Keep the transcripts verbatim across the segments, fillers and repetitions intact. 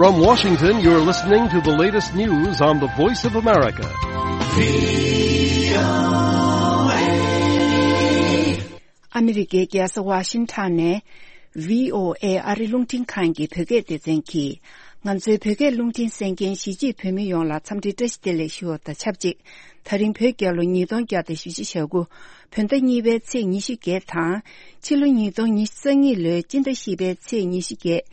From Washington, you're listening to the latest news on the Voice of America. ཨ་མི་རི་ཀའི་རྒྱལ་ས་ཝ་ཤིང་ཊོན་ནས་བྷི་ཨོ་ཨེ་ཨ་རི་རླུང་འཕྲིན་ཁང་གི་བོད་སྐད་སྡེ་ཚན་གྱིས། ང་ཚོའི་བོད་སྐད་རླུང་འཕྲིན་གསན་མཁན་གཞིས་བྱེས་བོད་མི་ཡོངས་ལ་འཚམས་འདྲི་བཀྲ་ཤིས་བདེ་ལེགས་ཞུ་བ་དང་ཆབས་ཅིག་ད་རིང་བོད་རྒྱལ་ལོ་ཉིས་སྟོང་བརྒྱ་དང་བཞི་བཅུ་ཞེ་དགུ། བོད་ཟླ་གཉིས་པའི་ཚེས་ཉི་ཤུ་བརྒྱད་དང་། ཕྱི་ལོ་ཉིས་སྟོང་ཉི་ཤུ་རྩ་གཉིས་ལོའི་སྤྱི་ཟླ་བཞི་པའི་ཚེས་ཉི་ཤུ་བརྒྱད།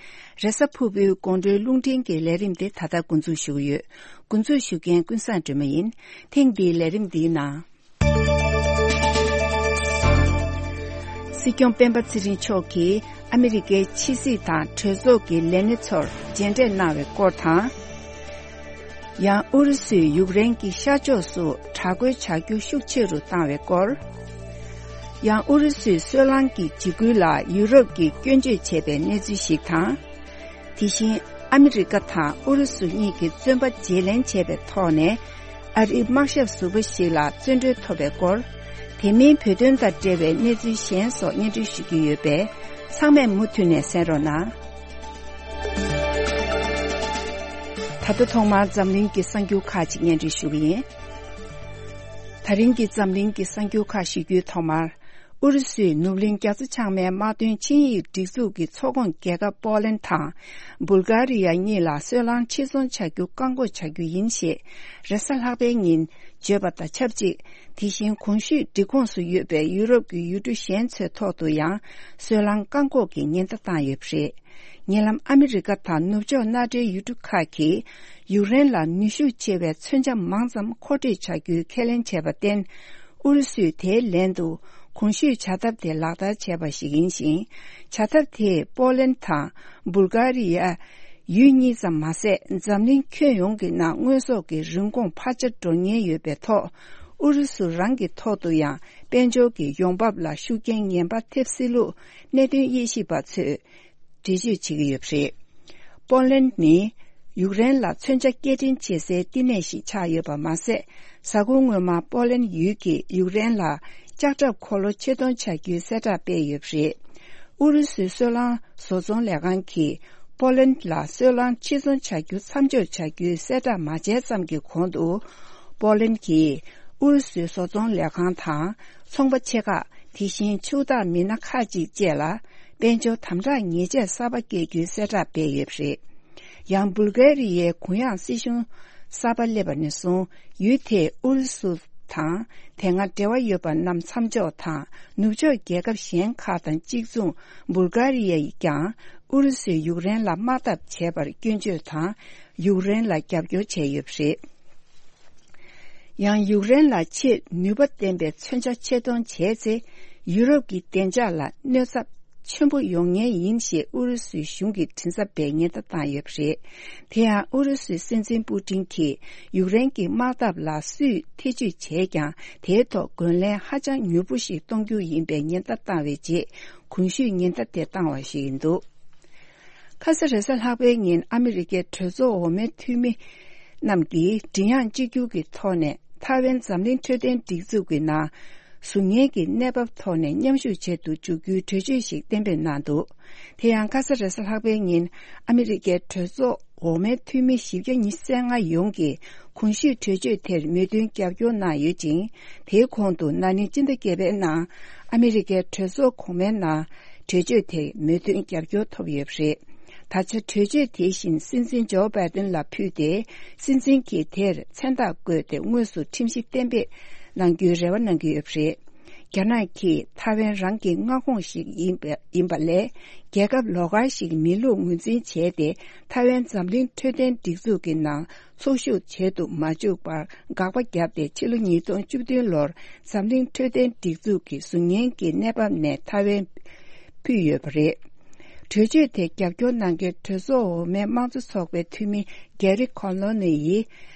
རེས་གཟའ་ཕུར་བུའི་དགོང་དྲོའི་རླུང་འཕྲིན་གྱི་ལས་རིམ་དེ་ད་ལྟ་འགོ་འཛུགས་ཞུ་གི་ཡོད། འགོ་འཛུགས་ཞུ་མཁན་ཀུན་བཟང་སྒྲོལ་མ་ཡིན། ཐེངས་འདིའི་ལས་རིམ་འདིའི་ནང་། སྲིད་སྐྱོང་སྤེན་པ་ཚེ་རིང་མཆོག་གིས་ཨ་མི་རི་ཀའི་ཕྱི་སྲིད་དང་གྲོས་ཚོགས་ཀྱི་ལས་སྣེ་ཚོར་མཇལ་འཕྲད་གནང་བའི་སྐོར་དང་། ཡང་ཨུ་རུ་སུས་ཡུཀ་རེན་གྱི་ཤར་ཕྱོགས་སུ་དྲག་རྒོལ་བྱ་རྒྱུ་ཤུགས་ཆེ་རུ་བཏང་བའི་སྐོར། ཡང་ཨུ་རུ་སུས་སོལ་རླངས་ཀྱི་འཇིགས་སྐུལ་ལ་ཡུ་རོབ་ཀྱིས་སྐྱོན་བརྗོད་བྱས་པའི་གནས་ཚུལ་ཞིག་དང་། དེ་བཞིན་ཨ་མི་རི་ཀ་དང་ཨུ་རུ་སུ་གཉིས་ཀྱིས་བཙོན་པ་བརྗེ་ལེན་བྱས་པའི་ཐོག་ནས། ཨ་རིའི་དམག་ཞབས་ཟུར་པ་ཞིག་ལ་བཙོན་གྲོལ་ཐོབ་པའི་སྐོར། དེ་མིན་བོད་དོན་དང་འབྲེལ་བའི་གནས་ཚུལ་གཞན་སོགས་སྙན་སྒྲོན་ཞུ་རྒྱུ་ཡོད་པས། ཚང་མས་མུ་མཐུད་ནས་གསན་རོགས་གནང་། ད་ལྟ་ཐོག་མར་འཛམ་གླིང་གི་གསར་འགྱུར་ཁག་ཅིག་སྙན་སྒྲོན་ཞུ་གི་ཡིན། ད་རིང་གི་འཛམ་གླིང་གི་གསར་འགྱུར་ཁག་ཞུ་རྒྱུའི་ཐོག་མར། ཨུ་རུ་སུས་ནུབ་གླིང་རྒྱ་མཚོ་བྱང་མའི་དམག་དོན་ཆིངས་ཡིག་སྒྲིག་འཛུགས་ཀྱི་ཚོགས་ཁོངས་རྒྱལ་ཁབ་པོ་ལན་དང་། སྦུལ་གྷ་རི་ཡ་གཉིས་ལ་སོལ་རླངས་ཕྱིར་ཚོང་བྱ་རྒྱུ་བཀག་འགོག་བྱ་རྒྱུ་ཡིན་ཞེས་རེས་གཟའ་ལྷག་པའི་ཉིན་བརྗོད་པ་དང་ཆབས་ཅིག་དེ་བཞིན་གོང་ཞུས་སྒྲིག་ཁོངས་སུ་ཡོད་པའི་ཡུ་རོབ་ཀྱི་ཡུལ་གྲུ་གཞན་ཚོའི་ཐོག་ཏུ་ཡང་སོལ་རླངས་བཀག་འགོག་གི་ཉེན་བརྡ་བཏང་ཡོད་པ་རེད། ཉེ་ལམ་ཨ་མི་རི་ཀ་དང་ནུབ་ཕྱོགས་མནའ་འབྲེལ་ཡུལ་གྲུ་ཁག་གིས་ཡུཀ་རེན་ལ་ནུས་ཤུགས་ཆེ་བའི་མཚོན་ཆ་མང་ཙམ་མཁོ་སྤྲོད་བྱ་རྒྱུའི་ཁས་ལེན་བྱས་པར་བརྟེན། ཨུ་རུ་སུས་དེའི་ལན་དུ་གོང་ཞུས་བྱ་ཐབས་དེ་ལག་བསྟར་བྱས་པ་ཞིག་ཡིན་ཞིང་། བྱ་ཐབས་དེས་པོ་ལན་དང་སྦུལ་གྷ་རི་ཡ། ཡུལ་གཉིས་ཙམ་མ་ཟད། འཛམ་གླིང་ཁྱོན་ཡོངས་ཀྱི་ནང་དངོས་ཟོག་གི་རིན་གོང་འཕར་ཆ་འགྲོ་ཉེན་ཡོད་པའི་ཐོག་ཨུ་རུ་སུ་རང་གི་ཐོག་ཏུ་ཡང་དཔལ་འབྱོར་གྱི་ཡོང་འབབ་ལ་ཤུགས་རྐྱེན་ངན་པ་ཐེབས་སྲིད་ལུགས་གནད་དོན་དབྱེ་ཞིབ་པ་ཚོས་འགྲེལ་བརྗོད་བྱེད་ཀྱི་ཡོད་པ་རེད། པོ་ལན་ནི་ཡུཀ་རེན་ལ་མཚོན་ཆ་སྐྱེལ་འདྲེན་བྱེད་སའི་བསྟི་གནས་ཤིག་ཆགས་ཡོད་པ་མ་ཟད། གཟའ་འཁོར་སྔོན་མ་པོ་ལན་ཡུལ་གྱིས་ཡུཀ་རེན་ལ་ལྕགས་ཁྲབ་འཁོར་ལོ་ཆེད་གཏོང་བྱ་རྒྱུའི་གསལ་བསྒྲགས་སྤེལ་ཡོད་པ་རེད། ཨུ་རུ་སུའི་སོལ་རླངས་བཟོ་ཚོང་ལས་ཁང་གིས་པོ་ལན་ལ་སོལ་རླངས་ཕྱིར་ཚོང་བྱ་རྒྱུ་མཚམས་འཇོག་བྱ་རྒྱུའི་གསལ་བསྒྲགས་མ་བྱས་ཙམ་གྱི་གོང་དུ། པོ་ལན་གྱིས་ཨུ་རུ་སུའི་བཟོ་ཚོང་ལས་ཁང་དང་ཚོང་པ་ཆེ་ཁག་དེ་བཞིན་ཕྱུག་བདག་མི་སྣ་ཁག་ཅིག་བཅས་ལ་དཔལ་འབྱོར་དམ་དྲག་ཉེས་ཆད་གསར་པ་བཀལ་རྒྱུའི་གསལ་བསྒྲགས་སྤེལ་ཡོད་པ་རེད། ཡང་སྦུལ་གྷ་རི་ཡའི་གུ་ཡངས་སྲིད་གཞུང་གསར་པ་སླེབས་པ་ནས་བཟུང་ཡུལ་དེས་ཨུ་རུ་སུ་དང་དེ་སྔ་འབྲེལ་བ་ཡོད་པ་རྣམས་མཚམས་འཇོག་དང་ནུབ་ཕྱོགས་རྒྱལ་ཁབ་གཞན་ཁག་དང་གཅིག་མཚུངས་སྦུལ་གྷ་རི་ཡས་ཀྱང་ཨུ་རུ་སུས་ཡུཀ་རེན་ལ་དམག་འཐབ་བྱས་པར་སྐྱོན་བརྗོད་དང་ཡུཀ་རེན་ལ་རྒྱབ་སྐྱོར་བྱས་ཡོད་པ་རེད། ཡང་ཡུཀ་རེན་ལ་ཆེས་ནུས་པ་ལྡན་པའི་མཚོན་ཆ་ཆེད་གཏོང་བྱས་ཚེ། ཡུ་རོབ་ཀྱི་བདེ་འཇགས་ལ་གནོད་འཚེ་ཆེན་པོ་ཡོང་ཉེན་ཡིན་ཞེས་ཨུ་རུ་སུའི་གཞུང་གི་མགྲིན་ཚབ་པས་ཉེན་བརྡ་བཏང་ཡོད་པ་རེད། དེ་ཡང་ཨུ་རུ་སུའི་སྲིད་འཛིན་པུ་ཏིན་གྱིས་ཡུཀ་རེན་གྱི་དམག་འཐབ་ལ་སུས་ཐེ་ཇུས་བྱས་ཀྱང་དེའི་ཐོག་རྒོལ་ལན་ཧ་ཅང་མྱུར་པོ་ཞིག་གཏོང་རྒྱུ་ཡིན་པའི་ཉེན་བརྡ་བཏང་བའི་རྗེས་གོང་ཞུས་ཉེན་བརྡ་དེ་བཏང་བ་ཞིག་ཡིན་འདུག་ཁ་ས་རེས་གཟའ་ལྷག་པའི་ཉིན་ཨ་མི་རི་ཀའི་གྲོས་ཚོགས་འོག་མའི་འཐུས་མི་རྣམས་ཀྱིས་མགྲིན་དབྱངས་གཅིག་གྱུར་གྱི་ཐོག་ནས་ཐའེ་ཝན་འཛམ་གླིང་འཕྲོད་བསྟེན་སྒྲིག་འཛུགས་ཀྱི་ནང་ཟུར་ཉན་གྱི་གནས་བབ་ཐོག་ནས་མཉམ་ཞུགས་བྱེད་དུ་འཇུག་རྒྱུའི་གྲོས་ཆོད་ཞིག་གཏན་འབེབས་གནང་འདུག་དེ་ཡང་ཁ་ས་རེས་གཟའ་ལྷག་པའི་ཉིན་ཨ་མི་རི་ཀའི་གྲོས་ཚོགས་འོག་མའི་འཐུས་མི་བཞི་བརྒྱ་ཉི་ཤུ་རྩ་ལྔ་ཡོངས་ཀྱིས་གོང་ཞུས་གྲོས་ཆོད་དེར་མོས་མཐུན་རྒྱབ་སྐྱོར་གནང་ཡོད་ཅིང་། དེའི་གོང་དུ་ན་ནིང་སྤྱི་ཟླ་བརྒྱད་པའི་ནང་ཨ་མི་རི་ཀའི་གྲོས་ཚོགས་གོང་མའི་ནང་གྲོས་ཆོད་དེ་མོས་མཐུན་རྒྱབ་སྐྱོར་ཐོབ་ཡོད་པ་རེད། ད་ཆ་གྲོས་ཆོད་དེ་བཞིན་སྲིད་འཛིན་ཇོ་བྷའི་ཏིན་ལ་ཕུལ་ཏེ། སྲིད་འཛིན་གྱིས་དེར་མཚན་རྟགས་བཀོད་དེ་དངོས་སུ་ཁྲིམས་གཞི་གཏན་འབེབས་གནང་རྒྱུའི་རེ་བ་གནང་གི་ཡོད་པ་རེད། རྒྱ་ནག་གིས་ཐའེ་ཝན་རང་གི་མངའ་ཁོངས་ཤིག་ཡིན་པ་ཡིན་པ་ལས། རྒྱལ་ཁབ་ལོགས་ཀ་ཞིག་མིན་ལུགས་ངོས་འཛིན་བྱས་ཏེ། ཐའེ་ཝན་འཛམ་གླིང་འཕྲོད་བསྟེན་སྒྲིག་འཛུགས་ཀྱི་ནང་ཚོགས་ཞུགས་བྱེད་དུ་མ་བཅུག་པར་དགག་པ་བརྒྱབ་སྟེ། ཕྱི་ལོ་ཉིས་སྟོང་བཅུ་བདུན་ལོར་འཛམ་གླིང་འཕྲོད་བསྟེན་སྒྲིག་འཛུགས་ཀྱི་ཟུར་ཉན་གྱི་གནས་བབ་ནས་ཐའེ་ཝན་ཕུད་ཡོད་པ་རེད། གྲོས་ཆོད་དེ་རྒྱབ་སྐྱོར་གནང་མཁན་གྲོས་ཚོགས་འོག་མའི་དམངས་གཙོ་ཚོགས་པའི་འཐུས་མི་གེ་རི་ཁོ་ལོ་ནི་ཡིས།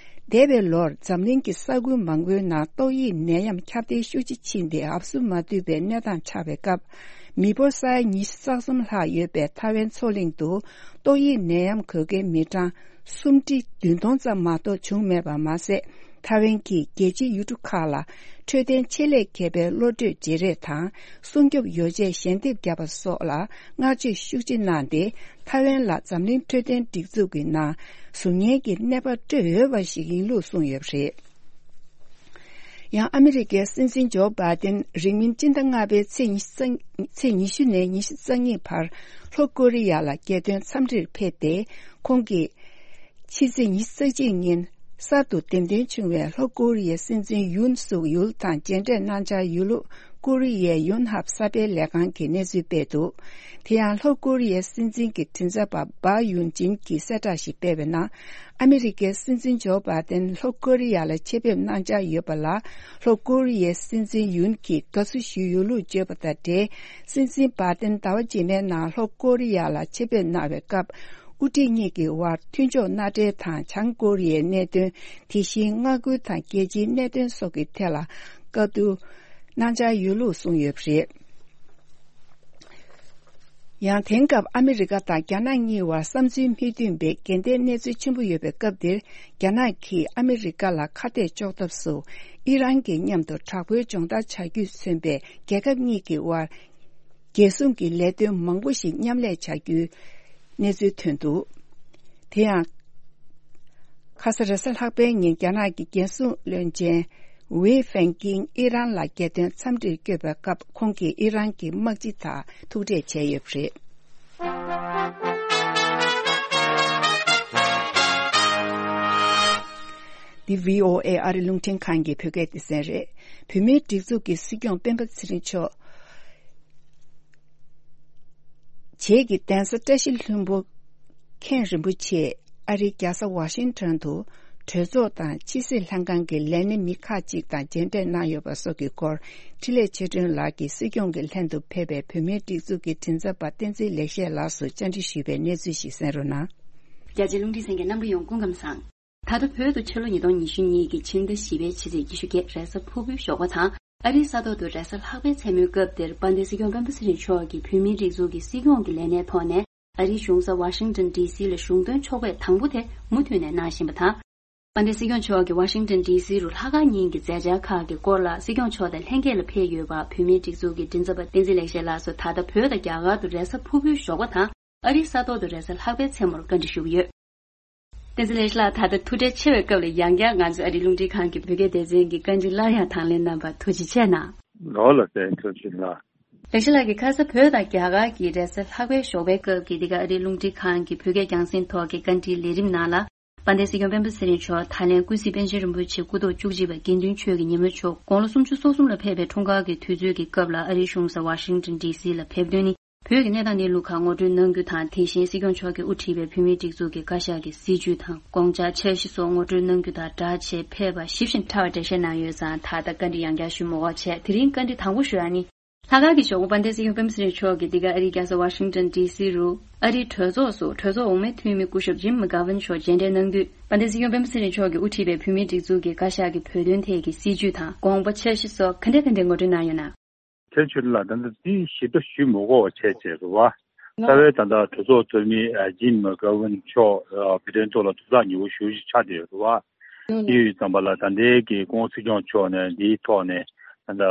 འདས་པའི་ལོར་འཛམ་གླིང་གི་ས་ཁུལ་མང་པོའི་ནང་ཏོག་དབྱིབས་ནད་ཡམས་ཁྱབ་གདལ་ཤུགས་ཆེ་ཕྱིན་ཏེ། ཨབ་སུ་མ་ཐུབ་པའི་གནས་སྟངས་ཆགས་པའི་སྐབས། མི་འབོར་ས་ཡ་ཉི་ཤུ་རྩ་གསུམ་ལྷག་ཡོད་པའི་ཐའེ་ཝན་མཚོ་གླིང་དུ་ཏོག་དབྱིབས་ནད་ཡམས་འགོས་མཁན་མི་གྲངས་སུམ་ཁྲི་བདུན་སྟོང་ཙམ་མ་གཏོགས་བྱུང་མེད་པ་མ་ཟད། ཐའེ་ཝན་གྱིས་རྒྱལ་སྤྱིའི་ཡུལ་གྲུ་ཁག་ལ་འཕྲོད་བསྟེན་ཆེད་ལས་མཁས་པའི་གློད་གྲོལ་བརྗེ་རེས་དང་སྲུང་སྐྱོབ་ཡོ་བྱད་ཞལ་འདེབས་བརྒྱབ་པ་སོགས་ལ་བསྔགས་བརྗོད་ཤུགས་ཆེ་གནང་སྟེ། ཐའེ་ཝན་ལ་འཛམ་གླིང་འཕྲོད་བསྟེན་སྒྲིག་འཛུགས་ཀྱི་ནང་ཟུར་ཉན་གྱི་གནས་བབ་སྤྲོད་འོས་པ་ཞིག་ཡིན་ལུགས་གསུངས་ཡོད་པ་རེད། ཡང་ཨ་མི་རི་ཀའི་སྲིད་འཛིན་ཇོ་བྷའི་ཏན་རིང་མིན་སྤྱི་ཟླ་ལྔ་པའི་ཚེས་ཉི་ཤུ་རྩ་ཚེས་ཉི་ཤུ་ནས་ཉི་ཤུ་རྩ་གཉིས་བར་ལྷོ་ཀོ་རི་ཡ་ལ་རྒྱལ་དོན་འཚམས་འདྲིར་ཕེབས་ཏེ། ཁོང་གིས་ཕྱི་ཚེས་ཉི་ཤུ་རྩ་གཅིག་ཉིན་གསར་དུ་འདེམས་ཐོན་བྱུང་བའི་ལྷོ་ཀོ་རི་ཡའི་སྲིད་འཛིན་ཡུན་སུག་ཡུལ་དང་མཇལ་འཕྲད་གནང་འཆར་ཡོད་ལུགས་ཀོ་རི་ཡའི་ཡོན་ཧབ་གསར་སྤེལ་ལས་ཁང་གིས་གནས་ཚུལ་སྤེལ་འདུག་དེ་ཡང་ལྷོ་ཀོ་རི་ཡའི་སྲིད་འཛིན་གྱི་མགྲིན་ཚབ་པ་སྦ་ཡུན་ཅིན་གྱིས་གསལ་བསྒྲགས་ཤིག་སྤེལ་བའི་ནང་། ཨ་མི་རི་ཀའི་སྲིད་འཛིན་ཇོ་བྷའི་ཏན་ལྷོ་ཀོ་རི་ཡ་ལ་ཆེད་ཕེབས་གནང་འཆར་ཡོད་པ་ལ། ལྷོ་ཀོ་རི་ཡའི་སྲིད་འཛིན་ཡུན་གྱིས་དགའ་བསུ་ཞུས་ཡོད་ལུགས་བརྗོད་པ་དང་འབྲེལ། སྲིད་འཛིན་བྷའི་ཏན་ཟླ་བ་རྗེས་མའི་ནང་ལྷོ་ཀོ་རི་ཡ་ལ་ཆེད་ཕེབས་གནང་བའི་སྐབས། དབུ་ཁྲིད་གཉིས་ཀྱི་དབར་མཐུན་ཕྱོགས་མནའ་འབྲེལ་དང་བྱང་ཀོ་རི་ཡའི་གནད་དོན། དེ་བཞིན་མངའ་ཁུལ་དང་རྒྱལ་སྤྱིའི་གནད་དོན་སོགས་ཀྱི་ཐད་ལ་བཀའ་བསྡུར་གནང་འཆར་ཡོད་ལུགས་གསུངས་ཡོད་པ་རེད། ཡང་དེང་སྐབས་ཨ་མི་རི་ཀ་དང་རྒྱ་ནག་གཉིས་བར་བསམ་ཚུལ་མི་མཐུན་པའི་འགལ་ཟླའི་གནས་ཚུལ་ཆེན་པོ་ཡོད་པའི་སྐབས་འདིར། རྒྱ་ནག་གིས་ཨ་མི་རི་ཀ་ལ་ཁ་གཏད་གཅོག་ཐབས་སུ་ཨི་རན་གྱི་མཉམ་དུ་དྲག་པོའི་སྦྱོང་བརྡར་བྱ་རྒྱུས་མཚོན་པའི་རྒྱལ་ཁབ་གཉིས་ཀྱི་དབར་རྒྱལ་སྲུང་གི་ལས་དོན་མང་པོ་ཞིག་མཉམ་ལས་བྱ་རྒྱུའི་གནས་ཚུལ་ཐོན་འདུག་དེ་ཡང་། ཁ་ས་རེས་གཟའ་ལྷག་པའི་ཉིན་རྒྱ་ནག་གི་རྒྱལ་སྲུང་བློན་ཆེན་ཝེ་ཧྥེང་ཀིང་ཨི་རན་ལ་རྒྱལ་དོན་འཚམས་འདྲིར་བསྐྱོད་པའི་སྐབས། ཁོང་གིས་ཨི་རན་གྱི་དམག་སྤྱི་དང་ཐུག་འཕྲད་བྱས་ཡོད་པ་རེད། འདི་བྷི་ཨོ་ཨེ་ཨ་རི་རླུང་འཕྲིན་ཁང་གི་བོད་སྐད་སྡེ་ཚན་རེད། བོད་མིའི་སྒྲིག་འཛུགས་ཀྱི་སྲིད་སྐྱོང་སྤེན་པ་ཚེ་རིང་མཆོག་རྗེས་ཀྱི་གདན་ས་བཀྲ་ཤིས་ལྷུན་པོ་མཁན་རིན་པོ་ཆེས་ཨ་རིའི་རྒྱལ་ས་ཝ་ཤིང་ཊོན་དུ་གྲོས་ཚོགས་དང་ཕྱི་སྲིད་ལྷན་ཁང་གི་ལས་སྣེ་མི་ཁག་ཅིག་དང་མཇལ་འཕྲད་གནང་ཡོད་པ་སོགས་ཀྱི་སྐོར། འཕྲིན་ལས་ཆོས་སྒྲོན་ལགས་ཀྱིས་སྲིད་སྐྱོང་གི་ལྷན་དུ་ཕེབས་པའི་བོད་མིའི་སྒྲིག་འཛུགས་ཀྱི་མགྲིན་ཚབ་པ་བསྟན་འཛིན་ལེགས་བཤད་ལགས་སུ་བཅར་འདྲི་ཞུས་པའི་གནས་ཚུལ་ཞིག་གསན་རོགས་གནང་། རྒྱ་ཆེའི་རླུང་འཕྲིན་གསན་མཁན་རྣམ་པ་ཡོངས་སྐུ་ཁམས་བཟང་། ད་ལྟ་བོད་དུ་ཕྱི་ལོ་ཉིས་སྟོང་ཉི་ཤུ་གཉིས་ཀྱི་ཕྱི་ཟླ་བཞི་པའི་ཕྱི་ཚེས་ཉི་ཤུ་བརྒྱད་རེས་གཟའ་ཕུར་བུའི་ཞོགས་པ་དང་། ཨ་རིའི་ས་ཐོག་ཏུ་རེས་གཟའ་ལྷག་པའི་མཚན་མོའི་སྐབས་འདིར་དཔལ་ལྡན་སྲིད་སྐྱོང་སྤེན་པ་ཚེ་རིང་མཆོག་གིས་བོད་མིའི་སྒྲིག་འཛུགས་ཀྱི་སྲིད་སྐྱོང་གི་ལས་གནས་ཐོག་ནས་ཨ་རིའི་གཞུང་ས་ཝ་ཤིང་ཊོན་ཌི་སི་ལ་གཞུང་དོན་ཕྱོགས་ཕེབས་དང་པོ་དེ་མུ་མཐུད་ནས་གནང་བཞིན་པ་དང་། དཔལ་ལྡན་སྲིད་སྐྱོང་མཆོག་གིས་ཝ་ཤིང་ཊོན་ཌི་སི་རུ་ལྷག་དཀར་ཉིན་གྱི་མཛད་འཆར་ཁག་གི་སྐོར་ལ་སྲིད་སྐྱོང་མཆོག་དང་ལྷན་རྒྱས་ལ་ཕེབས་ཡོད་པ་བོད་མིའི་སྒྲིག་འཛུགས་ཀྱི་མགྲིན་ཚབ་པ་བསྟན་འཛིན་ལེགས་བཤད་ལགས་སུ་ད་ལྟ་བོད་དང་རྒྱ་གར་དུ་རེས་གཟའ་ཕུར་བུའི་ཞོགས་པ་དང་། ཨ་རིའི་ས་ཐོག་ཏུ་རེས་གཟའ་ལྷག་པའི་མཚན་མོར་བཀའ་འདྲི་ཞུ་གི་ཡོད། བསྟན་འཛིན་ལེགས་བཤད་ལགས། ད་ལྟ་ཐུགས་ཁྲལ་ཆེ་བའི་སྐབས་ལ་ཡང་བསྐྱར་ང་ཚོའི་ཨ་རིའི་རླུང་འཕྲིན་ཁང་གི་བོད་སྐད་སྡེ་ཚན་གྱི་བཀའ་འདྲི་སླར་ཡང་དང་ལེན་གནང་བར་ཐུགས་རྗེ་ཆེ་གནང་། ལོ་ལ་བརྟེན་ཐུགས་རྗེ་ཆེ་གནང་། ལེགས་བཤད་ལགས་ཀྱིས་ཁ་ས་བོད་དང་རྒྱ་གར་གྱི་རེས་གཟའ་ལྷག་པའི་ཞོགས་པའི་སྐབས་ཀྱི་འདི་ག་ཨ་རིའི་རླུང་འཕྲིན་ཁང་གི་བོད་སྐད་རྒྱང་སྲིང་ཐོག་གི་བཀའ་འདྲིའི་ལས་རིམ་ནང་ལ། དཔལ་ལྡན་སྲིད་སྐྱོང་སྤེན་པ་ཚེ་རིང་མཆོག་ད་ལན་ཀུན་གཟིགས་པཎ་ཆེན་རིན་པོ་ཆེ་སྐུ་ཐོག་བཅུ་གཅིག་པ་དགེ་འདུན་ཆོས་ཀྱི་ཉི་མ་མཆོག་དགུང་ལོ་སུམ་ཅུ་སོ་གསུམ་ལ་ཕེབས་པའི་འཁྲུངས་སྐར་གྱི་དུས་ཚོད་ཀྱི་སྐབས་ལ་ཨ་རིའི་གཞུང་ས་ཝ་ཤིང་ཊོན་ཌི་སི་ལ་ཕེབས་དོན་ནི། བོད་ཀྱི་གནས་སྟངས་གནས་ལུགས་ཁག་ངོ་སྤྲོད་གནང་རྒྱུ་དང་། དེ་བཞིན་སྲིད་སྐྱོང་མཆོག་གིས་དབུ་ཁྲིད་པའི་བོད་མིའི་སྒྲིག་འཛུགས་ཀྱི་བཀའ་ཤག་གི་སྲིད་བྱུས་དང་དགོངས་འཆར་འཆར་གཞི་སོགས་ངོ་སྤྲོད་གནང་རྒྱུ་དང་སྦྲགས་བྱས་ཕེབས་པ་ཞིབ་ཅིང་ཕྲ་བ་འགྲེལ་བཤད་གནང་ཡོད་ཙང་། ད་ལྟ་བཀའ་འདྲི་ཡང་བསྐྱར་ཞུ་མི་དགོས་བྱས། དེ་རིང་བཀའ་འདྲི་དང་པོ་ཞུ་ཡ་ནི། ལྷག་དཀར་གྱི་ཞོགས་པ་དཔལ་ལྡན་སྲིད་སྐྱོང་སྤེན་པ་ཚེ་རིང་མཆོག་གིས་འདི་ག་ཨ་རིའི་རྒྱལ་ས་ཝ་ཤིང་ཊོན་ཌི་སི་རུ་ཨ་རིའི་གྲོས་ཚོགས་སུ་གྲོས་ཚོགས་འོག་མའི་འཐུས་མི་སྐུ་ཞབས་ཇིམ་མེག་གྷ་ཝན་མཆོག་མཇལ་འཕྲད་གནང་དུས། དཔལ་ལྡན་སྲིད་སྐྱོང་སྤེན་པ་ཚེ་རིང་མཆོག་གིས་དབུ་ཁྲིད་པའི་བོད་མིའི་སྒྲིག་འཛུགས་ཀྱི་བཀའ་ཤག་གི་བོད་དོན་ཐད་ཀྱི་སྲིད་བྱུས་དང་དགོངས་པ་འཆར་གཞི་སོགས་ག་འདྲ་ག་འདྲ་ངོ་སྤྲོད་གནང་ཡོད་ན། ཁྱེད་ཚོས་ལ་ད་ལྟ་འདི་ཞིབ་ཕྲ་ཞུ་མི་དགོས་པ་བྱས་བྱས་རེད་བ། རྩ་བའི་ད་ལྟ་གྲོས་ཚོགས་གཙོ་མི་ཇིམ་མེག་གྷ་ཝན་མཆོག་བོད་དོན་ཐོག་ལ་ཐུགས་ཐག་ཉེ་པོ་ཞེ་པོ་ཅིག་ཆགས་བསྡད་ཡོད་རེད་བ། དེ་ཡོད་ཙམ་པ་ལ་ད་ལྟའི་གི་སྐུ་ངོ་སྲིད་སྐྱོང་མཆོག་ནས་འདིའི་ཐོག་ནས་ད་ལྟ་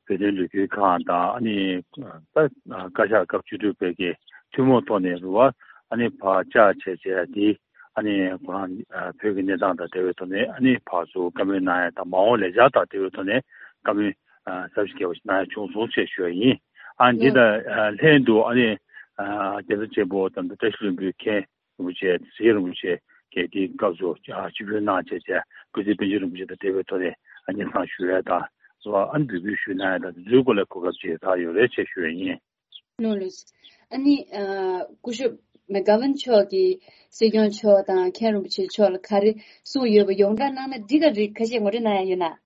བོད་དོན་ལས་འགུལ་ཁང་དང་། ཨ་ནི་ད་བཀའ་ཤག་སྐབས་བཅུ་དྲུག་པའི་གི་ཐུན་མོང་ཐོག་ནས་རེད་བ། ཨ་ནི་ཕར་བཅར་བྱས་བྱས་འདི་ཨ་ནི་ཁོ་རང་བོད་ཀྱི་གནས་སྟངས་དང་འབྲེལ་བའི་ཐོག་ནས་ཨ་ནི་ཕར་ཚུར་བཀའ་མོལ་གནང་ཡ་དང་། མ་འོངས་ལས་འཆར་དང་འབྲེལ་བའི་ཐོག་ནས་བཀའ་མོལ་ཨ་ཟབ་ཞིང་རྒྱས་པ་ཞིག་གནང་ཡ་བྱུང་སོང་ཞེས་ཞུ་ཡ་ཡིན། ཨ་འདི་དང་ཨ་ལྷན་དུ་ཨ་ནི་ཨ་རྒྱལ་ས་ཆེན་པོ་དང་བཀྲ་ཤིས་ལྷུན་པོའི་མཁན་རིན་པོ་ཆེ། ཚེ་རིང་རིན་པོ་ཆེ་གིས་དེའི་སྐབས་སུ་ཨ་ཆིབས་བསྒྱུར་གནང་བྱས་བྱས། སྐུ་ཚེ་པཎ་ཆེན་རིན་པོ་ཆེ་དང་འབྲེལ་བའི་ཐོག་ནས་ཨ་སྙན་སེང་ཞུ་ཡ་དང་། སོ་ཨ་ནི་འབོད་སྐུལ་ཞུ་གནང་ཡ་དང་། དེ་ཚོའི་སྐོར་ལ་གོ་སྐབས་ཅིག་རག་ཡོད་རེད་ཅེས་ཞུ་ཡ་ཡིན། ནོ་ལོས། ཨ་ནི་ཨ་སྐུ་ཞབས་མེག་གྷ་ཝན་མཆོག་གིས་སྲིད་སྐྱོང་མཆོག་དང་མཁན་རིན་པོ་ཆེ་མཆོག་ལ་ག་རེ་གསུངས་ཡོད་པ་ཡོངས་གྲགས་གནང་ན་འགྲིག་ག་རེད། ཁ་ཤས་ངོ་སྤྲོད་གནང་ཡ་ཡོད་ན།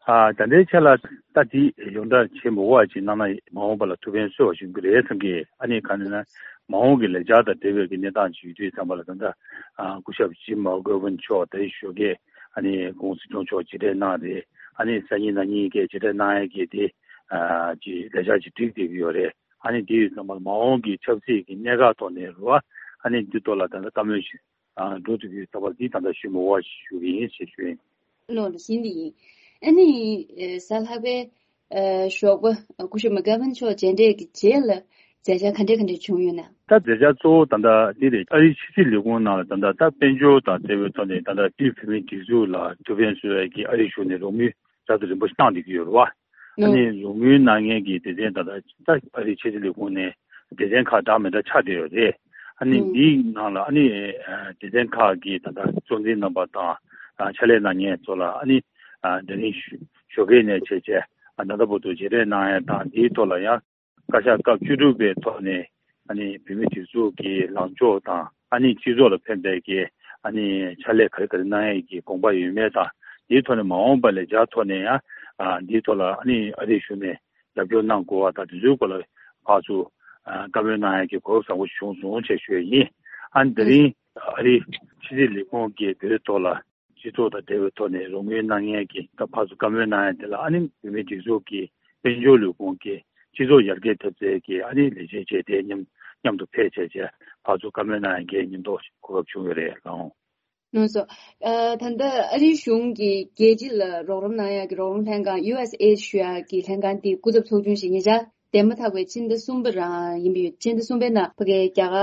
ཨ་ད་ལྟའི་ཆ་ལ་ད་དེ་ཡོངས་གྲགས་བྱེད་མི་དགོས་པ་ཅིག་གནང་ན་མ་འོངས་པ་ལ་ཐུགས་ཕན་གསོས་པ་ཞིག་ཡོང་གི་རེད་བསམ་གི། ཨ་ནི་གང་ཡིན་ན་མ་འོངས་ཀྱི་ལས་འཆར་དང་འབྲེལ་བའི་གི་གནས་སྟངས་ཅིག་ཡོད་དུས་ཙམ་པ་ལ། ད་ལྟ་ཨ་སྐུ་ཞབས་ཇིམ་མེག་གྷ་ཝན་མཆོག་ད་ཞོགས་ཀས་ཨ་ནི་སྐུ་ངོ་སྲིད་སྐྱོང་མཆོག་མཇལ་འཕྲད་གནང་རེད། ཨ་ནི་སང་ཉིན་གནངས་ཉིན་གྱི་མཇལ་འཕྲད་གནང་ཡ་གི་དེ་ཨ་ཅིག་ལས་འཆར་ཅིག་བསྒྲིགས་བསྡད་ཀྱི་ཡོད་རེད། ཨ་ནི་དེ་ཡོད་ཙམ་པ་ལ་མ་འོངས་ཀྱི་ཆབ་སྲིད་ཀྱི་གནད་འགག་ཐོག་ནས་རེད་བ། ཨ་ནི་འདི་ཐོག་ལ་ད་ལྟ་བཀའ་མོལ་ཞིག་ཨ་འགྲོ་ཐུབ་ཀྱི་ཡོད་ཙམ་པ་འདི་ད་ལྟ་ཞུ་མི་དགོས་པ་ཞིག་ཞུ་གི་ཡིན་ཞེས་ཞུ་ཡིན། ལོ་ལ་ཟིན་དེ་ཡིན། ཨ་ནི་ཨེ་གཟའ་ལྷག་པའི་ཨེ་ཞོགས་པ་སྐུ་ཞབས་མེག་གྷ་ཝན་མཆོག་མཇལ་འཕྲད་ཀྱི་རྗེས་ལ་ མཛད་འཆར་ག་འདྲ་ག་འདྲ་བྱུང་ཡོད་ན། ད་མཛད་འཆར་གཙོ་བོ་ད་ལྟ་འདི་རེད། ཨ་རིའི་ཕྱི་སྲིད་ལས་ཁུངས་ནང་ལ་ད་ལྟ་ད་དཔལ་འབྱོར་དང་འབྲེལ་བའི་ཐོག་ནས་ད་ལྟ་དེའི་བོད་མིའི་སྒྲིག་འཛུགས་ལ་ཐུགས་ཕན་གསོས་ཡས་ཀྱི་ཨ་རིའི་གཞུང་ནས་རོགས་དངུལ་རབ་དང་རིམ་པ་ཞིག་བཏང་བསྡད་ཀྱི་ཡོད་རེད་བ། ཨ་ནི་རོགས་དངུལ་གནང་མཁན་གྱི་སྡེ་ཚན་ད་ལྟ་ད་ཨ་རིའི་ཕྱི་སྲིད་ལས་ཁུངས་ནས་སྡེ་ཚན་ཁག་འདྲ་མི་འདྲ་ཆགས་བསྡད་ཡོད་རེད། ཨ་ནི་འདིའི་ནང་ལ་ཨ་ནི་སྡེ་ཚན་ཁག་གི་ད་ལྟ་གཙོ་འཛིན་རྣམ་པ་དང་ཕྱག་ལས་གནང་མཁན་ཚོ་ལ་ཨ་ནི་དེ་རིང་ཞོགས་ཀས་ནས་བྱས་བྱས་ད་ལྟ་བར་དུ་མཇལ་འཕྲད་གནང་ཡས་དང་། དེའི་ཐོག་ལ་ཡང་བཀའ་ཤག་སྐབས་བཅུ་དྲུག་པའི་ཐོག་ནས་ཨ་ནི་བོད་མིའི་སྒྲིག་འཛུགས་ཀྱི་ལངས་ཕྱོགས་དང་། ཨ་ནི་སྤྱི་ཚོགས་ལ་ཕན་པའི་གི་ཨ་ནི་ཕྱག་ལས་ག་རེ་ག་རེ་གནང་ཡས་ཀྱི་དགོངས་པ་ཡོད་མེད་དང་། དེའི་ཐོག་ནས་མ་འོངས་པ་ལ་ལས་འཆར་ཐོག་ནས་ཡང་ཨ་དེའི་ཐོག་ལ་ཨ་ནི་ཨ་རིའི་གཞུང་ནས་རྒྱབ་སྐྱོར་གནང་དགོས་པ་དང་། དེ་ཚོའི་སྐོར་ལ་ཕར་ཚུར་ཨ་བཀའ་མོལ་གནང་ཡས་ཀྱི་གོ་སྐབས་བཟང་པོ་བྱུང་སོང་ཞེས་ཞུ་ཡས་ཡིན། ཨ་ནི་དེ་རིང་ཨ་རིའི་ཕྱི་སྲིད་ལས་ཁུངས་ཀྱིས་བོད་ཐོག་ལ་སྤྱི་ཚོགས་དང་འབྲེལ་བའི་ཐོག་ནས་རོགས་དངུལ་གནང་མཁན་གྱི་ད་ཕར་ཚུར་བཀའ་མོལ་གནང་ཡ་དེ་ལ་ཨ་ནི་བོད་མིའི་སྒྲིག་འཛུགས་ཀྱི་དཔལ་འབྱོར་ལས་ཁུངས་ཀྱིས་སྤྱི་ཚོགས་ཡར་རྒྱས་ཐེབས་རྩའི་གི་ཨ་ནི་ལས་བྱེད་བྱས་ཏེ་མཉམ་མཉམ་དུ་ཕེབས་བྱས་བྱས་ཕར་ཚུར་བཀའ་མོལ་གནང་ཡ་གི་མཉམ་དུ་གོ་སྐབས་བྱུང་ཡོད་རེད་ལགས། ལགས་སོ། ཨ་ད་ལྟ་ཨ་རིའི་གཞུང་གིས་རྒྱལ་སྤྱི་ལ་རོགས་རམ་གནང་ཡ་གི་རོགས་རམ་ལྷན་ཁང་ཡུ་ཨེས་ཨེ་ཌི་ཞུ་ཡ་གི་ལྷན་ཁང་དེ་སྐུ་ཚབ་ཚོགས་ཆུང་ཞིག་ཉེ་ཆར་འདས་མ་ཐག་པའི་ཕྱི་ཟླ་གསུམ་པ་རང་ཡིན་པ་ཡོད། ཕྱི་ཟླ་གསུམ་པའི་ནང་ཕ་གིའི་རྒྱ་གར་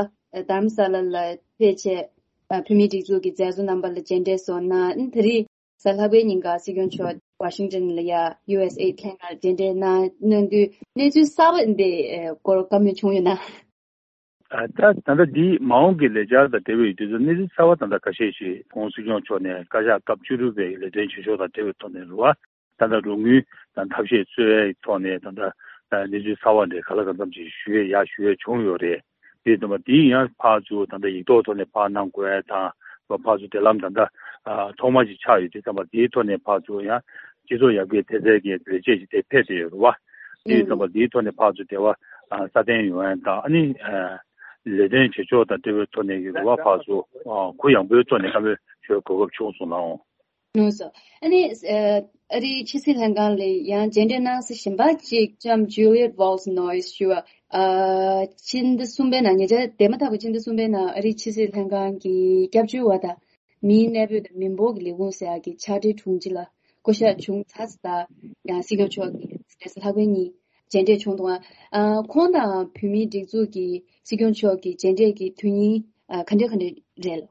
དྷ་རམ་ས་ལ་ལ་ཕེབས་བྱས། ཨ་བོད་མིའི་སྒྲིག་འཛུགས་ཀྱི་མཛད་གཙོ་རྣམ་པ་ལ་མཇལ་འཕྲད་སོགས་གནང་། ཨ་ནི་ད་རེས་གཟའ་ལྷག་པའི་ཉིན་ཀ་སྲིད་སྐྱོང་མཆོག་ཝ་ཤིང་ཊོན་ལ་ཡ་ཡུ་ཨེས་ཨེ་ཌི་ལྷན་ཁང་ལ་མཇལ་འཕྲད་གནང་གནང་དུས་གནས་ཚུལ་གསར་པ་འདི་ཨ་སྐོར་བཀའ་མོལ་བྱུང་ཡོད་ན། ཨ་ད་ད་ལྟ་འདི་མ་འོངས་ཀྱི་ལས་འཆར་དང་འབྲེལ་བའི་དུས་ཚོད་གནས་ཚུལ་གསར་པ་ད་ལྟ་ཁ་ཤས་ཤིག་༸གོང་ས་སྲིད་སྐྱོང་མཆོག་ནས་བཀའ་ཤག་སྐབས་བཅུ་དྲུག་པའི་ལས་དོན་བྱེད་ཕྱོགས་དང་འབྲེལ་བའི་ཐོག་ནས་རེད་བ། ད་ལྟ་རོགས་དངུལ་དང་ཐབས་ཤེས་འཚོལ་བའི་ཐོག་ནས་ད་ལྟ་གནས་ཚུལ་གསར་པ་འདི་ག་ལ་གང་འཚམ་ཅིག་ཞུ་ཡས་ཡ་ཞུ་ཡས་བྱུང་ཡོད་རེད། དེ་ཙམ་པ་དེ་ཡང་ཕར་ཚུར་ད་ལྟ་ཡིག་ཐོག་ཐོག་ནས་ཕར་གནང་དགོས་ཡ་དང་། ཕར་ཚུར་དེ་ལམ་ད་ལྟ་ཐོག་མ་ཅིག་ཆགས་ཡོད། དེ་ཙམ་པ་དེའི་ཐོག་ནས་ཕར་ཚུར་ཡང་སྤྱི་ཚོགས་ཡར་རྒྱས་ཐེབས་རྩའི་གི་ལས་བྱེད་ཅིག་དེ་ཕེབས་བསྡད་ཡོད་རེད་བ། དེ་ཙམ་པ་དེའི་ཐོག་ནས་ཕར་ཚུར་འབྲེལ་བ་སྲ་བརྟན་ཡོང་ཡ་དང་། ཨ་ནི་ལས་དོན་བྱེད་ཕྱོགས་དང་འབྲེལ་བའི་ཐོག་ནས་ཡོད་རེད་བ། ཕར་ཚུར་གུ་ཡངས་པོའི་ཐོག་ནས་བཀའ་མོལ་ཞུ་གོ་སྐབས་བྱུང་སོང་ལགས། ལགས་སོ། ཨ་ནི་ཨ་རིའི་ཕྱི་སྲིད་ལྷན་ཁང་ལ་ཡང་མཇལ་འཕྲད་གནང་ས་གཞན་པ་གཅིག་ལྕམ་ཇུ་ལི་ཡེད་ཝོལ་སི་ནོ་ཡིས་ཞུ་བ། ཨ་ཕྱི་ཟླ་གསུམ་པའི་ནང་ཉེ་ཆར་འདས་མ་ཐག་པའི་ཕྱི་ཟླ་གསུམ་པའི་ནང་ཨ་རིའི་ཕྱི་སྲིད་ལྷན་ཁང་གི་སྐྱབས་བཅོལ་བ་དང་མིའི་གནས་སྤོས་དང་མི་འབོར་གྱི་ལས་ཁུངས་ཟེར་ཡག་གི་ཕྱག་སྦྲེལ་དྲུང་ཆེ་ལ་བསྐོ་གཞག་བྱུང་ཚར་ཙང་། ཡང་སྲིད་སྐྱོང་མཆོག་གིས་རེས་གཟའ་ལྷག་པའི་ཉིན་མཇལ་འཕྲད་བྱུང་འདུག་ཨ་ཁོང་དང་བོད་མིའི་སྒྲིག་འཛུགས་ཀྱི་སྲིད་སྐྱོང་མཆོག་གི་མཇལ་འཕྲད་ཀྱི་དུས་ཡུན་ཨ་ག་འདྲ་ག་འདྲ་རེད།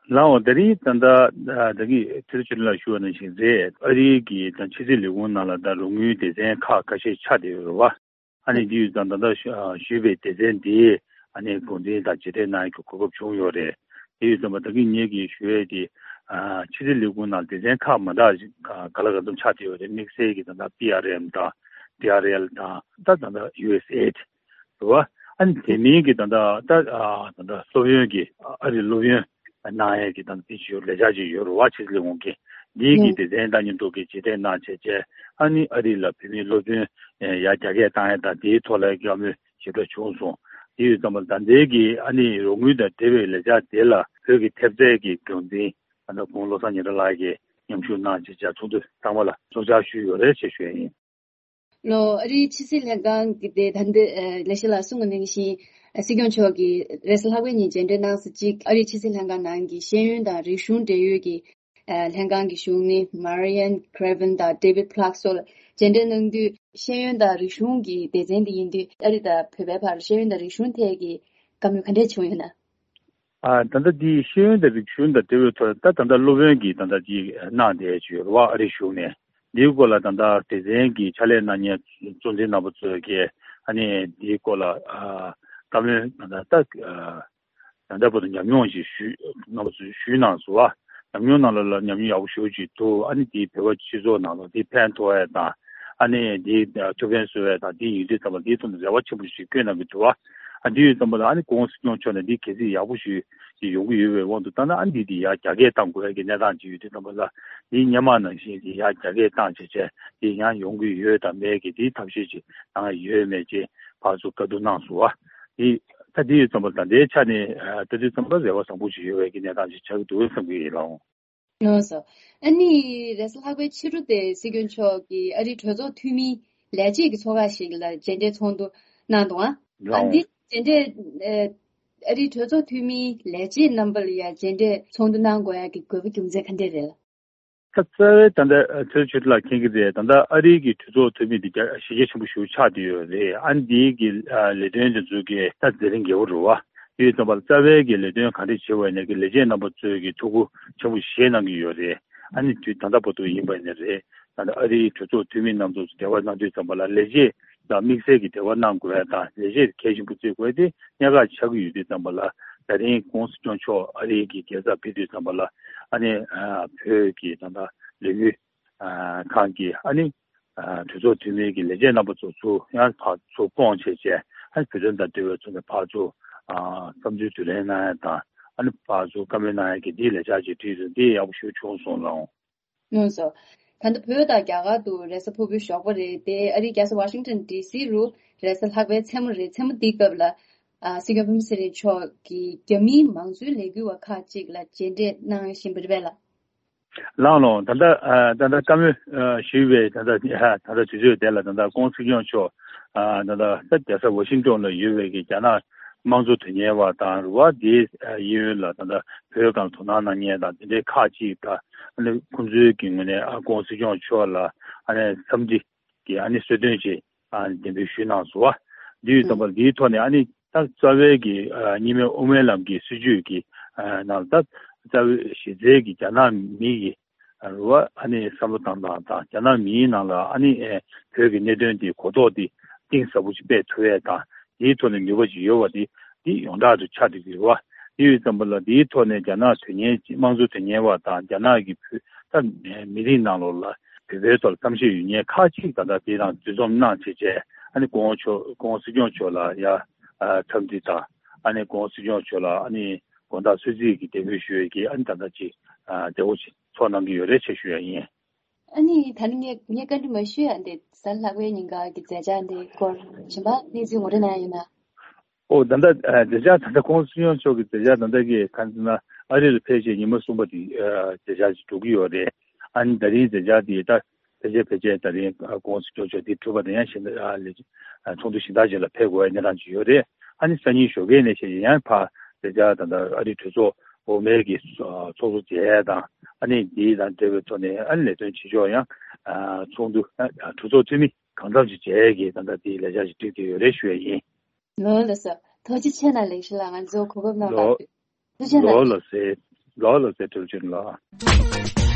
ལགས་འོང་། དེ་རིང་ད་ལྟ་ད་གིན་ཚེ་རིང་ཆོས་སྒྲོན་ལགས་ཞུ་བ་ནང་བཞིན་རེད། ཨ་རིའི་གི་ད་ཕྱི་སྲིད་ལས་ཁུངས་ནང་ལ་ད་རོགས་དངུལ་སྡེ་ཚན་ཁག་ཁ་ཤས་ཆགས་བསྡད་ཡོད་རེད་བ། ཨ་ནི་འདི་ཡོད་ཙང་ད་ལྟ་ཞུ་ཞུས་པའི་སྡེ་ཚན་འདིའི་ཨ་ནི་འགོ་འཛིན་དང་མཇལ་འཕྲད་གནང་ཡག་གི་གོ་སྐབས་བྱུང་ཡོད་རེད། དེ་ཡོད་ཙང་མ་ད་གིན་ངེད་ཀྱིས་ཞུ་ཡས་དེ་ཨ་ཕྱི་སྲིད་ལས་ཁུངས་ནང་སྡེ་ཚན་ཁག་མ་འདྲ་ཞིག་ག་ལ་ག་ཙམ་ཆགས་བསྡད་ཡོད་རེད། དམིགས་བསལ་གྱི་ད་ལྟ་པི་ཨར་ཨེམ་དང་ཌི་ཨར་ཨེལ་དང་ད་ད་ལྟ་ཡུ་ཨེས་ཨེ་ཌི་རེད་བ། ཨ་ནི་དེ་མིན་གྱི་ད་ལྟ་ད་ཨ་ད་ལྟ་སློབ་ཡོན་གྱི་ཨ་རི་སློབ་ཡོན་གནང་ཡས་ཀྱི་ད་ལྟ་དེ་ཅིག་ལས་འཆར་ཅིག་ཡོད་རེད་བ། ཕྱི་སྲིད་ལས་ཁུངས་ཀྱི་འདིའི་གི་སྡེ་ཚན་དང་མཉམ་དུ་གི་མཇལ་འཕྲད་གནང་བྱས་བྱས། ཨ་ནི་ཨ་རི་ལ་བོད་མིའི་སློབ་ཐོན་ཡར་རྒྱ་སྐྱེད་བཏང་ཡས་དང་དེའི་ཐོག་ལ་བཀའ་མོལ་ཞིབ་ཕྲ་བྱུང་སོང་། དེ་ཡོད་ཙང་མ་ད་ལྟའི་གི་ཨ་ནི་རོགས་དངུལ་དང་འབྲེལ་བའི་ལས་འཆར་དེ་ལ་བོད་ཀྱི་ཐེབས་རྩའི་གི་འགོ་འཛིན་ཨ་ནི་ཁོང་བློ་བཟང་ཉི་ཟླ་ལགས་ཀྱིས་མཉམ་ཞུགས་གནང་བྱས་བྱས་ཚོགས་འདུ་ཚང་མ་ལ་ཚོགས་བཅར་ཞུས་ཡོད་རེད་ཅེས་ཞུ་ཡས་ཡིན། ལོ། ཨ་རིའི་ཕྱི་སྲིད་ལྷན་ཁང་གི་དེ་ད་ལྟ་ཨ་ལས་བྱེད་ལ་གསུངས་པ་ནང་བཞིན་ཨ་སྲིད་སྐྱོང་མཆོག་གིས་རེས་གཟའ་ལྷག་པའི་ཉིན་མཇལ་འཕྲད་གནང་ས་གཅིག་ཨ་རིའི་ཕྱི་སྲིད་ལྷན་ཁང་ནང་གི་ཤེས་ཡོན་དང་རིག་གཞུང་འབྲེལ་ཡོད་ཀྱི་ཨ་ལྷན་ཁང་གི་གཞུང་ནི་Marianne Craven་དང་David Clark་སོགས་ལ་མཇལ་འཕྲད་གནང་དུས། ཤེས་ཡོན་དང་རིག་གཞུང་གི་སྡེ་ཚན་དེ་ཡིན་དུས་ཨ་རི་དང་བོད་པའི་བར་ཤེས་ཡོན་དང་རིག་གཞུང་ཐད་ཀྱི་བཀའ་མོལ་ག་འདྲས་བྱུང་ཡོད་ན། ཨ་ད་ལྟ་འདི་ཤེས་ཡོན་དང་རིག་གཞུང་དང་འབྲེལ་བའི་ཐོག་ད་ད་ལྟ་སློབ་ཡོན་གྱི་ད་ལྟ་ཅིག་གནང་བསྡད་ཡོད་རེད་བ། ཨ་རིའི་གཞུང་ནས་འདིའི་སྐོར་ལ་ད་ལྟ་སྡེ་ཚན་གྱི་ཕྱག་ལས་གནང་མཁན་གཙོ་འཛིན་རྣམ་པ་ཚོས་ཀྱིས་ཨ་ནི་འདིའི་སྐོར་ལ་ཨ་བཀའ་མོལ་ད་ལྟ་ད་ལྟ་བར་དུ་ཉམས་མྱོང་ཞིག་ཞུས་རྣམ་པ་ཚོས་ཞུས་གནང་སོང་བ། ཉམས་མྱོང་ནང་ལ་ལ་ཉམས་མྱོང་ཡག་པོ་ཞེ་པོ་ཅིག་འདུག་ཨ་ནི་འདིའི་བོད་པ་སྤྱི་ཚོགས་ནང་ལ་འདི་ཕན་ཐོགས་ཡས་དང་། ཨ་ནི་འདི་ཐུགས་ཕན་གསོས་ཡས་དང་འདི་ཡིན་དུས་ཙམ་པ་འདིའི་ཐོག་ནས་རེ་བ་ཆེན་པོ་ཞིག་བསྐྱོན་གནང་གི་འདུག་བ། ཨ་འདི་ཡོད་ཙམ་པ་ལ་ཨ་ནི་༸གོང་ས་༸སྐྱབས་མགོན་ཆེན་པོ་མཆོག་ནས་འདི་གལ་སྲིད་ཡག་པོ་ཞིག་ཅིག་ཡོང་གི་ཡོད་པའི་དབང་དུ་བཏང་ན། ཨ་ནི་འདི་ཡར་རྒྱ་སྐྱེད་གཏང་དགོས་ཡས་ཀྱི་གནས་སྟངས་ཅིག་ཡོད་དུས་ཙམ་པ་ལ་འདི་སྔོན་མ་ནང་བཞིན་འདི་ཡར་རྒྱ་སྐྱེད་བཏང་བྱས་བྱས་འདི་ཡང་ཡོང་གི་ཡོད་དམ་མེད་ཀྱི་འདིའི་ཐབས་ཤེས་ཅིག་གནང་ཡས་ཡོད་མེད་ཅིག་ཕར་ཚུར་བཀའ་བསྡུར་གནང་སོང་བ། འདི་ད་འདི་ཡོད་ཙམ་པ་ད་ལྟའི་ཆ་ནས་ཨ་ལྟ་དུས་ཙམ་པ་རེ་བ་བཟང་པོ་ཞིག་ཡོད་པའི་གི་གནས་སྟངས་ཤིག་ཆགས་ཀྱི་འདུག་བསམ་གྱི་ཡིན་ལགས། ལགས་སོ། ཨ་ནི་རེས་གཟའ་ལྷག་པའི་ཕྱི་དྲོ་དེ་སྲིད་སྐྱོང་མཆོག་གིས་ཨ་རིའི་གྲོས་ཚོགས་འཐུས་མིའི་ལས་བྱེད་ཀྱི་ཚོགས་ཁག་ཞིག་ལ་མཇལ་འཕྲད་ཚོགས་འདུ་གནང་འདུག་ཨ་ལགས། འདི་མཇལ་འཕྲད་ཨ་རིའི་གྲོས་ཚོགས་འཐུས་མིའི་ལས་བྱེད་རྣམ་པ་ལ་ཡང་མཇལ་འཕྲད་ཚོགས་འདུ་གནང་དགོས་ཡག་གི་དགོས་པ་རྒྱུ་མཚན་ག་འདྲས་རེད། རྩ་བའི་ད་ལྟ་ཚོད་ཆོས་ལ་མཁྱེན་གྱི་རེད། ད་ལྟ་ཨ་རིའི་གི་གྲོས་ཚོགས་འཐུས་མི་འདི་རྒྱ་གཞི་རྒྱ་ཆེན་པོ་ཞིག་ཆགས་བསྡད་ཡོད་རེད། ཨ་ནི་འདིའི་གི་ལས་དོན་དེ་ཚོ་གི་ད་མཛད་རིམ་རྒྱས་པོ་རེད་བ། དེ་ཡོད་ཙམ་པ་ལ་རྩ་བའི་གི་ལས་དོན་ག་འདྲས་བྱེད་པ་ཡིན་ན་གི་ལས་བྱེད་རྣམ་པ་ཚོས་གི་ཐུགས་ཁུར་ཆེན་པོ་བཞེས་གནང་གི་ཡོད་རེད། ཨ་ནི་དུས་ད་ལྟ་བར་དུ་ཡིན་པ་ཡིན་ན་རེད། ད་ལྟ་ཨ་རིའི་གྲོས་ཚོགས་འཐུས་མི་རྣམ་ཚོ་འབྲེལ་བ་གནང་དུས་ཙམ་པ་ལ་ལས་བྱེད་དང་དམིགས་བསལ་གྱི་འབྲེལ་བ་གནང་དགོས་ཡ་དང་ལས་བྱེད་གལ་ཆེན་པོ་བརྩི་དགོས་དེ་གནད་འགག་ཆགས་ཀྱི་ཡོད་དུས་ཙམ་པ་ལ། ད་རིང་༸གོང་ས་༸སྐྱོང་མཆོག་ཨ་རིའི་གི་རྒྱལ་ས་ཕེབས་དུས་ཙམ་པ་ལ་ཨ་ནི་བོད་ཀྱི་ད་ལྟ་ལས་འགུལ་ཁང་གི་ཨ་ནི་གྲོས་ཚོགས་འཐུས་མི་གི་ལས་བྱེད་རྣམ་པ་ཚོ་ཚུར་ཡང་ཕར་ཚུར་བསྐོངས་བྱས་བྱས། ཨ་ནི་བོད་དོན་དང་འབྲེལ་བའི་ཐོག་ནས་ཕར་ཚུར་བསམ་ཚུལ་བསྡུ་ལེན་གནང་ཡ་དང་ཨ་ནི་ཕར་ཚུར་བཀའ་མོལ་གནང་ཡ་གི་འདིའི་ལས་འཆར་ཅིག་བྲིས་འདུག་འདི་ཡག་པོ་ཞེ་པོ་བྱུང་སོང་ལགས། ལགས་སོ། ད་ལྟ་བོད་དང་རྒྱ་གར་དུ་རེས་གཟའ་ཕུར་བུའི་ཞོགས་པ་རེད་དེ། ཨ་རིའི་རྒྱལ་ས་ཝ་ཤིང་ཊོན་ཌི་སི་རུ་རེས་གཟའ་ལྷག་པའི་མཚན་མོ་རེད། མཚན་མོ་འདིའི་སྐབས་ལ་ཨ་སྲིད་སྐྱོང་སྤེན་པ་ཚེ་རིང་མཆོག་གིས་རྒྱ་མིའི་མང་གཙོའི་ལས་འགུལ་བ་ཁག་ཅིག་ལ་མཇལ་འཕྲད་གནང་བཞིན་པ་རེད་པས་ལགས། ལགས་ལགས། ད་ལྟ་ཨ་ད་ལྟ་བཀའ་མོལ་ཨ་ཞུས་པའི་ད་ལྟ་ཨ་ད་ལྟ་དུས་ཚོད་དེ་ལ་ད་ལྟ་༸གོང་ས་༸སྐྱོང་མཆོག་ཨ་ད་ལྟ་ས་རྒྱལ་ས་ཝ་ཤིང་ཊོན་ལ་ཡོད་པའི་གི་རྒྱ་ནག་དམངས་གཙོ་དོན་གཉེར་བ་དང་རུ་བ་དེའི་ཨ་གཡས་གཡོན་ལ་ད་ལྟ་བོད་སྒང་དོ་སྣང་གནང་མཁན་དང་དེ་འདྲའི་ཁག་ཅིག་དང་ཨ་ནི་ཁོང་ཚོའི་གི་ངོས་ནས་ཨ་༸གོང་ས་༸སྐྱོང་མཆོག་ལ་ཨ་ནི་འཚམས་འདྲི་གི་ཨ་ནི་གསོལ་སྟོན་ཅིག་ཨ་ནི་གདན་འདྲེན་ཞུས་གནང་སོང་བ། འདི་ཡོད་ཙམ་པ་འདིའི་ཐོག་ནས་ཨ་ནི་ད་རྩ་བའི་གི་ཨ་གཉིས་སྨན་དབུ་མའི་ལམ་གྱི་སྲིད་བྱུས་ཀྱི་ཨ་ནང་ད་རྩ་བའི་གཞི་རྩའི་གི་རྒྱ་ནག་མི་གི་རུ་བ་ཨ་ནི་བསམ་བློ་བཏང་སྟངས་དང་རྒྱ་ནག་མིའི་ནང་ལ་ཨ་ནི་ཨེ་བོད་ཀྱི་གནད་དོན་དེ་གོ་རྟོགས་དེ་གཏིང་ཟབ་པོ་ཞིག་སྤེལ་ཐུབ་ཡས་དང་དེའི་ཐོག་ནས་ནུས་པ་ཞིག་ཡོད་པ་དེ་འདི་ཡོངས་གྲགས་དུ་ཆགས་བསྡད་ཀྱི་ཡོད་པ། དེ་ཡོད་ཙམ་པ་ལ་དེའི་ཐོག་ནས་རྒྱ་ནག་དོན་གཉེར་དམངས་གཙོ་དོན་གཉེར་བ་དང་རྒྱ་ནག་གི་བོད་ད་མི་རིགས་ནང་ལོགས་ལ་བོད་པའི་ཐོག་ལ་བསམ་ཤེས་ཡོད་མཁན་ཁག་ཅིག་ད་ལྟ་དེ་དང་འདུ་འཛོམས་གནང་བྱས་བྱས་ཨ་ནི་༸གོང་མཆོག་༸གོང་ས་༸སྐྱོང་མཆོག་ལ་ཡ་འཚམས་འདྲི་དང་ཨ་ནི་༸གོང་ས་༸སྐྱོང་མཆོག་ལ་ཨ་ནི་དགོང་དག་གསོལ་ཚིགས་ཀྱི་གདན་འབུལ་ཞུ་ཡས་ཀྱི་ཨ་ནི་ད་ལྟ་ཅིག་མཛད་སྒོ་ཅིག་ཚོགས་གནང་གི་ཡོད་རེད་ཅེས་ཞུ་ཡ་ཡིན། ཨ་ནི་ད་ནི་ངས་ངས་བཀའ་འདྲི་མ་ཞུས་ཡ་འདི་གཟའ་ལྷག་པའི་ཉིན་ག་གི་མཛད་འཆར་འདི་སྐོར་གཞན་པ་གནས་ཚུལ་ངོ་སྤྲོད་གནང་ཡ་ཡོད་ན། ཨོ་ད་ལྟ་ཨ་མཛད་འཆར་ད་ལྟ་༸གོང་ས་༸སྐྱབས་མཆོག་གི་མཛད་འཆར་ད་ལྟ་གི་གང་ཟེར་ན་ཨ་རི་ལ་ཕེབས་རྗེས་ཉི་མ་གསུམ་པ་དེ་ཨ་མཛད་འཆར་ཅིག་འགྲོ་གི་ཡོད་རེད། ཨ་ནི་ད་རིང་མཛད་འཆར་དེ་ད་ཕལ་ཆེར་ཕལ་ཆེར་ད་རིང་༸གོང་ས་༸སྐྱབས་མཆོག་དེ་གྲུབ་པ་དང་ཡང་གཞན་ཨ་ལས་ཨ་ཚོགས་འདུ་གཞན་དག་ཅིག་ལ་ཕེབས་དགོས་ཡ་གནས་སྟངས་ཅིག་ཡོད་རེད། ཨ་ནི་སང་ཉིན་ཞོགས་ཀས་ནས་བྱས་ཡང་ཕར་མཛད་འཆར་ད་ལྟ་ཨ་རི་གྲོས་ཚོགས་འོག་མའི་གི་ཚོགས་གཙོ་མཇལ་ཡ་དང་ཨ་ནི་དེ་དང་འབྲེལ་བའི་ཐོག་ནས་ཨ་ནི་ལས་དོན་བྱེད་ཕྱོགས་ཡང་ཨ་ཚོགས་འདུ་ཨ་གྲོས་ཚོགས་འཐུས་མི་གང་འཚམ་ཞིག་མཇལ་ཡས་ཀྱི་ད་ལྟ་དེའི་ལས་འཆར་ཞིག་བསྒྲིགས་བསྡད་ཡོད་རེད་ཞུ་ཡ་ཡིན། ལགས་ལགས་སོ། ཐུགས་རྗེ་ཆེ་གནང་། ལེགས་ཤིག་ལ་ང་ཚོ་གོ་སྐབས་གནང་བ་ལགས་ཐུགས་རྗེ་ཆེ་གནང་། ལགས་ལགས་སེ། ལགས་ལགས་སེ་ཐུགས་རྗེ་ཆེ་ལགས།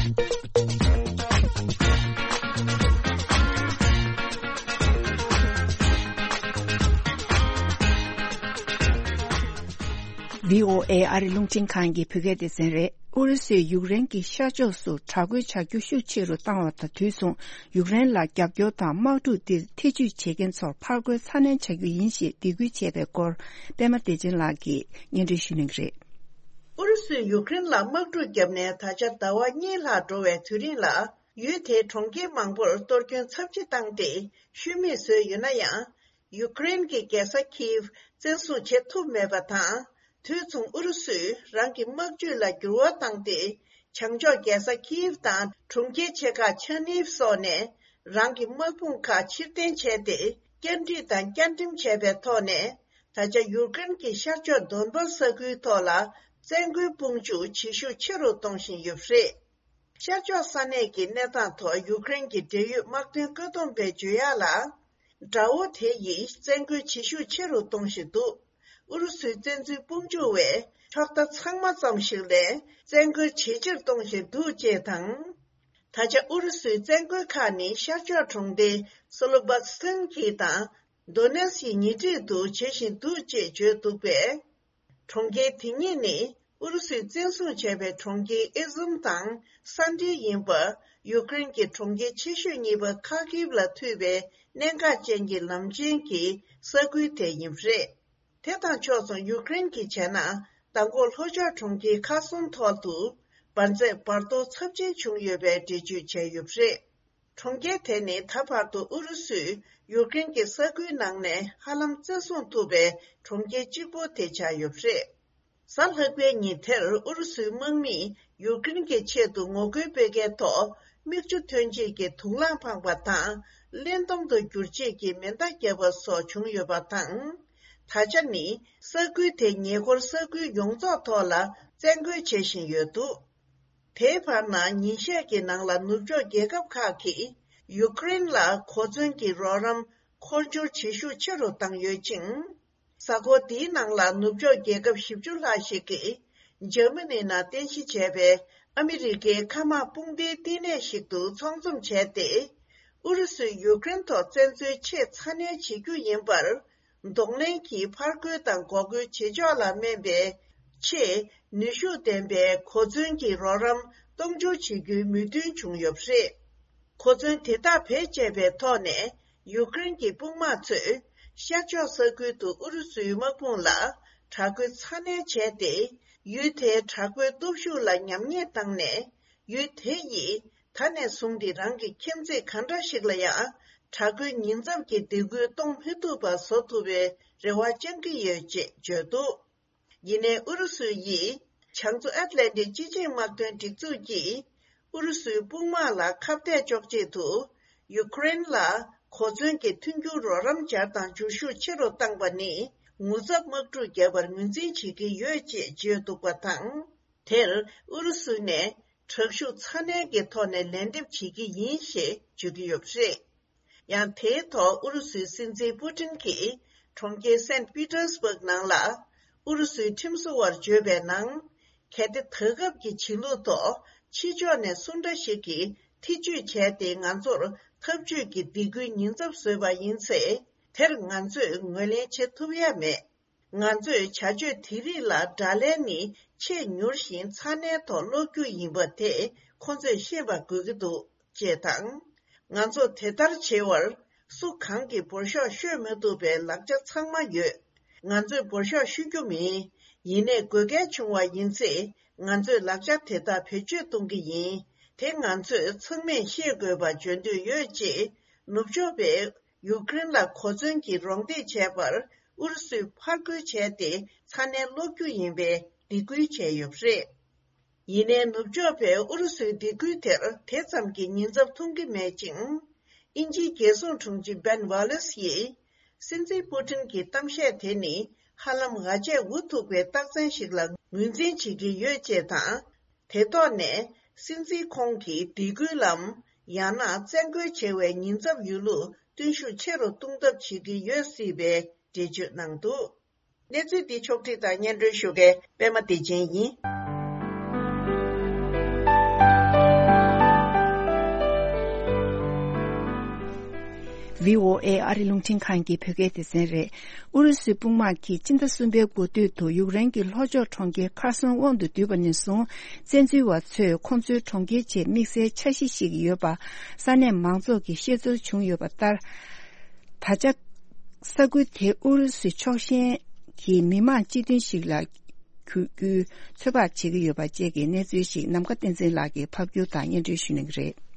བྷི་ཨོ་ཨེ་ཨ་རི་རླུང་འཕྲིན་ཁང་གི་བོད་སྐད་སྡེ་ཚན་རེད། ཨུ་རུ་སུས་ཡུཀ་རེན་གྱི་ཤར་ཕྱོགས་སུ་དྲག་རྒོལ་བྱ་རྒྱུ་ཤུགས་ཆེ་རུ་བཏང་བ་དང་དུས་མཚུངས། ཡུཀ་རེན་ལ་རྒྱབ་སྐྱོར་དང་དམག་འཁྲུག་འདིར་ཐེ་ཇུས་བྱེད་མཁན་ཚོར་ཕར་རྒོལ་ཚ་ནན་བྱ་རྒྱུ་ཡིན་ཞེས་འབོད་སྐུལ་བྱས་པའི་སྐོར། པད་མ་བདེ་ཆེན་ལགས་ཀྱིས་སྙན་སྒྲོན་ཞུ་གནང་གི་རེད། ཨུ་རུ་སུས་ཡུཀ་རེན་ལ་དམག་འཁྲུག་བརྒྱབ་ནས་ད་ཆ་ཟླ་བ་གཉིས་ལྷག་འགྲོ་བའི་དུས་རིང་ལ། ཡུལ་དེའི་གྲོང་ཁྱེར་མང་པོར་གཏོར་སྐྱོན་ཚབས་ཆེ་བཏང་སྟེ་ཤུལ་མེད་བཟོས་ཡོད་ན་ཡང་། ཡུཀ་རེན་གྱི་རྒྱལ་ས་ཁིའིབ་བཙན་བཟུང་བྱེད་ཐུབ་མེད་པ་དང་། དུས་མཚུངས་ཨུ་རུ་སུས་རང་གི་དམག་ཇུས་ལ་འགྱུར་བ་བཏང་སྟེ། བྱང་ཕྱོགས་རྒྱལ་ས་ཁིའིབ་དང་གྲོང་ཁྱེར་ཆེ་ཁག་ཆར་ནིབ་སོགས་ནས་རང་གི་དམག་དཔུང་ཁག་ཕྱིར་འཐེན་བྱས་ཏེ། བསྐྱར་སྒྲིག་དང་བསྐྱར་འགྲེམས་བྱས་པའི་ཐོག་ནས། ད་ཆ་ཡུཀ་རེན་གྱི་ཤར་ཕྱོགས་དོན་པར་ས་ཁུལ་ཐོག་ལ་བཙན་རྒོལ་དཔུང་འཇུག་བྱེད་ཤུགས་ཆེ་རུ་གཏོང་བཞིན་ཡོད་པ་རེད། ཤར་ཕྱོགས་ས་གནས་ཀྱི་གནས་སྟངས་ཐོག་ཡུཀ་རེན་གྱི་འབྲེལ་ཡོད་དམག་དོན་བཀོད་འདོམས་པས་བརྗོད་ཡག་ལ། དགྲ་བོ་དེ་ཡིས་བཙན་རྒོལ་བྱེད་ཤུགས་ཆེ་རུ་གཏོང་བཞིན་འདུག་ཨུ་རུ་སུའི་བཙན་འཛུལ་དཔུང་འཇུག་པས་ཕྱོགས་མཐའ་ཚང་མ་ཙམ་ཞིག་ལས་བཙན་རྒོལ་ཇེ་ཆེར་གཏོང་བཞིན་འདུག་ཅེས་དང་། ད་ཆ་ཨུ་རུ་སུའི་བཙན་རྒོལ་ཁག་ནི་ཤར་ཕྱོགས་གྲོང་སྡེ་སོ་ལོ་བྷ་སི་ཐན་གྱི་དང་། དོ་ནེ་སི་ཉེ་འཁྲིས་དུ་བྱེད་བཞིན་འདུག་ཅེས་བརྗོད་འདུག་པས། གྲོང་ཁྱེར་དེ་གཉིས་ནི་ཨུ་རུ་སུས་བཙན་བཟུང་བྱས་པའི་གྲོང་ཁྱེར་ཨི་ཟུམ་དང་ས་འབྲེལ་ཡིན་པ། ཡུཀ་རེན་གྱི་གྲོང་ཁྱེར་ཆེ་ཤོས་གཉིས་པ་ཁ་ཀིབ་ལ་མཐུད་པའི་གནད་འགག་ཅན་གྱི་ལམ་ཆེན་གྱི་ས་ཁུལ་དེ་ཡིན་པ་རེད། དེ་དང་ཕྱོགས་མཚུངས་ཡུཀ་རེན་གྱིས་བྱས་ན་མདང་དགོང་ལྷོ་ཕྱོགས་གྲོང་ཁྱེར་ཁ་སུན་ཐོག་ཏུ་འབར་རྫས་འབར་གཏོར་ཚབས་ཆེན་བྱུང་ཡོད་པའི་འགྲེལ་བརྗོད་བྱས་ཡོད་པ་རེད། གྲོང་ཁྱེར་དེ་ནི་ད་བར་དུ་ཨུ་རུ་སུས་ཡུཀ་རེན་གྱི་ས་ཁུལ་ནང་ནས་ཧ་ལམ་བཙན་བཟུང་ཐུབ་པའི་གྲོང་ཁྱེར་གཅིག་པུ་དེ་ཆགས་ཡོད་པ་རེད། གཟའ་ལྷག་པའི་ཉིན་དེར་ཨུ་རུ་སུའི་དམག་མིས་ཡུཀ་རེན་གྱི་ཆེད་དུ་ངོ་རྒོལ་སྤེལ་མཁན་ཐོག་མིག་ཆུ་ཐོན་ཆེད་ཀྱི་དུག་རླངས་འཕངས་པ་དང་། བློན་སྡོམ་དུ་བསྒྱུར་ཆེད་ཀྱི་མེ་མདའ་བརྒྱབ་པ་སོགས་བྱུང་ཡོད་པ་དང་། ད་ཆ་ནི་ས་ཁུལ་དེའི་ཉེ་འཁོར་ས་ཁུལ་ཡོངས་རྫོགས་ཐོག་ལ་བཙན་རྒོལ་བྱེད་བཞིན་ཡོད་འདུག་དེའི་བར་ན་ཉིན་ཤས་ཀྱི་ནང་ལ་ནུབ་ཕྱོགས་རྒྱལ་ཁབ་ཁག་གིས་ཡུ་ཀེ་རེན་ལ་གོ་མཚོན་གྱི་རོགས་རམ་འཁོར་སྦྱོར་བྱེད་ཤུགས་ཆེ་རུ་བཏང་ཡོད་ཅིང་། གཟའ་འཁོར་འདིའི་ནང་ལ་ནུབ་ཕྱོགས་རྒྱལ་ཁབ་བཞི་བཅུ་ལྷག་ཞིག་གིས་འཇར་མ་ནི་ནང་རྟེན་གཞི་བྱས་པའི་ཨ་མི་རི་ཀའི་མཁའ་དམག་དཔུང་སྡེའི་བསྟི་གནས་ཤིག་ཏུ་ཚོགས་འཛོམས་བྱས་ཏེ། ཨུ་རུ་སུས་ཡུ་ཀེ་རེན་ཐོག་བཙན་འཛུལ་ཆེས་ཚ་ནན་བྱེད་རྒྱུ་ཡིན་པར། གདོང་ལེན་གྱིས་ཕར་རྒོལ་དང་འགོག་རྒོལ་བྱེད་ཕྱོགས་ལ་སྨན་པའི་ཆེས་ནུས་ཤུགས་ལྡན་པའི་གོ་མཚོན་གྱི་རོགས་རམ་གཏོང་འཇུག་བྱེད་རྒྱུའི་མོས་མཐུན་བྱུང་ཡོད་པ་རེད། གོ་མཚོན་དེ་དག་བེད་སྤྱད་པའི་ཐོག་ནས་ཡུཀ་རེན་གྱི་དཔུང་དམག་ཚོས་ཤར་ཕྱོགས་ས་ཁུལ་དུ་ཨུ་རུ་སུའི་དམག་དཔུང་ལ་དྲག་རྒོལ་ཚ་ནན་བྱས་ཏེ། ཡུལ་དེའི་དྲག་པོའི་སྟོབས་ཤུགས་ལ་ཉམས་ཉེས་བཏང་ནས། ཡུལ་དེ་ཡིས་ད་ནས་བཟུང་སྟེ་རང་གི་ཁྱིམ་མཚེས་གང་འདྲ་ཞིག་ལ་ཡང་དྲག་རྒོལ་ཉེན་ཚབས་ཀྱི་སྡིགས་སྐུལ་གཏོང་མི་ཐུབ་པ་བཟོ་ཐུབ་པའི་རེ་བ་བཅང་གི་ཡོད་ཅེས་བརྗོད་འདུག་ཡིན་ནའི་ཨུ་རུ་སུ་ཡིས་བྱང་མཚོ་ཨེཊ་ལན་ཊིག་སྤྱི་ཆིངས་དམག་དོན་སྒྲིག་འཛུགས་ཀྱིས་ཨུ་རུ་སུའི་དཔུང་དམག་ལ་ཁ་གཏད་གཅོག་ཆེད་དུ་ཡུཀ་རེན་ལ་གོ་མཚོན་གྱི་མཐུན་འགྱུར་རོགས་རམ་སྦྱར་དང་འཇུ་ཤུགས་ཆེ་རུ་བཏང་པ་ནི་ངོ་ཚབ་དམག་འཁྲུག་བརྒྱབ་པར་ངོས་འཛིན་བྱེད་ཀྱི་ཡོད་ཅེས་བརྗོད་འདུག་པ་དང་། དེར་ཨུ་རུ་སུ་ནས་དྲག་ཤུགས་ཚ་ནན་གྱི་ཐོག་ནས་ལན་འདེབས་བྱེད་ཀྱི་ཡིན་ཞེས་བརྗོད་ཀྱི་ཡོད་པ་རེད། ཡང་དེའི་ཐོག་ཨུ་རུ་སུའི་སྲིད་འཛིན་པུ་ཏིན་གྱིས་གྲོང་ཁྱེར་སེན་པི་ཏེར་སྦུག་ནང་ལ་ཨུ་རུ་སུའི་ཁྲིམས་བཟོ་བར་བརྗོད་པའི་ནང་། གལ་ཏེ་ད་སྐབས་ཀྱི་བྱེད་ལུགས་ཐོག་ཕྱི་ཕྱོགས་ནས་སུ་འདྲ་ཞིག་གིས་ཐེ་ཇུས་བྱས་ཏེ་ང་ཚོར་འཐབ་ཇུས་ཀྱི་སྡིགས་སྐུལ་ཉེན་ཚབས་བཟོས་པ་ཡིན་ཚེ། དེར་ང་ཚོས་ངོས་ལེན་བྱེད་ཐུབ་ཡ་མེད། ང་ཚོས་བྱ་སྤྱོད་དེ་རིགས་ལ་དགྲ་ལན་ནི་ཆེས་མྱུར་ཞིང་ཚ་ནན་ཐོག་སློག་རྒྱུ་ཡིན་པ་དེ་ཁོ་ཚོས་ཤེས་པ་དགོས་ཀྱི་འདུག་ཅེས་དང་། ང་ཚོ་དེ་ལྟར་བྱེད་པར་སུ་གང་གིས་འབོར་ཤོག་ཤོད་མ་ཐུབ་པའི་ལག་ཆ་ཚང་མ་ཡོད། ང་ཚོས་འབོར་ཤོག་ཤོད་རྒྱུ་མིན། ཡིན་ནའི་དགོས་གལ་བྱུང་བ་ཡིན་ཚེ་ང་ཚོས་ལག་ཆ་དེ་དག་བེད་སྤྱོད་གཏོང་གི་ཡིན། དེ་ང་ཚོས་ཚང་མས་ཤེས་དགོས་པ་བརྗོད་འདོད་ཡོད་ཅེས་ནུབ་ཕྱོགས་པས། ཡུཀ་རེན་ལ་གོ་མཚོན་གྱི་རོགས་འདེགས་བྱས་པར་ཨུ་རུ་སུས་ཕར་རྒོལ་བྱས་ཏེ་ཚ་ནན་སློག་རྒྱུ་ཡིན་པའི་སྡིགས་སྐུལ་བྱས་ཡོད་པ་རེད། ཡིན་ནའི་ནུབ་ཕྱོགས་པས་ཨུ་རུ་སུའི་སྡིགས་སྐུལ་དེར་དེ་ཙམ་གྱི་ཉེན་ཚབས་མཐོང་གི་མེད་ཅིང་། དབྱིན་ཇིའི་རྒྱལ་སྲུང་དྲུང་ཆེ་བན་ཝ་ལེས་ཡིས་སྲིད་འཛིན་པུ་ཏིན་གྱི་གཏམ་བཤད་དེ་ནི་ཧ་ལམ་ང་བཅས་འུ་ཐུག་པའི་རྟགས་མཚན་ཞིག་ལ་ངོས་འཛིན་བྱེད་ཀྱི་ཡོད་ཅེས་དང་། དེ་ཐོག་ནས་སྲིད་འཛིན་ཁོང་གིས་སྡིགས་སྐུལ་ལམ། ཡང་ན་བཙན་རྒོལ་བྱེད་པའི་ཉེན་ཚབས་ཡོད་ལུགས་སྟོན་ཤུགས་ཆེ་རུ་གཏོང་ཐབས་བྱེད་ཀྱི་ཡོད་སྲིད་པའི་འགྲེལ་བརྗོད་གནང་འདུག་གནས་ཚུལ་འདི་ཕྱོགས་སྒྲིག་དང་སྙན་སྒྲོན་ཞུ་མཁན་པད་མ་བདེ་ཆེན་ཡིན། བྷི་ཨོ་ཨེ་ཨ་རི་རླུང་འཕྲིན་ཁང་གི་བོད་སྐད་སྡེ་ཚན་རེད། ཨུ་རུ་སུའི་དཔུང་དམག་གིས་སྤྱི་ཟླ་གསུམ་པའི་འགོ་སྟོད་དུ་ཡུཀ་རེན་གྱི་ལྷོ་ཕྱོགས་གྲོང་ཁྱེར་ཁར་སོན་དབང་དུ་བསྡུས་པ་ནས་བཟུང་། བཙན་འཛུལ་བ་ཚོས་ཁོང་ཚོའི་གྲོང་ཁྱེར་ཆེད་དམིགས་བསལ་འཆར་གཞི་ཞིག་ཡོད་པ་ས་གནས་མང་ཚོགས་ཀྱིས་ཤེས་ཚོར་བྱུང་ཡོད་པ་ལྟར། ད་ཆ་ས་ཁུལ་དེ་ཨུ་རུ་སུའི་ཕྱོགས་ཞེན་གྱི་མི་མང་སྤྱི་མཐུན་ཞིག་ལ་གྱུར་རྒྱུའི་ཚོད་དཔག་བྱེད་ཀྱི་ཡོད་པ་བཅས་ཀྱི་གནས་ཚུལ་ཞིག་ནམ་མཁའ་བསྟན་འཛིན་ལགས་ཀྱིས་ཕབ་སྒྱུར་དང་སྙན་སྒྲོན་ཞུ་གནང་གི་རེད།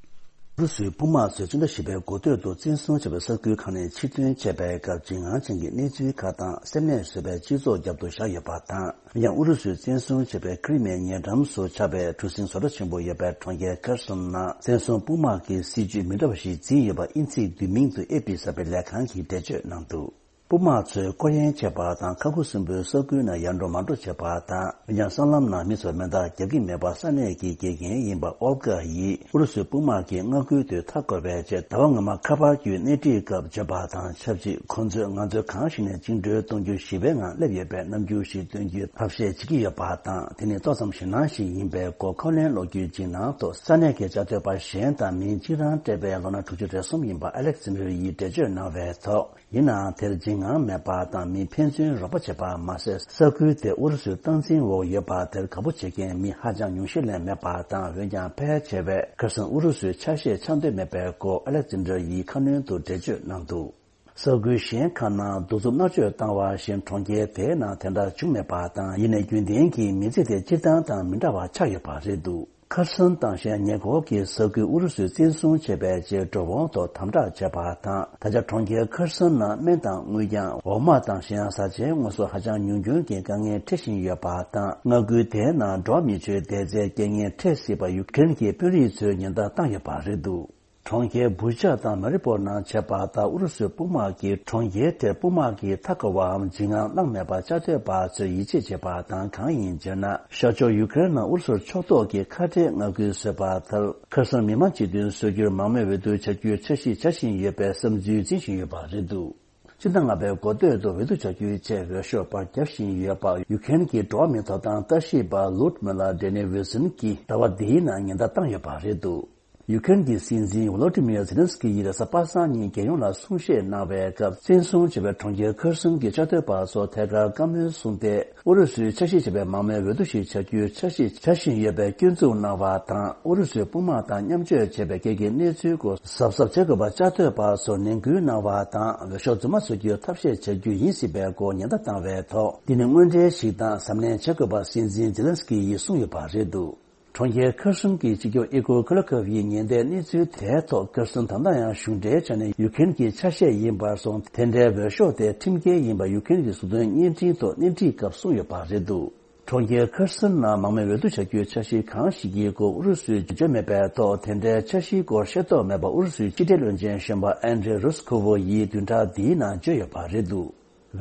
ཨུ་རུ་སུའི་དཔུང་དམག་ཚོས་སྤྱི་ཟླ་བཞི་པའི་འགོ་སྟོད་དུ་བཙན་བཟུང་བྱས་པའི་ས་ཁུལ་ཁག་ནས་ཕྱིར་འདོན་བྱས་པའི་སྐབས་འཇིགས་སྣང་ཅན་གྱི་གནས་ཚུལ་ཁག་དང་སེམས་ནད་བཟོས་པའི་སྤྱི་ཚོགས་རྒྱབ་ཏུ་བཞག་ཡོད་པ་དང་། ཡང་ཨུ་རུ་སུས་བཙན་བཟུང་བྱས་པའི་ཁི་རི་མེའི་ཉེ་འགྲམ་སུ་ཆགས་པའི་གྲུ་གཟིངས་བཟོ་གྲྭ་ཆེན་པོ་ཡོད་པའི་གྲོང་ཁྱེར་ཁེར་སོན་ནང་བཙན་བཟུང་དཔུང་དམག་གིས་སྲིད་ཇུས་མི་འདྲ་བ་ཞིག་འཛིན་ཡོད་པ་དབྱིན་ཚིག་བསྡུས་མིང་དུ་ཨེ་པི་གསར་པའི་ལས་ཁང་གིས་འགྲེལ་བརྗོད་གནང་འདུག་དཔུང་དམག་ཚོས་སྐོར་གཡེང་བྱས་པ་དང་ཁ་ཁུ་སིམ་པོའི་ས་ཁུལ་ནང་ཡར་འགྲོ་མར་འགྲོ་བྱས་པ་དང་། ཡང་སྲང་ལམ་ནང་མི་ཚོར་མེ་མདའ་རྒྱག་གི་མེད་པ་ས་གནས་ཀྱི་དགེ་རྒན་ཡིན་པ་ཨོལ་གྷ་ཡིས་ཨུ་རུ་སུའི་དཔུང་དམག་གིས་མངའ་ཁུལ་དུ་མཐའ་བསྐོར་བའི་རྗེས་ཟླ་བ་སྔོན་མ་ཁ་པར་བརྒྱུད་སྣེ་ཁྲིད་སྐབས་བརྗོད་པ་དང་ཆབས་ཅིག་ཁོ་ཚོས་ང་ཚོའི་གང་ཞིག་ནས་བཅིངས་འགྲོལ་གཏོང་རྒྱུ་ཞི་བའི་ངང་སླེབས་ཡོད་པའི་རྣམ་འགྱུར་ཞིག་སྟོན་རྒྱུའི་ཐབས་ཤེས་བྱེད་ཀྱི་ཡོད་པ་དང་། དེ་ནི་ཏོག་ཙམ་ཞེད་སྣང་ཞིག་ཡིན་པས་གོ་ཁ་ལོན་ལོག་རྒྱུའི་འཇིགས་སྣང་ཐོག་ས་གནས་ཀྱི་བཅའ་སྡོད་པ་གཞན་དང་མི་གཅིག་རང་སྤྲད་པའི་ལོ་ན་དྲུག་ཅུ་རེ་གསུམ་ཡིན་པ་ཨ་ལེག་ཛན་ཌར་ཡིས་འགྲེལ་བརྗོད་གནང་བའི་ཐོག་ཡིན་ནའང་དེར་འཇིགས་སྣང་མེད་པ་དང་མི་ཕན་ཚུན་རོགས་པ་བྱེད་པ་མ་ཟད། ས་ཁུལ་དེ་ཨུ་རུ་སུའི་སྟངས་འཛིན་འོག་ཡོད་པ་དེར་དགའ་པོ་བྱེད་མཁན་མི་ཧ་ཅང་ཉུང་ཤས་ལས་མེད་པ་དང་། འོན་ཀྱང་ཕལ་ཆེ་བས་ཁ་སང་ཨུ་རུ་སུའི་ཆ་ཤས་ཆགས་འདོད་མེད་པའི་སྐོར་ཨ་ལེག་ཛན་ཌར་ཡིས་ཁ་སྣོན་དུ་འགྲེལ་བརྗོད་གནང་འདུག་ས་ཁུལ་གཞན་ཁག་ནང་གདུག་རྩུབ་མནར་གཅོད་བཏང་བ་བཞིན་གྲོང་ཁྱེར་དེའི་ནང་དེ་འདྲ་བྱུང་མེད་པ་དང་། ཡིན་ནའི་རྒྱུན་ལྡན་གྱི་མི་ཚེ་དེ་སྤྱིར་བཏང་དང་མི་འདྲ་བ་ཆགས་ཡོད་པ་རེད་འདུག་ཁར་སོན་དང་གཞན་ཉེ་འཁོར་གྱི་ས་ཁུལ་ཨུ་རུ་སུས་བཙན་བཟུང་བྱས་པའི་རྗེས་འགྲོ་འོང་ཐོག་དམ་དྲག་བྱས་པ་དང་། ད་ཆ་གྲོང་ཁྱེར་ཁར་སོན་ནང་སྨན་དང་དངུལ་རྐྱང་། འོ་མ་དང་གཞན་ཡང་བཟའ་བཅའི་དངོས་ཟོག་ཧ་ཅང་ཉུང་སྐྱོན་གྱི་དཀའ་ངལ་འཕྲད་བཞིན་ཡོད་པ་དང་། མངའ་ཁུལ་དེའི་ནང་འགྲོ་བ་མི་ཆོས་བསྡད་རྩའི་རྐྱེན་ངན་འཕྲད་སྲིད་པ་ཡུཀ་རེན་གྱི་དཔོན་རིགས་ཚོས་ཉེན་བརྡ་བཏང་ཡོད་པ་རེད་འདུག་གྲོང་ཁྱེར་བུ་ཆག་དང་མ་རི་པོར་ནང་བྱས་པ་ལྟར་ཨུ་རུ་སུའི་དཔུང་དམག་གིས་གྲོང་ཁྱེར་དེར་དཔུང་དམག་གིས་མཐའ་བསྐོར་བའམ་འཇིགས་དངངས་བསླངས་མེད་པར་བཅའ་སྡོད་པ་ཚོས་ཡིད་ཆེས་བྱེད་པ་དང་། གང་ཡིན་ཟེར་ན། ཤར་ཕྱོགས་ཡུ་ཀེ་རེན་ནང་ཨུ་རུ་སུར་ཕྱོགས་གཏོགས་ཀྱི་ཁ་བྲལ་མངའ་ཁུལ་བཟོས་པ་ལྟར། ཁེར་སོན་མི་མང་སྤྱི་མཐུན་བཟོ་རྒྱུར་མང་མོས་འོས་བསྡུ་བྱ་རྒྱུའི་འཆར་གཞི་བྱ་བཞིན་ཡོད་པའི་བསམ་ཚུལ་འཛིན་བཞིན་ཡོད་པ་རེད་འདུག་སྤྱི་ཟླ་ལྔ་པའི་འགོ་སྟོད་དུ་འོས་བསྡུ་བྱ་རྒྱུའི་ཆེད་འོས་ཤོག་པར་རྒྱག་བཞིན་ཡོད་པ། ཡུ་ཀེ་རེན་གྱི་འགྲོ་བ་མིའི་ཐོབ་ཐང་ལྟ་ཞིབ་པ་ལུད་མི་ལ་ཌེ་ནི་ཝི་སན་གྱིས་ཟླ་བ་འདིའི་ནང་ཉེན་བརྡ་བཏང་ཡོད་པ་རེད་འདུག་ཡུ་ཀེ་རེན་གྱི་སྲིད་འཛིན་ཝོ་ལོ་ཏི་མིར་ཛེ་ལན་སི་ཀི་ཡིས་རེས་གཟའ་པ་སངས་ཉིན་རྒྱལ་ཡོངས་ལ་གསུང་བཤད་གནང་བའི་སྐབས། བཙན་བཟུང་བྱས་པའི་གྲོང་ཁྱེར་ཁེར་སོན་གྱི་བཅའ་སྡོད་པ་ཚོ་ཐད་ཀར་བཀའ་མོལ་གསུངས་ཏེ། ཨུ་རུ་སུའི་འཆར་གཞི་བྱས་པའི་མང་མོས་འོས་བསྡུ་ཞིག་བྱ་རྒྱུའི་འཆར་གཞི་བྱ་བཞིན་ཡོད་པའི་སྐྱོན་འཛུགས་གནང་བ་དང་། ཨུ་རུ་སུའི་དཔུང་དམག་དང་མཉམ་སྤྱོད་བྱས་པའི་སྐད་ཀྱི་གནས་ཚུལ་སྐོར་གཟབ་གཟབ་བྱེད་དགོས་པར་བཅའ་སྡོད་པ་ཚོར་ནན་སྐུལ་གནང་བ་དང་། འོས་ཤོག་རྫུན་མ་བཟོ་རྒྱུའི་ཐབས་ཤེས་བྱ་རྒྱུ་ཡིན་སྲིད་པའི་སྐོར་ཉེན་བརྡ་བཏང་བའི་ཐོག་འདི་ནི་དངོས་འབྲེལ་ཞིག་དང་གཟབ་ནན་བྱེད་དགོས་པ་སྲིད་འཛིན་ཛེ་ལན་སི་ཀི་ཡིས་གསུངས་ཡོད་པ་རེད་འདུག་གྲོང་ཁྱེར་ཁེར་སོན་གྱི་སྤྱི་ཁྱབ་ཨི་གོ་ཁི་ལོ་ཁོབ་ཡིས་ཉེན་བརྡའི་གནས་ཚུལ་དེའི་ཐོག་ཁེར་སོན་ད་ལྟ་ཡང་གཞུང་འབྲེལ་ཆ་ནས་ཡུ་ཀེ་རེན་གྱི་ཆ་ཤས་ཡིན་པར་སོང་། དེ་འདྲའི་འོས་ཤོག་དེ་ཁྲིམས་འགལ་ཡིན་པ་ཡུ་ཀེ་རེན་གྱི་གཟུགས་མཐོང་བརྙན་འཕྲིན་ཐོག་སྣེ་ཁྲིད་སྐབས་གསུངས་ཡོད་པ་རེད་འདུག་གྲོང་ཁྱེར་ཁེར་སོན་ནང་མང་མོས་འོས་བསྡུ་བྱ་རྒྱུའི་འཆར་གཞི་གང་ཞིག་གི་སྐོར་ཨུ་རུ་སུས་བརྗོད་མེད་པའི་ཐོག་དེ་འདྲའི་འཆར་གཞིའི་སྐོར་ཤེས་རྟོགས་མེད་པ་ཨུ་རུ་སུའི་ཕྱི་འབྲེལ་བློན་ཆེན་གཞོན་པ་ཨན་ཌྲེ་རུ་སི་ཁོ་ཝོ་ཡིས་བདུན་ཕྲག་འདིའི་ནང་བརྗོད་ཡོད་པ་རེད་འདུག་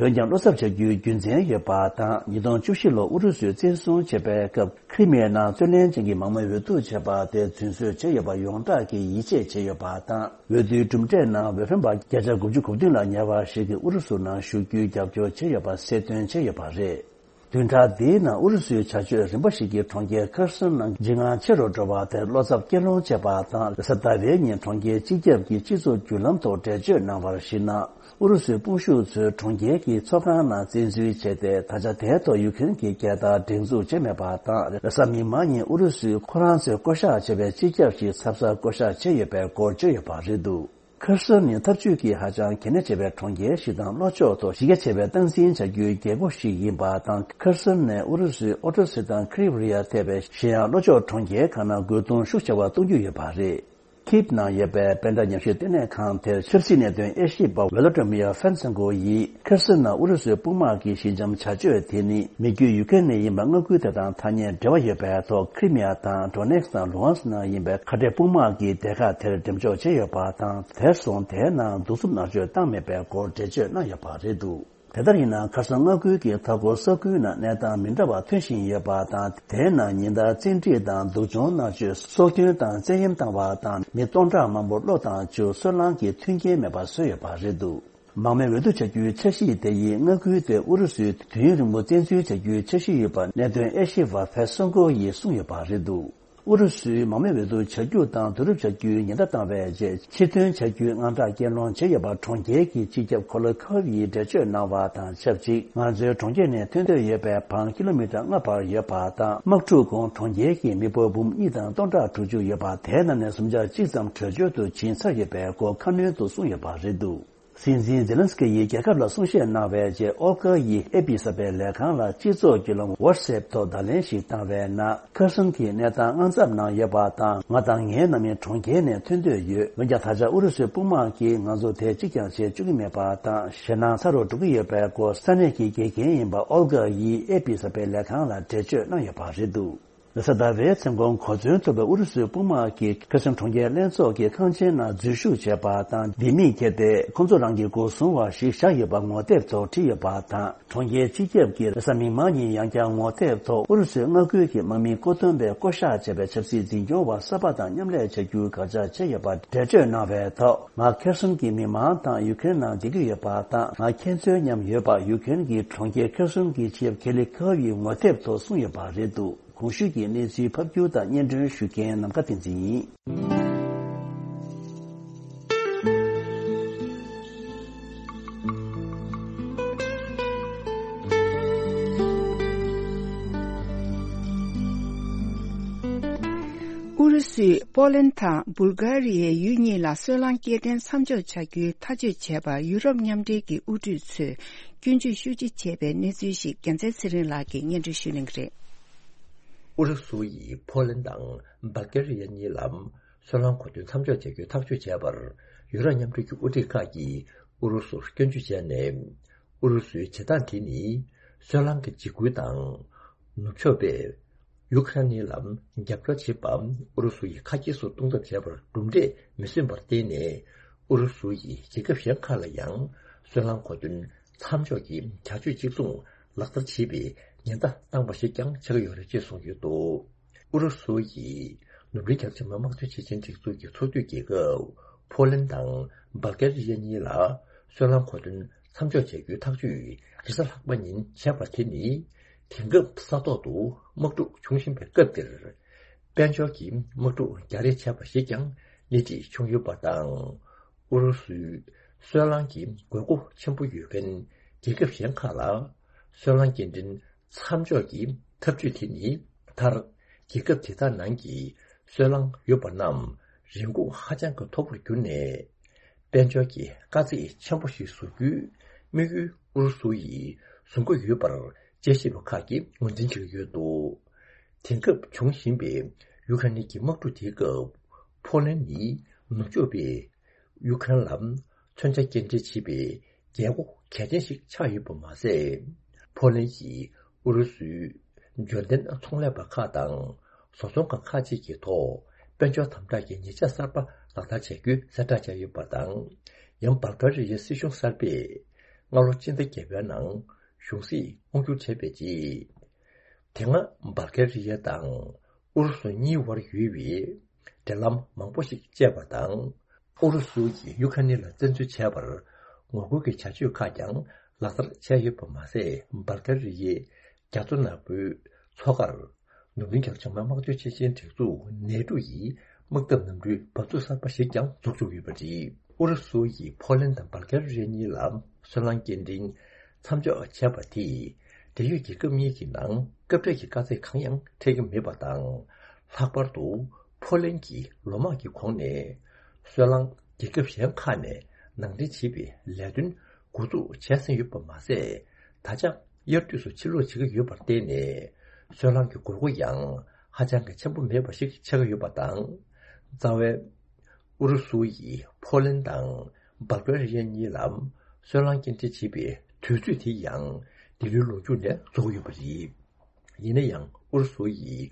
འོན་ཀྱང་བློ་འཚབ་བྱ་རྒྱུའི་རྒྱུ་མཚན་ཡོད་པ་དང་། ཉིས་སྟོང་བཅུ་བཞི་ལོར་ཨུ་རུ་སུས་བཙན་བཟུང་བྱས་པའི་སྐབས་ཁི་རི་མི་ཡའི་ནང་རྩོད་ལེན་ཅན་གྱི་མང་མོས་འོས་བསྡུ་བྱས་པ་དེ་རྫུན་བཟོས་བྱས་ཡོད་པ་ཡོངས་གྲགས་ཀྱིས་ཡིད་ཆེས་བྱས་ཡོད་པ་དང་། འོས་བསྡུའི་གྲུབ་འབྲས་ནང་འོས་འཕེན་པ་བརྒྱ་ཆ་དགུ་བཅུ་གོ་བདུན་ལ་ཉེ་བ་ཞིག་གིས་ཨུ་རུ་སུ་ནང་ཞུགས་རྒྱུའི་རྒྱབ་སྐྱོར་བྱས་ཡོད་པ་གསལ་སྟོན་བྱས་ཡོད་པ་རེད། བདུན་ཕྲག་འདིའི་ནང་ཨུ་རུ་སུའི་བྱ་སྤྱོད་རིམ་པ་ཞིག་གིས་གྲོང་ཁྱེར་ཁེར་སོན་ནང་འཇིགས་དངངས་ཆེ་རུ་འགྲོ་བ་དེར་བློ་འཚབ་སྐྱེད་སློང་བྱས་པ་དང་། རེས་གཟའ་ཟླ་བའི་ཉིན་གྲོང་ཁྱེར་སྤྱི་ཁྱབ་ཀྱི་སྤྱི་ཚོགས་བརྒྱུད་ལམ་ཐོག་འགྲེལ་བརྗོད་གནང་བར་གཞིགས་ན། ཨུ་རུ་སུའི་དཔུང་ཤུགས་ཚོས་གྲོང་ཁྱེར་གྱི་ཚོགས་ཁང་ནང་བཙན་འཛུལ་བྱས་ཏེ། ད་ཆ་དེའི་ཐོག་ཡུ་ཀེ་རེན་གྱི་རྒྱལ་དར་སྒྲེང་འཛུགས་བྱས་མེད་པ་དང་། རེས་གཟའ་མིག་དམར་ཉིན་ཨུ་རུ་སུས་ཁོ་རང་ཚོས་བསྐོ་གཞག་བྱས་པའི་སྤྱི་ཁྱབ་ཞིག་ཚབ་གསར་བསྐོ་གཞག་བྱས་ཡོད་པའི་སྐོར་བརྗོད་ཡོད་པ་རེད་འདུག་ཁེར་སོན་ནི་འཐབ་ཇུས་ཀྱི་ཧ་ཅང་གལ་གནད་ཆེ་བའི་གྲོང་ཁྱེར་ཞིག་དང་། ལྷོ་ཕྱོགས་ཐོག་གཞི་རྒྱ་ཆེ་བའི་སྟངས་འཛིན་བྱ་རྒྱུའི་རྒྱལ་སྒོ་ཞིག་ཡིན་པ་དང་། ཁེར་སོན་ནས་ཨུ་རུ་སུའི་ཨོ་ཏྲོ་སི་དང་ཁི་རི་ཝི་རི་ཡ་ཐེ་བའི་གཞན་ཡང་ལྷོ་ཕྱོགས་གྲོང་ཁྱེར་ཁག་ནང་རྒོལ་རྡུང་ཤུགས་ཆེ་བ་གཏོང་རྒྱུ་ཡོད་པ་རེད། ཁིབ་ནང་ཡོད་པའི་པེ་ཌ་ཉམས་ཞིབ་ལྟེ་གནས་ཁང་དེར་ཆབ་སྲིད་གནད་དོན་དབྱེ་ཞིབ་པ་ཝེ་ལོ་ཏི་མིར་ཧྥན་སེན་ཀོ་ཡིས། ཁེར་སོན་ནང་ཨུ་རུ་སུའི་དཔུང་དམག་གི་ཞི་འཇམ་བྱ་སྤྱོད་དེ་ནི་མི་རྒྱུད་ཡུ་ཀེ་རེན་ནས་ཡིན་པ་མངའ་ཁུལ་དེ་དང་ཐག་ཉེ་འབྲེལ་བ་ཡོད་པའི་ཐོག་ཁི་རི་མི་ཡ་དང་ཌོ་ནེ་སི་དང་ལུ་ཧན་སི་ནང་ཡིན་པའི་ཁ་བྲལ་དཔུང་དམག་གི་སྡེ་ཁག་དེར་འགྲེམས་འཇོག་བྱས་ཡོད་པ་དང་། དེར་སོང་དེའི་ནང་གདུག་རྩུབ་མནར་གཅོད་བཏང་མེད་པའི་སྐོར་འགྲེལ་བརྗོད་གནང་ཡོད་པ་རེད་འདུག་དེ་ལྟར་ཡིན་ན། ཁ་སང་མངའ་ཁུལ་གྱི་མཐའ་འཁོར་ས་ཁུལ་ནང་གནས་སྟངས་མི་འདྲ་བ་ཐོན་བཞིན་ཡོད་པ་དང་། དེའི་ནང་ཉིན་ལྟར་བཙན་ཁྲིད་དང་སྡུག་སྦྱོང་མནར་གཅོད། སྲོག་སྐྱོན་དང་བཙན་གཡེམ་བཏང་བ་དང་། མི་སྟོང་ཕྲག་མང་པོ་གློ་དང་གཅོད། སོལ་རླངས་ཀྱི་མཐུན་རྐྱེན་མེད་པ་བཟོས་ཡོད་པ་རེད་འདུག་མང་མོས་འོས་བསྡུ་བྱ་རྒྱུའི་འཆར་གཞི་དེ་ཡིས་མངའ་ཁུལ་དེ་ཨུ་རུ་སུས་དུས་ཡུན་རིང་པོ་བཙན་འཛུལ་བྱ་རྒྱུའི་འཆར་གཞི་ཡོད་པ་གནད་དོན་དབྱེ་ཞིབ་པ་ཧྥེ་སོན་ཀོ་ཡིས་གསུངས་ཡོད་པ་རེད་འདུག་ཨུ་རུ་སུས་མང་མོས་འོས་བསྡུ་བྱ་རྒྱུ་དང་བསྡུ་རུབ་བྱ་རྒྱུའི་ཉེན་བརྡ་བཏང་བའི་རྗེས། ཕྱིར་ཐོན་བྱ་རྒྱུའི་དངངས་སྐྲག་སྐྱེད་སློང་བྱས་ཡོད་པ་གྲོང་ཁྱེར་གྱི་སྤྱི་ཁྱབ་ཁོ་ལོ་ཁོབ་ཡིས་འགྲེལ་བརྗོད་གནང་བ་དང་ཆབས་ཅིག་ང་ཚོའི་གྲོང་ཁྱེར་ནས་ཐོན་འདོད་ཡོད་པའི་བང་ཀི་ལོ་མི་ཊར་ལྔ་བར་ཡོད་པ་དང་། དམག་འཁྲུག་གོང་གྲོང་ཁྱེར་གྱི་མི་འབོར་འབུམ་གཉིས་དང་སྟོང་ཕྲག་དྲུག་ཅུ་ཡོད་པ། དེའི་ནང་ནས་སུམ་ཆ་གཅིག་ཙམ་བྲོས་བྱོལ་དུ་ཕྱིན་ཚར་ཡོད་པའི་སྐོར་ཁ་སྣོན་དུ་གསུངས་ཡོད་པ་རེད་འདུག་སྲིད་འཛིན་ཛེ་ལན་སི་ཀི་ཡིས་རྒྱལ་ཁབ་ལ་གསུང་བཤད་གནང་བའི་རྗེས། ཨོལ་གྷ་ཡིས་ཨེ་པི་གསར་སྤེལ་ལས་ཁང་ལ་སྤྱི་ཚོགས་བརྒྱུད་ལམ་ཝཊ་སེབ་ཐོག་བརྡ་ལན་ཞིག་བཏང་བའི་ནང་། ཁེར་སོན་གྱི་གནས་སྟངས་དངངས་འཚབ་ནང་ཡོད་པ་དང་། ང་དང་ངའི་ནང་མི་གྲོང་ཁྱེར་ནས་ཐོན་འདོད་ཡོད། འོན་ཀྱང་། ད་ཆ་ཨུ་རུ་སུའི་དཔུང་དམག་གིས་ང་ཚོ་དེ་གཅིག་ཀྱང་བྱེད་བཅུག་གི་མེད་པ་དང་། ཞེད་སྣང་ཚ་རུ་འགྲོ་གི་ཡོད་པའི་སྐོར་ས་གནས་ཀྱི་དགེ་རྒན་ཡིན་པ་ཨོལ་གྷ་ཡིས་ཨེ་པི་གསར་སྤེལ་ལས་ཁང་ལ་འགྲེལ་བརྗོད་གནང་ཡོད་པ་རེད་འདུག་རེས་གཟའ་ཟླ་བའི་མཚན་གུང་གོ་མཚོན་ཐུབ་པའི་ཨུ་རུ་སུའི་དཔུང་དམག་གིས་ཁེར་སོན་གྲོང་ཁྱེར་ལྷན་ཚོགས་ཀྱི་ཁང་ཆེན་ནང་འཛུལ་ཞུགས་བྱས་པ་དང་། ལྡེ་མིག་ཁྱེར་ཏེ་ཁོང་ཚོ་རང་གི་སྒོ་སྲུང་བ་ཞིག་བཞག་ཡོད་པ་ངོ་དེབ་ཐོག་བྲིས་ཡོད་པ་དང་། གྲོང་ཁྱེར་སྤྱི་ཁྱབ་ཀྱིས་རེས་གཟའ་མིག་དམར་ཉིན་ཡང་བསྐྱར་ངོ་དེབ་ཐོག་ཨུ་རུ་སུའི་མངའ་ཁུལ་གྱི་དམག་མི་མཁོ་འདོན་པས་བསྐོ་གཞག་བྱས་པའི་ཆབ་སྲིད་འཛིན་སྐྱོང་བ་གསར་པ་དང་མཉམ་ལས་བྱ་རྒྱུའི་དགག་བྱ་བྱས་ཡོད་པར་འགྲེལ་བརྗོད་གནང་བའི་ཐོག་ང་ཁེར་སོན་གྱི་མི་མང་དང་ཡུ་ཀེ་རེན་ནང་བསྡད་ཀྱི་ཡོད་པ་དང་། ང་ཁྱེད་ཚོའི་མཉམ་ཡོད་པ་ཡུ་ཀེ་རེན་གྱི་གྲོང་ཁྱེར་ཁེར་སོན་གྱི་སྤྱི་ཁྱབ་ཁེ་ལི་ཁ་ཝིས་ངོ་དེབ་ཐོག་གསུངས་ཡོད་པ་རེད་འདུག་གོང་ཞུས་ཀྱི་གནས་ཚུལ་ཕབ་སྒྱུར་དང་སྙན་སྒྲོན་ཞུ་མཁན་ནམ་མཁའ་བསྟན་འཛིན་ཡིན། ཨུ་རུ་སུས་པོ་ལན་དང་སྦུལ་གྷ་རི་ཡའི་ཡུལ་གཉིས་ལ་སོལ་རླངས་སྐྱེལ་འདྲེན་མཚམས་འཇོག་བྱ་རྒྱུའི་ཐག་གཅོད་བྱས་པར་ཡུ་རོབ་མཉམ་འབྲེལ་གྱི་དབུ་ཁྲིད་ཚོས་སྐྱོན་བརྗོད་ཤུགས་ཆེ་བྱས་པའི་གནས་ཚུལ་ཞིག་རྒྱལ་མཚན་ཚེ་རིང་ལགས་ཀྱིས་སྙན་སྒྲོན་ཞུ་གནང་གི་རེད། ཨུ་རུ་སུ་ཡིས་པོ་ལན་དང་སྦལ་ཀེ་རི་ཡ་གཉིས་ལ་སོལ་རླངས་མཁོ་འདོན་མཚམས་འཇོག་བྱ་རྒྱུའི་ཐག་གཅོད་བྱས་པར་ཡུ་རོབ་མཉམ་འབྲེལ་གྱི་དབུ་ཁྲིད་ཁག་གིས་ཨུ་རུ་སུར་སྐྱོན་བརྗོད་བྱས་ནས། ཨུ་རུ་སུའི་བྱེད་སྟངས་དེ་ནི་སོལ་རླངས་ཀྱི་འཇིགས་སྐུལ་དང་ནུབ་ཕྱོགས་པས་ ཡུ་ཁ་རན་ནི་ལ་རྒྱབ་སྐྱོར་བྱེད་པ་ཨུ་རུ་སུ་ཡིས་ཁ་གྱེས་སུ་གཏོང་ཐབས་བྱས་པར་གྲུབ་འབྲས་མི་སོན་པར་བརྟེན་ནས། ཨུ་རུ་སུ་ཡིས་རྒྱལ་ཁབ་གཞན་ཁག་ལ་ཡང་སོལ་རླངས་མཁོ་འདོན་མཚམས་འཇོག་གི་བྱ་སྤྱོད་གཅིག་མཚུངས་ལག་བསྟར་བྱེད་པའི་ཉེན་བརྡ་བཏང་པ་ཞིག་ཀྱང་ཆགས་ཀྱི་ཡོད་རེད་ཅེས་གསུངས་ཡོད་འདུག་ཨུ་རུ་སུ་ཡིས་ནུབ་འབྲེལ་རྒྱ་ཆེ་མི་དམངས་གཙོའི་ཆེད་ཆེན་སྒྲིག་འཛུགས་ཀྱི་ཚོགས་འཐུས་རྒྱལ་ཁབ་ཕོ་ལན་དང་སྦལ་ཀེ་རི་ཡ་གཉིས་ལ་སོལ་རླངས་མཁོ་འདོན་མཚམས་འཇོག་བྱ་རྒྱུའི་ཐག་གཅོད་རེས་གཟའ་ལྷག་པ་ཉིན་བྱས་པ་དེ་ནི། དེང་སྐབས་ས་ཐོག་ཏུ་དམག་འཁྲུག་འབྱུང་བཞིན་པའི་སྐབས་འདིར། དཔལ་འབྱོར་གྱི་དམག་འཁྲུག་རྒྱག་རེས་བྱས་པ་ཞིག་ཀྱང་སྣེ་ཁྲིད་བྱུང་ཡོད་པ་དང་། ཨུ་རུ་སུའི་སོལ་རླངས་ཀྱི་དགོས་མཁོ་ཆེན་པོ་ཡོད་མཁན་རྒྱལ་ཁབ་གཞན་ཁག་ལ་སོལ་རླངས་སྐྱེལ་འདྲེན་མཚམས་འཇོག་གི་འཐབ་ཇུས་དེ་ནི། མཐར་རྒྱལ་ཁབ་དེ་དག་ནང་གི་སོལ་རླངས་ཡོད་པ་རྣམས་རིན་གོང་ཧ་ཅང་གི་མཐོ་པོར་གྱུར་ནས། དཔལ་འབྱོར་གྱི་དཀའ་ཚེགས་ཆེན་པོ་ཞིག་བཟོ་རྒྱུའི་དམིགས་ཡུལ་ཨུ་རུ་སུ་ཡིས་བཟུང་གི་ཡོད་པར་དཔྱད་ཞིབ་པ་ཁག་གིས་ངོས་འཛིན་བྱེད་ཀྱི་ཡོད་འདུག་དེང་སྐབས་འབྱུང་བཞིན་པའི་ཡུ་ཁ་ནི་གི་དམག་འཁྲུག་དེའི་སྐབས། ཕོ་ལན་ནི་ནུབ་ཕྱོགས་པས་ཡུ་ཁ་ནི་ལ་མཚོན་ཆ་སྐྱེལ་འདྲེན་བྱེད་པའི་རྒྱལ་སྒོ་གལ་ཆེན་ཞིག་ཆགས་ཡོད་པ་མ་ཟད། ཕོ་ལན་གྱིས་ཨུ་རུ་སུའི་འབྱོར་ལྡན་ཚོང་ལས་པ་ཁག་དང་བཟོ་ཚོང་ཁང་ཁག་ཅིག་གི་ཐོག་དཔལ་འབྱོར་དམ་དྲག་གི་ཉེས་ཆད་གསར་པ་ལག་བསྟར་བྱ་རྒྱུའི་གསལ་བསྒྲགས་བྱས་ཡོད་པ་དང་། ཡང་བལ་ཀེ་རི་ཡའི་སྲིད་གཞུང་གསར་པས་སྔ་ལོ་སྤྱི་ཟླ་བརྒྱད་པའི་ནང་གཞུང་སྲིད་དབང་བསྒྱུར་བྱས་པའི་རྗེས། དེ་སྔ་བལ་ཀེ་རི་ཡ་དང་ཨུ་རུ་སུ་གཉིས་བར་ཡོད་པའི་འབྲེལ་ལམ་མང་པོ་ཞིག་བཅད་པ་དང་། ཨུ་རུ་སུ་ཡིས་ཡུ་ཁ་ནི་ལ་བཙན་འཛུལ་བྱས་པར་ངོ་རྒོལ་གྱི་བྱ་སྤྱོད་ཁག་ཀྱང་ལག་བསྟར་བྱས་ཡོད་པ་མ་ཟད། བལ་ཀེ་རི་ཡའི་རྒྱ་མཚོ་ནག་པོའི་མཚོ་ཁར་ནུབ་གླིང་རྒྱ་ཆེ་མི་དམངས་གཙོའི་ཆེད་ཆེན་སྒྲིག་འཛུགས་ནེ་ཏུ་ཡིས་དམག་འཐབ་གནམ་གྲུའི་འབབ་ཚུགས་གསར་པ་ཞིག་ཀྱང་འཛུགས་བཅུག་ཡོད་པ་རེད། ཨུ་རུ་སུ་ཡིས་ཕོ་ལན་དང་བལ་ཀེ་རི་ཡ་གཉིས་ལ་སོལ་རླངས་སྐྱེལ་འདྲེན་མཚམས་འཇོག་བྱས་པ་དེས། འབྲེལ་ཡོད་རྒྱལ་ཁབ་གཉིས་ཀྱི་ནང་སྐབས་འཕྲལ་གྱི་དཀའ་ཚེགས་གང་ཡང་འཕྲད་ཀྱི་མེད་པ་དང་། ལྷག་པར་དུ་ཕོ་ལན་གྱིས་ལོ་མང་གི་གོང་ནས་སོལ་རླངས་རྒྱལ་ཁབ་གཞན་ཁག་ནས་ནང་འདྲེན་བྱེད་པའི་ལས་དོན་འགོ་འཛུགས་བྱས་ཟིན་ཡོད་པ་མ་ཟད། ད་ཆ་དབྱར་དུས་སུ་ཕྱིར་ལོག་བྱེད་ཀྱི་ཡོད་པར་བརྟེན་ནས། སོལ་རླངས་ཀྱི་དགོས་མཁོ་ཡང་ཧ་ཅང་གི་ཆེན་པོ་མེད་པ་ཞིག་ཆགས་ཀྱི་ཡོད་པ་དང་། རྩ་བའི་ཨུ་རུ་སུ་ཡིས་ཕོ་ལན་དང་བལ་ཀེ་རི་ཡ་གཉིས་ལ་སོལ་རླངས་སྐྱེལ་འདྲེན་བྱེད་པའི་དུས་ཚོད་དེ་ཡང་འདི་ལོའི་ལོ་མཇུག་ནས་རྫོགས་ཡོད་པ་རེད། ཡིན་ན་ཡང་ཨུ་རུ་སུ་ཡིས་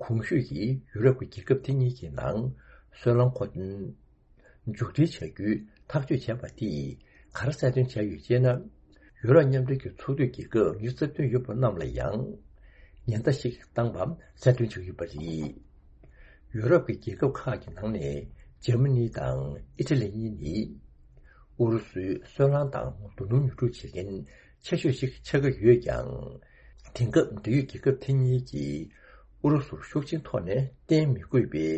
གོང་ཞུས་ཀྱི་ཡུ་རོབ་ཀྱི་རྒྱལ་ཁབ་དེ་གཉིས་ཀྱི་ནང་སོལ་རླངས་མཁོ་འདོན་མཇུག་སྒྲིལ་བྱ་རྒྱུའི་ཐག་གཅོད་བྱས་པ་དེས་ག་རེ་གསལ་སྟོན་བྱས་ཡོད་ཅེ་ན། ཡུ་རོབ་མཉམ་འབྲེལ་གྱི་ཚོགས་འཐུས་རྒྱལ་ཁབ་ཉི་ཤུ་རྩ་བདུན་ཡོད་པ་རྣམས་ལ་ཡང་ཉེན་བརྡ་ཞིག་བཏང་པ་གསལ་སྟོན་བྱས་ཡོད་པ་རེད། ཡུ་རོབ་ཀྱི་རྒྱལ་ཁབ་ཁག་གི་ནང་ནས་འཇར་མ་ནི་དང་ཨི་ཊ་ལི་གཉིས་ནི་ཨུ་རུ་སུའི་སོལ་རླངས་དང་རྡོ་སྣུམ་ཉོ་སྒྲུབ་བྱེད་མཁན་ཆེ་ཤོས་ཤིག་ཆགས་ཀྱི་ཡོད་ཀྱང་། དེང་སྐབས་འབྲེལ་ཡོད་རྒྱལ་ཁབ་དེ་གཉིས་ཀྱིས་ཨུ་རུ་སུར་ཤུགས་ཆེན་ཐོག་ནས་བརྟེན་མི་དགོས་པའི་བྱ་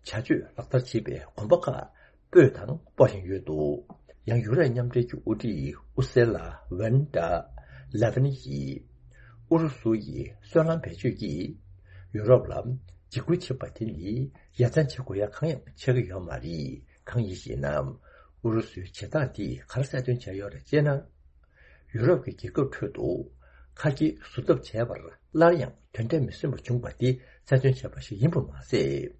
སྤྱོད་ལག་བསྟར་བྱེད་པའི་གོམ་པ་ཁག་སྤོས་དང་སྤོ་བཞིན་ཡོད་འདུག་ཡང་ཡུ་རོབ་མཉམ་འབྲེལ་གྱི་དབུ་ཁྲིད་ཨུ་སེ་ལ་ཝན་ཏྲ་ལེ་ཝན་ཡིས། ཨུ་རུ་སུ་ཡི་སོལ་རླངས་བེད་སྤྱོད་ཀྱིས་ཡུ་རོབ་ལ་འཇིགས་སྐུལ་བྱེད་པ་དེ་ནི་ཡ་མཚན་བྱེད་དགོས་ཡ་གང་ཡང་ཆགས་ཀྱི་ཡོད་མ་རེད། གང་ཡིན་ཞེ་ན། ཨུ་རུ་སུའི་བྱེད་སྟངས་དེས་ག་རེ་གསལ་སྟོན་བྱས་ཡོད་རེད་ཅེ་ན། ཡུ་རོབ་ཀྱི་རྒྱལ་ཁབ་ཁྲོད་དུ་ཁ་གྱེས་བཟོ་ཐབས་བྱས་པར་སླར་ཡང་དོན་འབྲས་མི་སོན་པ་བྱུང་བ་དེ་གསལ་སྟོན་བྱས་པ་ཞིག་ཡིན་པ་མ་ཟད།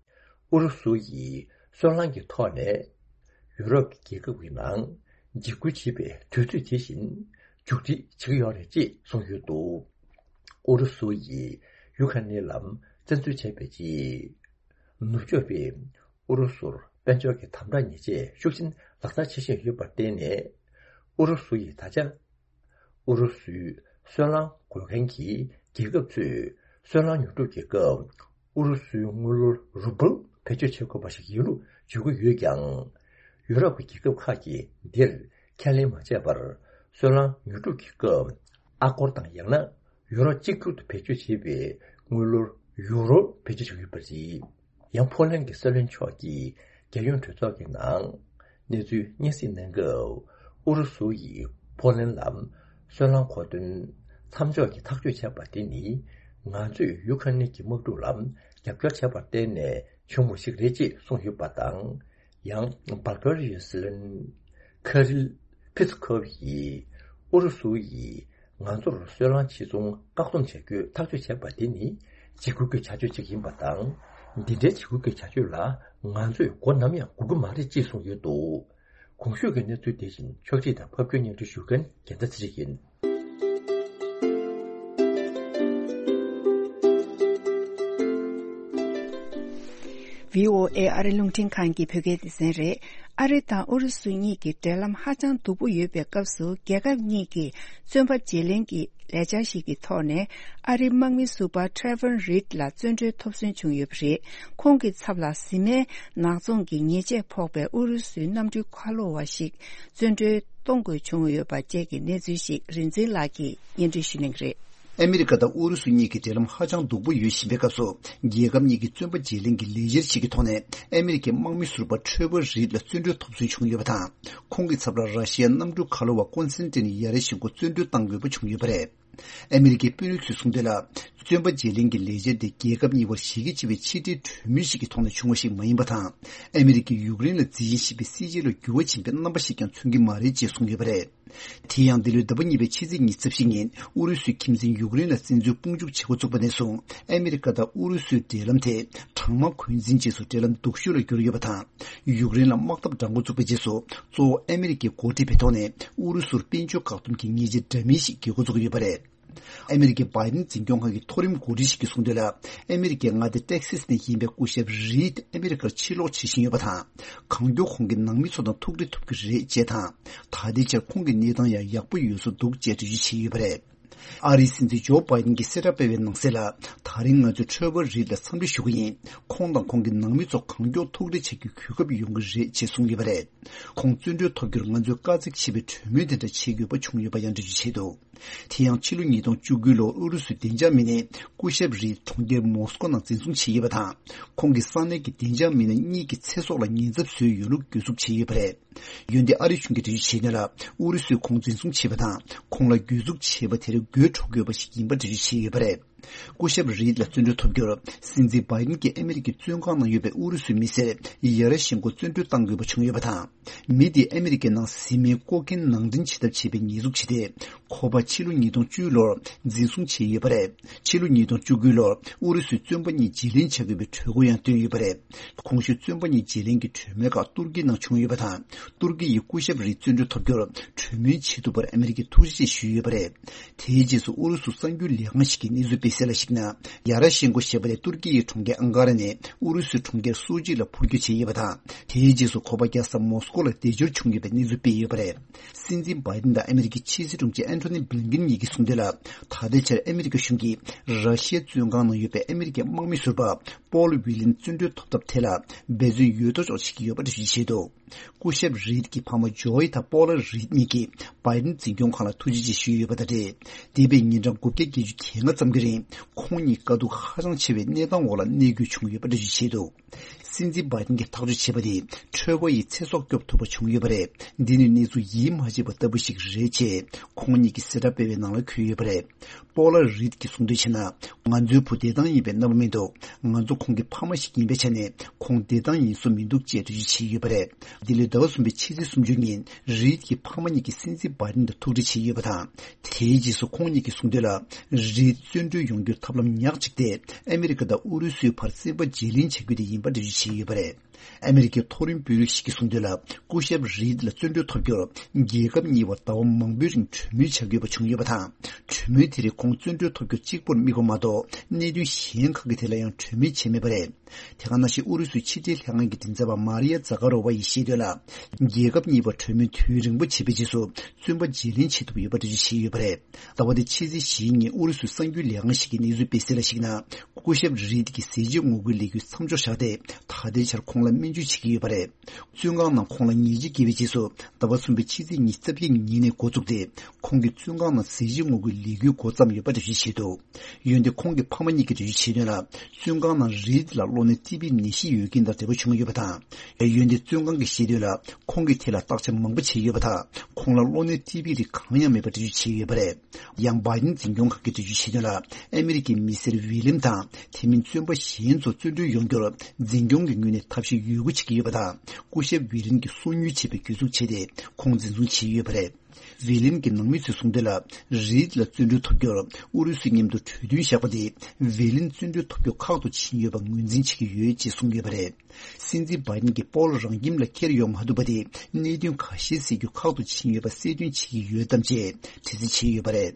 ཨུ་རུ་སུ་ཡིས་སོལ་རླངས་ཀྱི་ཐོག་ནས་ཡུ་རོབ་ཀྱི་རྒྱལ་ཁབ་ཀྱི་ནང་འཇིགས་སྐུལ་བྱེད་པའི་དུས་ཚོད་དེ་བཞིན་མཇུག་སྒྲིལ་བྱེད་ཀྱི་ཡོད་རེད་ཅེས་གསུངས་ཡོད་འདུག་ཨུ་རུ་སུ་ཡིས་ཡུ་ཁ་ནི་ལམ་བཙན་འཛུལ་བྱས་པའི་རྗེས། ནུབ་ཕྱོགས་པས་ཨུ་རུ་སུར་དཔལ་འབྱོར་གྱི་དམ་དྲག་ཉེས་ཆད་ཤུགས་ཆེན་ལག་བསྟར་བྱེད་བཞིན་ཡོད་པར་བརྟེན་ནས། ཨུ་རུ་སུ་ཡིས་ད་ཆ་ཨུ་རུ་སུའི་སོལ་རླངས་དགོས་མཁན་གྱི་རྒྱལ་ཁབ་ཚོས་སོལ་རླངས་ཉོ་སྒྲུབ་ཀྱི་སྐབས་ཨུ་རུ་སུའི་དངུལ་ལོར་རུ་བལ་བེད་སྤྱོད་བྱེད་དགོས་པ་ཞིག་ཡིན་ལུགས་བརྗོད་ཀྱི་ཡོད་ཀྱང་། ཡུ་རོབ་ཀྱི་རྒྱལ་ཁབ་ཁག་གིས་འདིར་ཁས་ལེན་མ་བྱས་པར། སོལ་རླངས་ཉོ་སྒྲུབ་ཀྱི་སྐབས་ཨ་སྒོར་དང་ཡང་ན་ཡུ་རོ་གཅིག་གྱུར་དུ་བེད་སྤྱོད་བྱེད་པའི་དངུལ་ལོར་ཡུ་རོ་བེད་སྤྱོད་བྱེད་ཀྱི་ཡོད་པ་རེད། ཡང་ཕོ་ལན་གྱི་སྲིད་བློན་མཆོག་གིས་རྒྱལ་ཡོངས་གྲོས་ཚོགས་ཀྱི་ནང་གནས་ཚུལ་སྙན་སེང་གནང་སྐབས། ཨུ་རུ་སུ་ཡིས་ཕོ་ལན་ལ་སོལ་རླངས་མཁོ་འདོན་མཚམས་འཇོག་གི་ཐག་གཅོད་བྱས་པ་དེ་ནི། ང་ཚོས་ཡུ་ཁ་ནི་གི་དམག་འཁྲུག་ལ་རྒྱབ་སྐྱོར་བྱས་པར་བརྟེན་ནས་བྱུང་བ་ཞིག་རེད་ཅེས་གསུངས་ཡོད་པ་དང་། ཡང་བལ་ཀེ་རི་ཡའི་སྲིད་བློན་ཁ་རིལ་ཕི་ཚི་ཁོབ་ཡིས། ཨུ་རུ་སུ་ཡིས་ང་ཚོར་སོལ་རླངས་ཕྱིར་ཚོང་བཀག་སྡོམ་བྱ་རྒྱུའི་ཐག་གཅོད་བྱས་པ་དེ་ནི་འཇིགས་སྐུལ་གྱི་བྱ་སྤྱོད་ཅིག་ཡིན་པ་དང་། འདི་འདྲའི་འཇིགས་སྐུལ་གྱི་བྱ་སྤྱོད་ལ་ང་ཚོས་མགོ་ནམ་ཡང་སྒུར་གྱི་མ་རེད་ཅེས་གསུངས་ཡོད་འདུག་གོང་ཞུས་ཀྱི་གནས་ཚུལ་དེ་བཞིན་ཕྱོགས་སྒྲིག་དང་ཕབ་སྒྱུར་སྙན་སྒྲོན་ཞུ་མཁན་རྒྱལ་མཚན་ཚེ་རིང་ཡིན། བྷི་ཨོ་ཨེ་ཨ་རི་རླུང་འཕྲིན་ཁང་གི་བོད་སྐད་སྡེ་ཚན་རེད། ཨ་རི་དང་ཨུ་རུ་སུ་གཉིས་ཀྱི་འབྲེལ་ལམ་ཧ་ཅང་སྡུག་པོ་ཡོད་པའི་སྐབས་སུ། རྒྱལ་ཁབ་གཉིས་ཀྱིས་བཙོན་པ་བརྗེ་ལེན་གྱི་ལས་འཆར་ཞིག་གི་ཐོག་ནས། ཨ་རིའི་དམག་མི་ཟུར་པ་Trevor Reed ལ་བཙོན་གྲོལ་ཐོབ་གསོན་བྱུང་ཡོད་པ་རེད། ཁོང་གི་ཚབ་ལ་བཟི་སྨན་ནག་ཚོང་གི་ཉེས་ཆད་ཕོག་པའི་ཨུ་རུ་སུའི་གནམ་གྲུའི་ཁ་ལོ་བ་ཞིག་བཙོན་གྲོལ་གཏོང་དགོས་བྱུང་ཡོད་པ་བཅས་ཀྱི་གནས་ཚུལ་ཞིག་རིག་འཛིན་ལགས་ཀྱིས་སྙན་སྒྲོན་ཞུ་གནང་གི་རེད། ཨ་མི་རི་ཀ་དང་ཨུ་རུ་སུ་གཉིས་ཀྱི་འབྲེལ་ལམ་ཧ་ཅང་སྡུག་པོ་ཡོད་བཞིན་པའི་སྐབས་སུ། རྒྱལ་ཁབ་གཉིས་ཀྱི་བཙོན་པ་བརྗེ་ལེན་གྱི་ལས་འཆར་ཞིག་གི་ཐོག་ནས། ཨ་མི་རི་ཀའི་དམག་མི་ཟུར་པ་Trevor Reed ལ་བཙོན་གྲོལ་ཐོབ་གསོན་བྱུང་ཡོད་པ་དང་། ཁོང་གི་ཚབ་ལ་ར་ཤི་ཡའི་གནམ་གྲུ་ཁ་ལོ་བ་ཀོན་སི་ཏན་ཡ་རེ་ཤེན་ཀོ་བཙོན་གྲོལ་གཏང་དགོས་པ་བྱུང་ཡོད་པ་རེད། ཨ་མི་རི་ཀའི་དཔོན་རིགས་ཚོས་གསུངས་དོན་ལ། བཙོན་པ་བརྗེ་ལེན་གྱི་ལས་འཆར་དེ་རྒྱལ་ཁབ་གཉིས་བར་ཞི་རྒྱ་ཆེ་བའི་ཆེས་མཐོའི་གྲོས་མོལ་ཞིག་གི་ཐོག་ནས་བྱུང་བ་ཞིག་མ་ཡིན་པ་དང་། ཨ་མི་རི་ཀས་ཡུཀ་རེན་ལ་རྩིས་ཞིབ་བྱེད་པའི་སྲིད་བྱུས་ལ་འགྱུར་བ་ཕྱིན་པའི་རྣམ་པ་ཞིག་ཀྱང་མཚོན་གྱི་མ་རེད་ཅེས་གསུངས་ཡོད་པ་རེད། དེ་ཡང་འདི་ལོའི་ཟླ་བ་གཉིས་པའི་ཕྱི་ཚེས་ཉི་ཤུ་རྩ་བཞི་ཉིན་ཨུ་རུ་སུའི་ཁྱིམ་མཚེས་ཡུཀ་རེན་ལ་བཙན་འཛུལ་དཔུང་འཇུག་བྱེད་འགོ་བཙུགས་པ་ནས་བཟུང་། ཨ་མི་རི་ཀ་དང་ཨུ་རུ་སུའི་འབྲེལ་ལམ་དེ་གྲང་དམག་འཁོན་འཛིན་རྗེས་སུ་འབྲེལ་ལམ་སྡུག་ཤོས་ལ་གྱུར་ཡོད་པ་དང་། ཡུཀ་རེན་ལ་དམག་འཐབ་འགྲན་སྒོ་བཙུགས་པའི་རྗེས་སུ། གཙོ་བོ་ཨ་མི་རི་ཀས་འགོ་ཁྲིད་པའི་ཐོག་ནས་ཨུ་རུ་སུར་དཔལ་འབྱོར་བཀག་སྡོམ་གྱི་ཉེས་ཆད་འདྲ་མིན་ཞིག་འགེལ་འགོ་བཙུགས་ཡོད་པ་རེད། ཨ་མི་རི་ཀའི་བྷའི་ཌེན་འཛིན་སྐྱོང་ཁང་གི་མཐོ་རིམ་འགོ་ཁྲིད་ཞིག་གིས་གསུངས་དོན་ལ། ཨ་མི་རི་ཀའི་མངའ་སྡེ་ཏེག་སེས་ནས་ཡིན་པའི་སྐུ་ཞབས་རིད་ཨ་མི་རི་ཀར་ཕྱིར་ལོག་བྱེད་བཞིན་ཡོད་པ་དང་། གང་མགྱོགས་ཁོང་གི་ནང་མི་ཚོ་དང་ཐུག་འཕྲད་ཐུབ་ཀྱི་རེད་ཅེས་དང་། ད་ལྟའི་ཆར་ཁོང་གི་གནས་སྟངས་ཡང་ཡག་པོ་ཡོད་བཟོ་འདུག་ཅེས་འགྲེལ་བརྗོད་བྱས་ཡོད་པ་རེད། ཨ་རིའི་སྲིད་འཛིན་ཇོ་བྷའི་ཌེན་གྱིས་གསལ་བསྒྲགས་སྤེལ་བའི་ནང་གསལ་ལ། ད་རིང་ང་ཚོས་ཁྲོ་བོ་རིད་ལ་འཚམས་འདྲི་ཞུ་གི་ཡིན། ཁོང་དང་ཁོང་གི་ནང་མི་ཚོ་གང་མགྱོགས་ཐུག་འཕྲད་བྱ་རྒྱུའི་གོ་སྐབས་ཡོང་གི་རེད་ཅེས་གསུངས་ཡོད་པ་རེད། ཁོང་བཙོན་གྲོལ་ཐོབ་རྒྱུར་ང་ཚོས་དཀའ་ཚེགས་ཆེ་བའི་གྲོས་མོལ་དེ་འདྲ་བྱེད་དགོས་པ་བྱུང་ཡོད་པ་ཡང་འགྲེལ་བརྗོད་བྱས་འདུག་དེ་ཡང་ཕྱི་ལོ་ཉིས་སྟོང་བཅུ་དགུ་ལོར་ཨུ་རུ་སུའི་བདེ་འཇགས་མི་སྣས་སྐུ་ཞབས་རིད་གྲོང་ཁྱེར་མོ་སི་ཀོ་ནང་འཛིན་བཟུང་བྱས་ཡོད་པ་དང་། ཁོང་གི་ས་གནས་ཀྱི་བདེ་འཇགས་མི་སྣ་གཉིས་ཀྱི་ཚེ་སྲོག་ལ་ཉེན་ཚབས་བཟོས་ཡོད་ལུགས་གྱོད་འཛུགས་བྱས་ཡོད་པ་རེད། འོན་ཏེ་ཨ་རི་གཞུང་གིས་འགྲེལ་བརྗོད་བྱས་དོན་ལ། ཨུ་རུ་སུས་ཁོང་འཛིན་བཟུང་བྱས་པ་དང་། ཁོང་ལ་གྱོད་འཛུགས་བྱས་པ་དེར་དགོད་བྲོ་དགོས་པ་ཞིག་ཡིན་པ་འགྲེལ་བརྗོད་བྱས་ཡོད་པ་རེད། སྐུ་ཞབས་རིད་ལ་བཙོན་གྲོལ་ཐོབ་རྒྱུར། སྲིད་འཛིན་བྷའི་ཌེན་གྱིས་ཨ་མི་རི་ཀའི་བཙོན་ཁང་ནང་ཡོད་པའི་ཨུ་རུ་སུའི་མི་སེར་ཡ་ར་ཤེན་ཀོ་བཙོན་གྲོལ་གཏང་དགོས་པ་བྱུང་ཡོད་པ་དང་། མི་དེས་ཨ་མི་རི་ཀའི་ནང་བཟི་སྨན་ཀོ་ཀེན་ནང་འདྲེན་བྱེད་ཐབས་བྱས་པའི་ཉེས་འཛུགས་བྱས་ཏེ། ཁོ་པ་ཕྱི་ལོ་ཉིས་སྟོང་བཅུ་ལོར་འཛིན་བཟུང་བྱས་ཡོད་པ་རེད། ཕྱི་ལོ་ཉིས་སྟོང་བཅུ་དགུ་ལོར་ཨུ་རུ་སུས་བཙོན་པ་གཉིས་བརྗེ་ལེན་བྱ་དགོས་པའི་གྲོས་འགོ་ཡང་བཏོན་ཡོད་པ་རེད། གོང་ཞུས་བཙོན་པ་གཉིས་བརྗེ་ལེན་གྱི་གྲོས་མོལ་ཁག་ཏུར་ཀིའི་ནང་བྱུང་ཡོད་པ་དང་། ཏུར་ཀི་ཡིས་སྐུ་ཞབས་རིད་བཙོན་གྲོལ་ཐོབ་རྒྱུར་གྲོས་མོལ་བྱེད་ཐུབ་པར་ཨ་མི་རི་ཀས་ཐུགས་རྗེ་ཆེ་ཞུས་ཡོད་པ་རེད། དེའི་རྗེས་སུ་ཨུ་རུ་སུ་གསར་འགྱུར་ལས་ཁང་ཞིག་གིས་གནས་ཚུལ་སྤེལ་གསལ་ལ་གཞིགས་ན། ཡ་ར་ཤེན་ཀོ་ཞེས་པ་དེ་ཏུར་ཀི་ཡི་གྲོང་ཁྱེར་ཨང་ཀ་ར་ནས་ཨུ་རུ་སུའི་གྲོང་ཁྱེར་སོ་ཅི་ལ་འཕུར་སྐྱོད་བྱས་ཡོད་པ་དང་། དེའི་རྗེས་སུ་ཁོ་པ་རྒྱལ་ས་མོ་སི་ཀོ་ལ་བདེ་འབྱོར་བྱུང་ཡོད་པའི་གནས་ཚུལ་སྤེལ་ཡོད་པ་རེད། སྲིད་འཛིན་བྷའི་ཌེན་དང་ཨ་མི་རི་ཀའི་ཕྱི་སྲིད་དྲུང་ཆེ་ཨན་ཐོ་ནི་བྷི་ལིན་ཀིན་གཉིས་ཀྱིས་གསུངས་དོན་ལ། ད་ལྟའི་ཆར་ཨ་མི་རི་ཀ་གཞུང་གིས་ར་ཤི་ཡའི་བཙོན་ཁང་ནང་ཡོད་པའི་ཨ་མི་རི་ཀའི་དམག་མི་ཟུར་པ་པོལ་ཝི་ལིན་བཙོན་གྲོལ་ཐོབ་ཐབས་ཐད་ལ་འབད་བརྩོན་ཡོད་དོ་ཅོག་བྱེད་ཀྱི་ཡོད་པ་འགྲེལ་བརྗོད་བྱས་འདུག་སྐུ་ཞབས་རིད་ཀྱི་ཕ་མ་ཇོའི་དང་པོ་ལ་རིད་གཉིས་ཀྱིས་བྷའི་ཌེན་འཛིན་སྐྱོང་ཁང་ལ་ཐུགས་རྗེ་ཆེ་ཞུས་ཡོད་པ་དང་འབྲེལ། འདས་པའི་ཉིན་གྲངས་དགུ་བརྒྱ་བརྒྱད་ཅུ་གྱ་ལྔ་ཙམ་གྱི་རིང་ཁོང་གཉིས་དཀའ་སྡུག་ཧ་ཅང་ཆེ་བའི་གནས་སྟངས་འོག་ལ་གནས་དགོས་བྱུང་ཡོད་པ་འགྲེལ་བརྗོད་བྱས་འདུག་སྲིད་འཛིན་བྷའི་ཌེན་གྱིས་ཐག་གཅོད་བྱས་པ་དེ་ཁྲོས་པ་ཡིས་ཚེ་སྲོག་སྐྱོབ་ཐུབ་པ་བྱུང་ཡོད་པ་རེད། འདི་ནི་གནས་ཚུལ་ཡིད་མ་ཆེས་པ་ལྟ་བུ་ཞིག་རེད་ཅེས་ཁོང་གཉིས་ཀྱིས་གསལ་བསྒྲགས་སྤེལ་བའི་ནང་ལ་འཁོད་ཡོད་པ་རེད། པོ་ལ་རིད་ཀྱིས་གསུངས་དོན་བྱས་ན། ང་ཚོའི་བུ་བདེ་ཐང་ཡིན་པའི་རྣམ་པ་མི་འདུག་ང་ཚོ་ཁོང་གི་ཕ་མ་ཞིག་ཡིན་པའི་ཆ་ནས་ཁོང་བདེ་ཐང་ཡིན་བཟོ་མི་འདུག་ཅེས་འགྲེལ་བརྗོད་བྱས་ཡོད་པ་རེད། འདི་ལོའི་ཟླ་བ་གསུམ་པའི་ཕྱི་ཚེས་སུམ་ཅུ་ཉིན་རིད་ཀྱི་ཕ་མ་གཉིས་ཀྱིས་སྲིད་འཛིན་བྷའི་ཌེན་དང་ཐུག་འཕྲད་བྱས་ཡོད་པ་དང་། དེའི་རྗེས་སུ་ཁོང་གཉིས་ཀྱིས་གསུངས་དོན་ལ། རིད་བཙོན་གྲོལ་ཡོང་རྒྱུར་ཐབས་ལམ་ཉག་གཅིག་སྟེ་ཨ་མི་རི་ཀ་དང་ཨུ་རུ་སུའི་བར་བཙོན་པ་བརྗེ་ལེན་བྱ་རྒྱུ་དེ་ཡིན་པ་འགྲེལ་བརྗོད་བྱས་ཡོད་པ་རེད། ཨ་མི་རི་ཀའི་མཐོ་རིམ་དཔོན་རིགས་ཤིག་གིས་གསུངས་དོན་ལ། སྐུ་ཞབས་རིད་ལ་བཙོན་གྲོལ་ཐོབ་རྒྱུར་རྒྱལ་ཁབ་གཉིས་བར་ཟླ་བ་མང་པོའི་རིང་གྲོས་མོལ་བྱ་དགོས་པ་བྱུང་ཡོད་པ་དང་། གྲོས་མོལ་དེ་རིང་ཁོང་བཙོན་གྲོལ་ཐོབ་རྒྱུ་གཅིག་པུར་དམིགས་པ་མ་གཏོགས་གནད་དོན་གཞན་ཁག་གི་ཐད་ལ་ཡང་གྲོས་མོལ་བྱས་མེད་པ་རེད། དེ་ག་ནང་བཞིན་ཨུ་རུ་སུའི་ཕྱི་འབྲེལ་ལྷན་ཁང་གི་མགྲིན་ཚབ་པ་མཱ་རི་ཡ་ཛ་ཀ་རོ་ཝ་ཡིས་བཤད་དོན་ལ། རྒྱལ་ཁབ་གཉིས་བར་གྲོས་མོལ་དུས་རིང་པོ་བྱས་པའི་རྗེས་སུ་བཙོན་པ་བརྗེ་ལེན་བྱེད་ཐུབ་ཡོད་པ་འགྲེལ་བརྗོད་བྱས་ཡོད་པ་རེད། ཟླ་བ་འདིའི་ཕྱི་ཚེས་བཞིའི་ཉིན་ཨུ་རུ་སུའི་གསར་འགྱུར་ལས་ཁང་ཞིག་གིས་གནས་ཚུལ་སྤེལ་གསལ་ལ་གཞིགས་ན། སྐུ་ཞབས་རིད་ཀྱི་ཟས་བཅད་ངོ་རྒོལ་ལས་འགུལ་མཚམས་འཇོག་བཞག་སྟེ། ད་ལྟའི་ཆར་ཁོང་ལ་སྨན་བཅོས་བྱེད་ཀྱི་ཡོད་པ་རེད། བཙོན་ཁང་ནང་ཁོང་ལ་ཉེས་ཆད་བཀལ་བའི་རྗེས་སུ་ཟླ་བ་གསུམ་པའི་ཕྱི་ཚེས་ཉི་ཤུ་རྩ་བརྒྱད་ཉིན་ནས་འགོ་བཙུགས་ཏེ། ཁོང་གིས་བཙོན་ཁང་ནང་ཟས་བཅད་ངོ་རྒོལ་ལས་འགུལ་འགོ་བརྩམས་ཡོད་པ་འགྲེལ་བརྗོད་བྱས་འདུག་འོན་ཏེ་ཁོང་གི་ཕ་མ་གཉིས་ཀྱིས་འགྲེལ་བརྗོད་བྱས་དོན་ལ། བཙོན་ཁང་ནང་རིད་ལ་གློ་ནད་ཊི་བི་ནད་གཞི་ཡོད་མཁན་དང་འབྲེལ་བ་བྱུང་ཡོད་པ་དང་། འོན་ཏེ་བཙོན་ཁང་གིས་བཤད་དོན་ལ། ཁོང་གི་ཐད་ལ་བརྟག་དཔྱད་མང་པོ་བྱས་ཡོད་པ་དང་། ཁོང་ལ་གློ་ནད་ཊི་བི་རིགས་གང་ཡང་མེད་པ་འགྲེལ་བརྗོད་བྱས་ཡོད་པ་རེད། ཡང་བྷའི་ཌེན་འཛིན་སྐྱོང་ཁང་གིས་འགྲེལ་བརྗོད་བྱས་དོན་ལ། ཨ་མི་རི་ཀའི་མི་སེར་ཝི་ལིམ་དང་དེ་མིན་བཙོན་པ་གཞན་ཚོ་བཙོན་གྲོལ་ཡོང་རྒྱུར་འཛིན་སྐྱོང་གི་ངོས་ནས་ཐབས་ཤེས་ཡོད་རྒུ་བྱེད་ཀྱི་ཡོད་པ་དང་། སྐུ་ཞབས་ཝི་ལིམ་གྱིས་སོ་ཉུལ་བྱས་པའི་གྱོད་འཛུགས་བྱས་ཏེ་ཁོང་འཛིན་བཟུང་བྱས་ཡོད་པ་རེད། ཝི་ལིན་གྱི་ནང་མི་ཚོས་གསུངས་དོན་ལ། རིད་ལ་བརྩོན་འགྲུས་ཐོབ་རྒྱུར་ཨུ་རུ་སུའི་མཉམ་དུ་གྲོས་མཐུན་བཞག་པ་དེ་ཝི་ལིན་བརྩོན་འགྲུས་ཐོབ་རྒྱུ་ཁག་ཏུ་ཕྱིན་ཡོད་པ་ངོས་འཛིན་བྱེད་ཀྱི་ཡོད་ཅེས་གསུངས་ཡོད་པ་རེད། སྲིད་འཛིན་བྷའི་ཌེན་གྱིས་སྤོ་ལོ་རང་ཁྱིམ་ལ་འཁྱེར་ཡོང་མ་ཐུབ་པ་དེ་གནད་དོན་ཁ་ཤས་སེལ་རྒྱུ་ཁག་ཏུ་ཕྱིན་ཡོད་པ་གསལ་སྟོན་བྱེད་ཀྱི་ཡོད་དམ་ཅེས་དྲི་རྩད་བྱས་ཡོད་པ་རེད།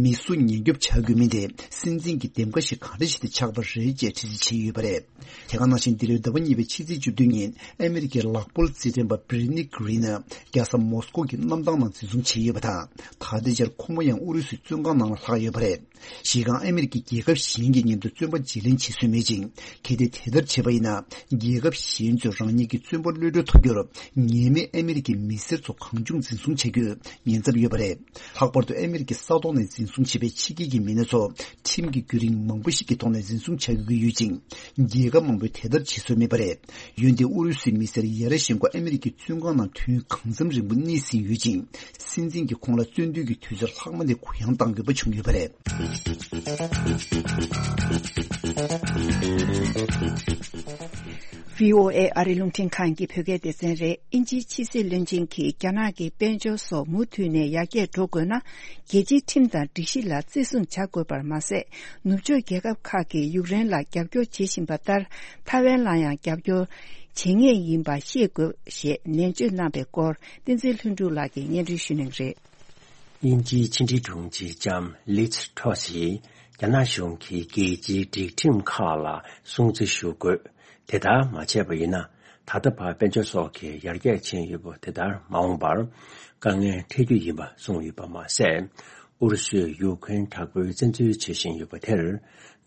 མི་གསོད་ཉེན་སྐྱོབ་བྱ་དགོས་མིན་དེ་སྲིད་འཛིན་གྱི་འདེམས་ཀ་ཞིག་གང་འདྲ་ཞིག་ཏུ་ཆགས་པ་རེད་ཅེས་དྲི་རྩད་བྱས་ཡོད་པ་རེད། དེ་ག་ནང་བཞིན་འདི་ལོའི་ཟླ་བ་གཉིས་པའི་ཕྱི་ཚེས་བཅུ་བདུན་ཉིན་ཨ་མེ་རི་ཁའི་ལག་འབོར་རྩེད་འགྲན་པ་བྷི་རི་ནི་གྷི་རིན་ནི་རྒྱལ་ས་མོ་སི་ཀོ་གི་གནམ་ཐང་ནང་འཛིན་བཟུང་བྱས་ཡོད་པ་དང་། ད་ལྟའི་ཆར་ཁོ་མོ་ཡང་ཨུ་རུ་སུའི་བཙོན་ཁང་ནང་ལ་ལྷག་ཡོད་པ་རེད། གཞི་རྐང་ཨ་མེ་རི་ཁའི་རྒྱལ་ཁབ་གཞན་གྱི་མཉམ་དུ་བཙོན་པ་བརྗེ་ལེན་བྱེད་སྲོལ་མེད་ཅིང་། གལ་ཏེ་དེ་ལྟར་བྱས་པ་ཡིན་ན། རྒྱལ་ཁབ་གཞན་ཚོས་རང་ཉིད་ཀྱི་བཙོན་པ་གློད་གྲོལ་ཐོབ་རྒྱུར་ཉེས་མེད་ཨ་མེ་རི་ཁའི་མི་སེར་ཚོ་གང་བྱུང་འཛིན་བཟུང་བྱ་རྒྱུའི་ཉེན་ཚབས་ཡོད་པ་རེད། ལྷག་པར་དུ་ཨ་མེ་རི་ཁའི་ས་ཐོག་ནས་འཛིན་བཟུང་བྱས་པའི་ཕྱི་རྒྱལ་གྱི་མི་སྣ་ཚོ་ཁྲིམས་ཀྱི་བརྒྱུད་རིམ་མང་པོ་ཞིག་གི་ཐོག་ནས་འཛིན་བཟུང་བྱ་དགོས་ཀྱི་ཡོད་ཅིང་། རྒྱལ་ཁབ་མང་པོས་དེ་ལྟར་བྱེད་སྲོལ་མེད་པ་རེད། འོན་ཏེ་ཨུ་རུ་སུའི་མི་སེར་ཡ་ར་ཤན་ཁོ་ཨ་མེ་རི་ཁའི་བཙོན་ཁང་ནང་དུས་གང་འཚམ་རིང་པོ་གནས་ཟིན་ཡོད་ཅིང་། སྲིད་འཛིན་གྱིས་ཁོང་ལ་བཙོན་འདུལ་གྱི་དུས་ཚོད་ལྷག་མ་དེ་གུ་ཡངས་གཏང་དགོས་པ་བྱུང་ཡོད་པ་རེད། བྷི་ཨོ་ཨེ་ཨ་རིའི་རླུང་འཕྲིན་ཁང་གི་བོད་སྐད་སྡེ་ཚན་རེད། དབྱིན་ཇིའི་ཕྱི་སྲིད་བློན་ཆེན་གྱིས་རྒྱ་ནག་གི་དཔལ་འབྱོར་སོགས་མུ་མཐུད་ནས་ཡར་རྒྱས་འགྲོ་དགོས་ན། རྒྱལ་སྤྱིའི་ཁྲིམས་དང་སྒྲིག་གཞི་ལ་བརྩི་སྲུང་བྱ་དགོས་པར་མ་ཟད། ནུབ་ཕྱོགས་རྒྱལ་ཁབ་ཁག་གིས་ཡུཀ་རེན་ལ་རྒྱབ་སྐྱོར་བྱེད་བཞིན་པ་ལྟར། ཐའེ་ཝན་ལ་ཡང་རྒྱབ་སྐྱོར་བྱེད་ངེས་ཡིན་པ་ཤེས་དགོས་ཞེས་ནན་བརྗོད་གནང་པའི་སྐོར། བསྟན་འཛིན་ལྷུན་གྲུབ་ལགས་ཀྱིས་སྙན་སྒྲོན་ཞུ་གནང་གི་རེད། དབྱིན་ཇིའི་ཕྱི་འབྲེལ་དྲུང་ཆེ་ལྕམ་ལིཛ་ཊོ་སི་ཡིས་རྒྱ་ནག་གཞུང་གིས་རྒྱལ་སྤྱིའི་སྒྲིག་ཁྲིམས་ཁག་ལ་སྲུང་བརྩི་ཞུ་དགོས། དེ་ལྟར་མ་བྱས་པ་ཡིན་ན། ད་ལྟ་བར་དཔལ་འབྱོར་སོགས་ཀྱི་ཡར་རྒྱས་ཕྱིན་ཡོད་པ་དེ་ལྟར་མ་འོངས་པར་དཀའ་ངལ་འཕྲད་རྒྱུ་ཡིན་པ་གསུངས་ཡོད་པ་མ་ཟད། ཨུ་རུ་སུས་ཡུཀ་རེན་དྲག་པོའི་བཙན་འཛུལ་བྱེད་བཞིན་ཡོད་པ་དེར།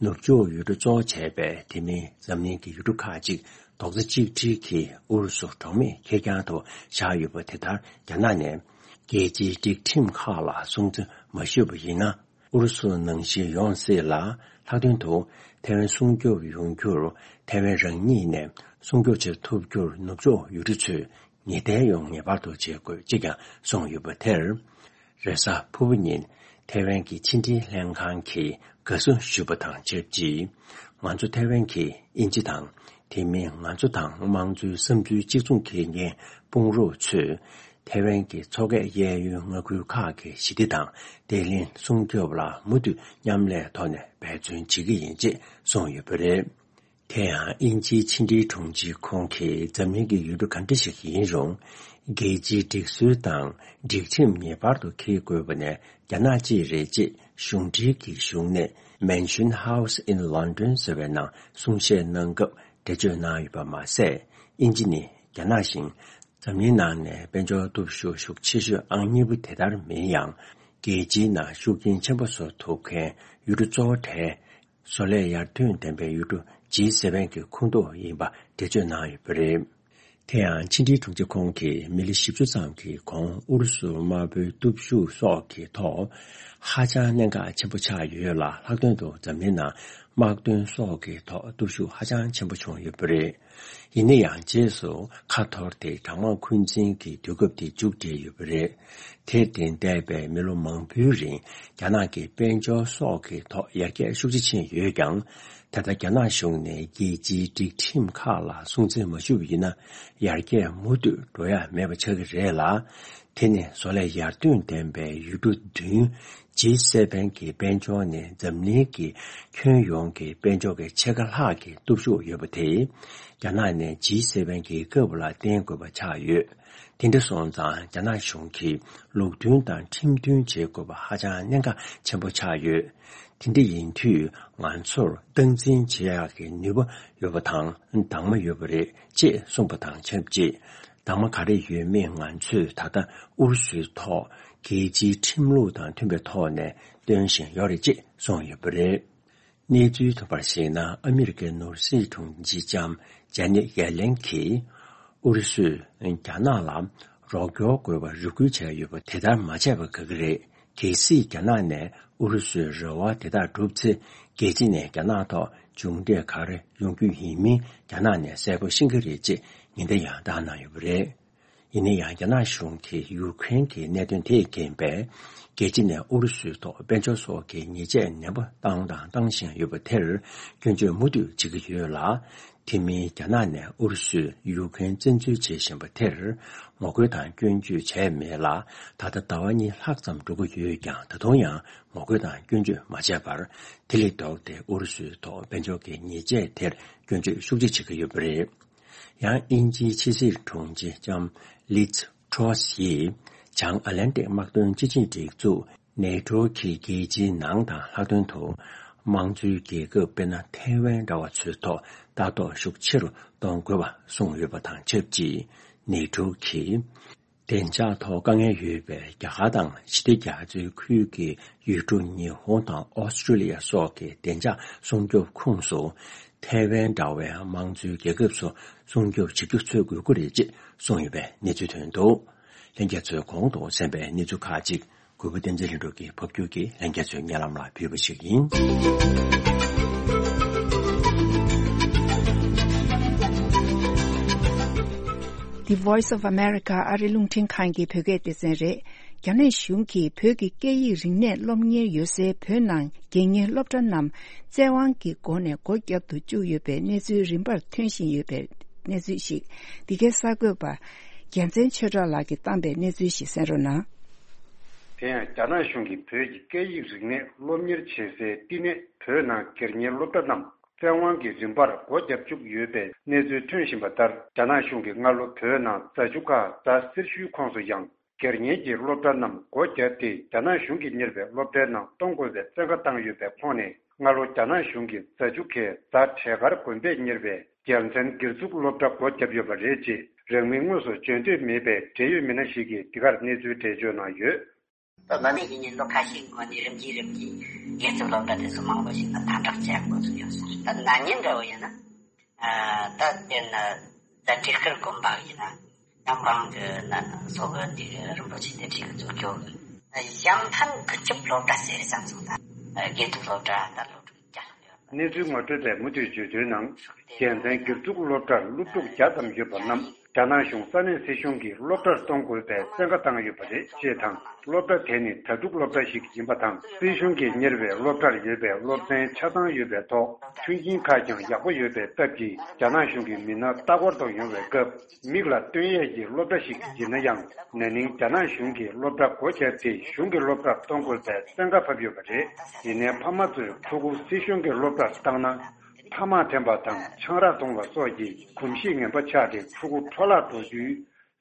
ནུབ་ཕྱོགས་ཡུལ་གྲུ་གཙོ་བོ་བྱས་པའི་དེ་མིན་འཛམ་གླིང་གི་ཡུལ་གྲུ་ཁག་ཅིག་རྡོག་རྩ་གཅིག་སྒྲིལ་གྱིས་ཨུ་རུ་སུ་གྲོགས་མེད་ཁེར་རྐྱང་དུ་བཞག་ཡོད་པ་དེ་ལྟར། རྒྱ་ནག་ནས་རྒྱལ་སྤྱིའི་སྒྲིག་ཁྲིམས་ཁག་ལ་སྲུང་བརྩི་མ་ཞུས་པ་ཡིན་ན། ཨུ་རུ་སུ་ནང་བཞིན་ཡོང་སྲིད་ལ། ལྷག་དོན་དུ་ཐའེ་ཝན་སྲུང་སྐྱོབ་ཡོང་རྒྱུར་ཐའེ་ཝན་རང་ཉིད་ནས་སྲུང་སྐྱོབ་བྱེད་ཐུབ་རྒྱུར་ནུབ་ཕྱོགས་ཡུལ་གྲུ་ཚོས་ངེས་གཏན་ཡོང་ངེས་པར་དུ་བྱེད་དགོས་ཅེས་ཀྱང་གསུངས་ཡོད་པ་དེར། རེས་གཟའ་ཕུར་བུ་ཉིན་ཐའེ་ཝན་གྱི་ཕྱི་འབྲེལ་ལྷན་ཁང་གིས་དགའ་བསུ་ཞུས་པ་དང་ཆབས་ཅིག་ང་ཚོ་ཐའེ་ཝན་གྱིས་དབྱིན་ཇི་དང་། དེ་མིན་ང་ཚོ་དང་དམངས་གཙོའི་བསམ་ཚུལ་གཅིག་མཚུངས་འཁྱེར་མཁན་དཔུང་རོགས་ཚོས། ཐའེ་ཝན་གྱི་མཚོ་ཁའི་གཡས་གཡོན་མངའ་ཁུལ་ཁག་གི་ཞི་བདེ་དང་བདེ་ལེགས་སྲུང་སྐྱོབ་ལ་མུ་མཐུད་མཉམ་ལས་ཐོག་ནས་འབད་བརྩོན་བྱེད་ཀྱི་ཡིན་ཅེས་གསུངས་ཡོད་པ་རེད། དེ་ཡང་དབྱིན་ཇིའི་ཕྱི་འབྲེལ་དྲུང་ཆེ་ཁོང་གིས་འཛམ་གླིང་གི་ཡུལ་གྲུ་ག་འདྲ་ཞིག་ཡིན་རུང་། རྒྱལ་སྤྱིའི་སྒྲིག་སྲོལ་དང་སྒྲིག་ཁྲིམས་ངེས་པར་དུ་འཁྱེར་དགོས་པ་ནི་རྒྱ་ནག་གཅིག་རེད་ཅེས་གཞུང་འབྲེལ་གྱི་གཞུང་གནས་Mansion House in London ཟེར་བའི་ནང་གསུང་བཤད་གནང་སྐབས་འགྲེལ་བརྗོད་གནང་ཡོད་པ་མ་ཟད། དབྱིན་ཇི་ནི་རྒྱ་ནག་བཞིན། འཛམ་གླིང་ནང་ནས་དཔལ་འབྱོར་སྟོབས་ཤུགས་ཤུགས་ཆེ་ཤོས་ཨང་གཉིས་པ་དེ་ལྟར་མིན་ཡང་། རྒྱལ་སྤྱིའི་ནང་ཤུགས་རྐྱེན་ཆེན་པོ་བཟོ་ཐུབ་མཁན་ཡུལ་གྲུ་གཙོ་བོ་གྲས། བཟོ་ལས་ཡར་ཐོན་ལྡན་པའི་ཡུལ་གྲུ་ཇི་སེ་ཝེན་གྱི་ཁོངས་གཏོགས་ཡིན་པ་འགྲེལ་བརྗོད་གནང་ཡོད་པ་རེད། དེ་ཡང་ཕྱི་འབྲེལ་དྲུང་ཆེ་ཁོང་གིས་མི་ལོ་བཞི་བཅུ་ཙམ་གྱི་གོང་ཨུ་རུ་སུ་དམར་པོའི་སྟོབས་ཤུགས་སོགས་ཀྱི་ཐོག་ཧ་ཅང་གནད་འགག་ཆེན་པོ་ཆགས་ཡོད་ལ། ལྷག་དོན་དུ་འཛམ་གླིང་ནང་དམག་དོན་སོགས་ཀྱི་ཐོག་སྟོབས་ཤུགས་ཧ་ཅང་ཆེན་པོ་བྱུང་ཡོད་པ་རེད། ཡིན་ན་ཡང་རྗེས་སུ་ཁ་འཐོར་ཏེ་གྲང་དམག་འཁོན་འཛིན་གྱི་དུས་སྐབས་དེ་མཇུག་བསྒྲིལ་ཡོད་པ་རེད། དེར་བརྟེན་འདས་པའི་མི་ལོ་མང་པོའི་རིང་རྒྱ་ནག་གི་དཔལ་འབྱོར་སོགས་ཀྱི་ཐོག་ཡར་རྒྱས་ཤུགས་ཆེ་ཕྱིན་ཡོད་ཀྱང་། ད་ལྟ་རྒྱ་ནག་གཞུང་ནས་རྒྱལ་སྤྱིའི་སྒྲིག་ཁྲིམས་ཁག་ལ་སྲུང་བརྩི་མ་ཞུས་པ་ཡིན་ན། ཡར་རྒྱས་མུ་མཐུད་འགྲོ་ཡ་མེད་པ་ཆགས་ཀྱི་རེད་ལ། དེ་ནི་བཟོ་ལས་ཡར་ཐོན་ལྡན་པའི་ཡུལ་གྲུ་བདུན་ཇི་སེ་ཝེན་གྱི་དཔལ་འབྱོར་ནས་འཛམ་གླིང་གི་ཁྱོན་ཡོངས་ཀྱི་དཔལ་འབྱོར་གྱི་ཕྱེད་ཀ་ལྷག་གི་སྟོབས་ཤུགས་ཡོད་པ་དེ། རྒྱ་ནག་ནས་ཇི་སེ་ཝེན་གྱི་སྐབས་ལ་བརྟེན་དགོས་པ་ཆགས་ཡོད། དེ་འདྲ་སོང་ཙང་རྒྱ་ནག་གཞུང་གིས་ལུགས་མཐུན་དང་ཁྲིམས་མཐུན་བྱེད་དགོས་པ་ཧ་ཅང་གནད་འགག་ཆེན་པོ་ཆགས་ཡོད། དེ་འདྲ་ཡིན་དུས་ང་ཚོར་སྟངས་འཛིན་བྱེད་ཡག་གི་ནུས་པ་ཡོད་པ་དང་འདང་མ་ཡོད་པ་རེད་ཅེས་གསུངས་པ་དང་ཆབས་ཅིག་འདང་མ་ག་རེ་ཡོད་མེད་ང་ཚོས་ད་ལྟ་ཨུ་རུ་སུའི་ཐོག་རྒྱལ་སྤྱིའི་ཁྲིམས་ལུགས་དང་མཐུན་པའི་ཐོག་ནས་སྟོན་བཞིན་ཡོད་རེད་ཅེས་གསུངས་ཡོད་པ་རེད། གནས་ཚུལ་ཐོན་པར་གཞིགས་ན། ཨ་མི་རི་ཀའི་ནོར་སྲིད་དྲུང་ཆེ་ལྕམ་ཇ་ནེ་ཡེ་ལེན་གྱིས་ཨུ་རུ་སུས་རྒྱ་ནག་ལ་རོགས་སྐྱོར་དགོས་པར་རེ་སྐུལ་བྱས་ཡོད་པ་དེ་ལྟར་མ་བྱས་པ་དགའ་གི་རེད། གལ་སྲིད་རྒྱ་ནག་ནས་ཨུ་རུ་སུའི་རེ་བ་དེ་དག་བསྒྲུབས་ཚེ། རྒྱལ་སྤྱི་ནས་རྒྱ་ནག་ཐོག་མཇུག་འབྲས་ག་རེ་ཡོང་རྒྱུ་ཡིན་མིན་རྒྱ་ནག་ནས་གསལ་པོ་ཤེས་ཀྱི་རེད་ཅེས་ཉེན་བརྡ་ཡང་བཏང་གནང་ཡོད་པ་རེད། ཡིན་ན་ཡང་རྒྱ་ནག་གཞུང་གིས་ཡུཀ་རེན་གྱི་གནད་དོན་དེས་རྐྱེན་པས། རྒྱལ་སྤྱི་ནས་ཨུ་རུ་སུའི་ཐོག་དཔལ་འབྱོར་སོགས་ཀྱི་ཉེས་ཆད་ནན་པོ་བཏང་དང་བཏང་བཞིན་ཡོད་པ་དེར་སྐྱོན་བརྗོད་མུ་མཐུད་བྱེད་ཀྱི་ཡོད་ལ། དེ་མིན་རྒྱ་ནག་ནས་ཨུ་རུ་སུས་ཡུ་ཁེན་བཙན་འཛུལ་བྱེད་བཞིན་པ་དེར་ངོ་རྒོལ་དང་སྐྱོན་བརྗོད་བྱས་མེད་ལ། ད་ལྟ་ཟླ་བ་གཉིས་ལྷག་ཙམ་འགྲོ་གི་ཡོད་ཀྱང་། ད་དུང་ཡང་ངོ་རྒོལ་དང་སྐྱོན་བརྗོད་མ་བྱས་པར། དེ་ལས་ལྡོག་སྟེ་ཨུ་རུ་སུའི་ཐོག་དཔལ་འབྱོར་གྱི་ཉེས་ཆད་དེར་སྐྱོན་བརྗོད་ཤུགས་ཆེ་བྱེད་ཀྱི་ཡོད་པ་རེད། ཡང་དབྱིན་ཇིའི་ཕྱི་སྲིད་དྲུང་ཆེ་ལྕམ་ལིཛ་ཊོ་སི་ཡིས་བྱང་ཨ་ལན་ཏིག་དམག་དོན་སྤྱི་ཆིངས་སྒྲིག་འཛུགས་ནེ་ཊོ་གི་རྒྱལ་སྤྱིའི་ནང་དང་ལྷག་དོན་དུ་དམངས་གཙོའི་རྒྱལ་ཁབ། དཔེར་ན་ཐའེ་ཝན་འདྲ་བ་ཚོའི་ཐོག་ལྟ་རྟོག་ཤུགས་ཆེ་རུ་གཏོང་དགོས་པ་གསུངས་ཡོད་པ་དང་ཆབས་ཅིག་ནེ་ཊོ་གིས་བདེ་འཇགས་ཐོག་དཀའ་ངལ་ཡོད་པའི་རྒྱ་གར་དང་ཞི་བདེ་རྒྱ་མཚོའི་ཁུལ་གྱི་ཡུལ་གྲུ་ཉི་ཧོང་དང་ཨོ་སི་ཀྲི་ལི་ཡ་སོགས་ཀྱི་བདེ་འཇགས་སྲུང་སྐྱོབ་ཁོངས་སུ། ཐའེ་ཝན་འདྲ་བའི་དམངས་གཙོའི་རྒྱལ་ཁབ་ཚོ་སྲུང་སྐྱོབ་བྱེད་རྒྱུ་འཚོལ་དགོས་ཀྱི་རེད་ཅེས་གསུངས་ཡོད་པའི་གནས་ཚུལ་ཐོན་འདུག་ལྷན་རྒྱས་ཚོས་གོང་དུ་གསན་པའི་གནས་ཚུལ་ཁག་ཅིག་གུས་པ་བསྟན་འཛིན་ལྷུན་གྲུབ་ཀྱིས་ཕབ་སྒྱུར་གྱིས་ལྷན་རྒྱས་ཚོའི་སྙན་ལམ་ལ་ཕུལ་བ་ཞིག་ཡིན། The Voice of America ཨ་རི་རླུང་འཕྲིན་ཁང་གི་བོད་སྐད་སྡེ་ཚན་རེད། རྒྱ་ནག་གཞུང་གིས་བོད་ཀྱི་སྐད་ཡིག་རིག་གནས་སློབ་གཉེར་ཡོད་སའི་བོད་ནང་རྒན་གཉེར་སློབ་གྲྭ་རྣམས་བཙན་དབང་གི་སྒོ་ནས་སྒོ་བརྒྱབ་ཏུ་བཅུག་ཡོད་པའི་གནས་ཚུལ་རིམ་པར་ཐོན་བཞིན་ཡོད་པའི་གནས་ཚུལ་ཞིག་འདི་གའི་གསར་འགོད་པ་རྒྱལ་མཚན་ཆོས་གྲགས་ལགས་ཀྱིས་བཏང་པའི་གནས་ཚུལ་ཞིག་གསན་རོགས་གནང་། དེ་ཡང་རྒྱ་ནག་གཞུང་གིས་བོད་ཀྱི་སྐད་ཡིག་རིག་གནས་སློབ་གཉེར་བྱེད་སའི་བསྟི་གནས་བོད་ནང་སྒེར་གཉེར་སློབ་གྲྭ་རྣམས་བཙན་དབང་གིས་རིམ་པར་སྒོ་བརྒྱབ་བཅུག་ཡོད་པའི་གནས་ཚུལ་ཐོན་བཞིན་པ་ལྟར། རྒྱ་ནག་གཞུང་གིས་སྔ་ལོ་བོད་ནང་རྫ་ཆུ་ཁ་རྫ་སེར་ཤུལ་ཁོངས་སུ་ཡང་སྒེར་གཉེར་གྱི་སློབ་གྲྭ་རྣམས་སྒོ་བརྒྱབ་སྟེ། རྒྱ་ནག་གཞུང་གིས་གཉེར་བའི་སློབ་གྲྭའི་ནང་གཏོང་དགོས་པའི་བཙན་བཀའ་བཏང་ཡོད་པའི་ཁོངས་ནས། སྔ་ལོ་རྒྱ་ནག་གཞུང་གིས་རྫ་ཆུ་ཁའི་རྫ་བྲེ་དཀར་དགོན་པས་གཉེར་བའི་རྒྱལ་མཚན་སྒེར་བཙུགས་སློབ་གྲྭ་སྒོ་བརྒྱབ་ཡོད་པ་རེད་ཅེས། རང་མིང་དངོས་སུ་བརྗོད་འདོད་མེད་པའི་འབྲེལ་ཡོད་མི་སྣ་ཞིག་གིས་འདི་གར་གནས་ཚུལ་འགྲེལ་བརྗོད་གནང་ཡོད། ད་ང་ནི་ཡིན་ནི་ལོ་ཁ་ཤས་སྔོན་ནས་རིམ་གྱིས་རིམ་གྱིས་སྒེར་བཙུགས་སློབ་གྲྭ་དེ་ཚོ་མང་པོ་ཞིག་ལ་དམ་དྲག་བྱེད་འགོ་ཚུགས་ཡོད་ཟེར། ད་ན་ནིང་འདྲ་བོ་ཡིན་ན། ཨ། ད་དཔེར་ན་ད་བྲེ་དཀར་དགོན་པ་ཡིན་ན་ཡང་ཁོང་གི་ན་སོ་གི་འདི་གི་རིན་པོ་ཆེ་དེ་བྲིས་གི་འཛུགས་སྐྱོང་གི་ཞང་ཕན་དགུ་བཅུ་སློབ་གྲྭ་ཟེར་ཙམ་སོང་ད་དགེ་ཐུབ་སློབ་གྲྭ་ད་སློབ་ཕྲུག་བརྒྱ་ལྷག་ཡོད། གནས་ཚུལ་ངོ་སྤྲོད་པས་མུ་མཐུད་བརྗོད་དོན་ནང་། རྒྱལ་མཚན་སྒེར་བཙུགས་སློབ་གྲྭར་སློབ་ཕྲུག་བརྒྱ་ཙམ་ཡོད་པ་རྣམས་རྒྱ་ནག་གཞུང་ས་གནས་སྲིད་གཞུང་གིས་སློབ་གྲྭར་གཏོང་དགོས་པའི་བཙན་བཀའ་བཏང་ཡོད་པ་རེད་ཅེས་དང་། སློབ་གྲྭ་དེ་ནི་ད་ཕྲུག་སློབ་གྲྭ་ཞིག་ཡིན་པ་དང་། སྲིད་གཞུང་གིས་གཉེར་བའི་སློབ་གྲྭར་ཡོད་པའི་སློབ་ཚན་ཆ་ཚང་ཡོད་པའི་ཐོག་མཐུན་རྐྱེན་ཁག་ཀྱང་ཡག་པོ་ཡོད་པའི་སྟབས་ཀྱིས། རྒྱ་ནག་གཞུང་གི་མི་སྣ་ལྟ་སྐོར་དུ་ཡོང་བའི་སྐབས། མིག་ལ་སྟོན་ཡས་ཀྱི་སློབ་གྲྭ་ཞིག་ཡིན་ན་ཡང་། ན་ནིང་རྒྱ་ནག་གཞུང་གིས་སློབ་གྲྭ་སྒོ་བརྒྱབ་སྟེ། གཞུང་གི་སློབ་གྲྭར་གཏོང་དགོས་པའི་བཙན་བཀའ་ཕབ་ཡོད་པ་རེད། ཡིན་ནའི་ཕ་མ་ཚོས་ཕྲུ་གུ་སྲིད་གཞུང་གི་སློབ་གྲྭར་བཏང་ན། ཐ་མག་འཐེན་པ་དང་ཆང་རག་འཐུང་བ་སོགས་ཀྱི་གོམས་གཤིས་ངན་པ་ཆགས་ཏེ། ཕྲུ་གུ་འཕྲོ་བརླག་འགྲོ་རྒྱུའི་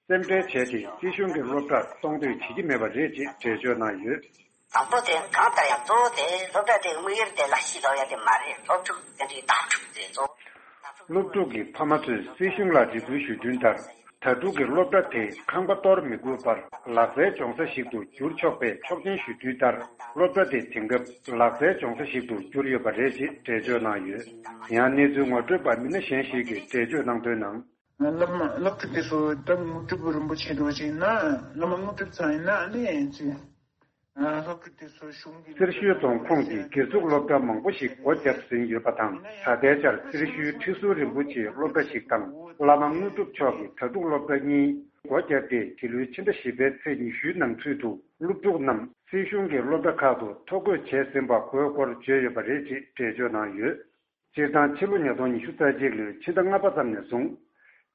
སེམས་ཁྲལ་བྱས་ཏེ། སྲིད་གཞུང་གི་སློབ་གྲྭར་གཏོང་འདོད་བྱེད་ཀྱི་མེད་པ་རེད་ཅེས་འགྲེལ་བརྗོད་གནང་ཡོད། དང་པོ་དེ་གང་ལྟར་ཡང་གཙོ་བོ་དེ་སློབ་གྲྭ་དེ་དམིགས་ཡུལ་དེ་ལག་ཤེས་སློབ་ཡ་དེ་མ་རེད། སློབ་ཕྲུག་དེ་འདྲའི་བདག་སྒྲུབ་དེ་གཙོ་བོ། སློབ་ཕྲུག་གི་ཕ་མ་ཚོས་སྲིད་གཞུང་ལ་འབྲེལ་མཐུད་ཞུ་དོན་ལྟར། ད་ཕྲུག་གི་སློབ་གྲྭ་དེ་ཁང་པ་གཏོར་མི་དགོས་པར་ལག་རྩལ་སྦྱོང་ས་ཞིག་ཏུ་འགྱུར་ཆོག་པའི་ཆོག་མཆན་ཞུ་དུས་ལྟར། སློབ་གྲྭ་དེ་དེང་སྐབས་ལག་རྩལ་སྦྱོང་ས་ཞིག་ཏུ་གྱུར་ཡོད་པ་རེད་ཅེས་འགྲེལ་བརྗོད་གནང་ཡོད། ཡང་གནས་ཚུལ་ངོ་སྤྲོད་པ་མི་སྣ་གཞན་ཞིག་གིས་འགྲེལ་བརྗོད་གནང་དོན་ནང་། བླ་མ་སློབ་ཕྲུག་དེ་ཚོ་ད་དངོས་གྲུབ་རིན་པོ་ཆེ་འདྲ་བ་ཅིག་ཡིན་ན། བླ་མ་དངོས་གྲུབ་ཚང་ཡིན་ན་ཨ་ནི་ཅི། སློབ་ཕྲུག་དེ་ཚོ་གཞུང་གི། སེར་ཤུལ་རྫོང་ཁོངས་ཀྱི་སྒེར་བཙུགས་སློབ་གྲྭ་མང་པོ་ཞིག་སྒོ་བརྒྱབ་ཟིན་ཡོད་པ་དང་། ད་ལྟའི་ཆར་སེར་ཤུལ་ཁྲི་ཟུར་རིན་པོ་ཆེའི་སློབ་གྲྭ་ཞིག་དང་། བླ་མ་དངོས་གྲུབ་མཆོག་གི་ད་ཕྲུག་སློབ་གྲྭ་གཉིས་སྒོ་བརྒྱབ་སྟེ། འདི་ལོའི་ཕྱི་ཟླ་བཞི་པའི་ཚེས་ཉི་ཤུའི་ནང་ཚུད་དུ་སློབ་ཕྲུག་རྣམས་སྲིད་གཞུང་གི་སློབ་གྲྭ་ཁག་ཏུ་ཐོ་འགོད་བྱས་ཟིན་པ་དགོས་སྐོར་བརྗོད་ཡོད་པ་རེད་ཅེས་འགྲེལ་བརྗོད་གནང་ཡོད། སྤྱིར་བཏང་ཕྱི་ལོ་ཉིས་སྟོང་ཉི་ཤུ་རྩ་གཅིག་ལོའི་ཕྱི་ཟླ་ལྔ་པ་ཙམ་ནས་བཟུང་།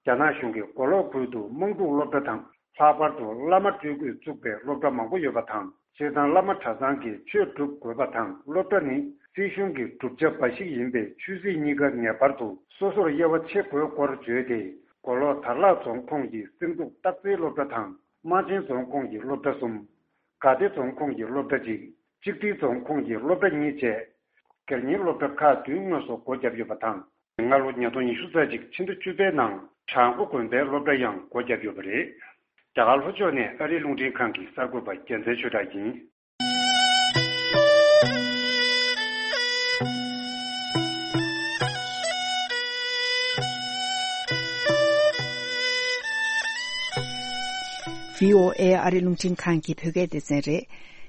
རྒྱ་ནག་གཞུང་གིས་མགོ་ལོག་ཁུལ་དུ་དམངས་ཁྲུག་སློབ་གྲྭ་དང་། ལྷག་པར་དུ་བླ་མ་སྤྲུལ་སྐུས་བཙུགས་པའི་སློབ་གྲྭ་མང་པོ་ཡོད་པ་དང་། སྤྱིར་བཏང་བླ་མ་གྲྭ་ཚང་གིས་ཆོས་སྒྲུབ་དགོས་པ་དང་། སློབ་གྲྭ་ནི་སྲིད་གཞུང་གི་བསྒྲུབ་བྱ་འབའ་ཞིག་ཡིན་པས། ཆོས་སྲིད་གཉིས་ཀ་ངེས་པར་དུ་སོ་སོར་དབྱེ་བ་ཕྱེ་དགོས་སྐོར་བརྗོད་དེ། མགོ་ལོག་དར་ལག་རྫོང་ཁོངས་ཀྱི་སེང་ཕྲུག་སྟག་རྩེའི་སློབ་གྲྭ་དང་། རྨ་ཆེན་རྫོང་ཁོངས་ཀྱི་སློབ་གྲྭ་གསུམ། དགའ་བདེ་རྫོང་ཁོངས་ཀྱི་སློབ་གྲྭ་གཅིག། གཅིག་སྒྲིལ་རྫོང་ཁོངས་ཀྱི་སློབ་གྲྭ་གཉིས་བཅས། སྒེར་གཉེར་སློབ་གྲྭ་ཁག་བདུན་དངོས་སུ་སྒོ་བརྒྱབ་ཡོད་པ་དང་། སྔ་ལོ་ཉིས་སྟོང་ཉི་ཤུ་རྩ་གཅིག་ཕྱི་ཟླ་བཅུ་པའི་ནང་བྲག་མགོ་དགོན་པའི་སློབ་གྲྭ་ཡང་སྒོ་བརྒྱབ་ཡོད་པ་རེད། རྒྱ་གར་ལྷོ་ཕྱོགས་ནས་ཨ་རིའི་རླུང་འཕྲིན་ཁང་གི་གསར་འགོད་པ་རྒྱལ་མཚན་ཆོས་གྲགས་ཡིན། བྷི་ཨོ་ཨེ་ཨ་རི་རླུང་འཕྲིན་ཁང་གི་བོད་སྐད་སྡེ་ཚན་རེད།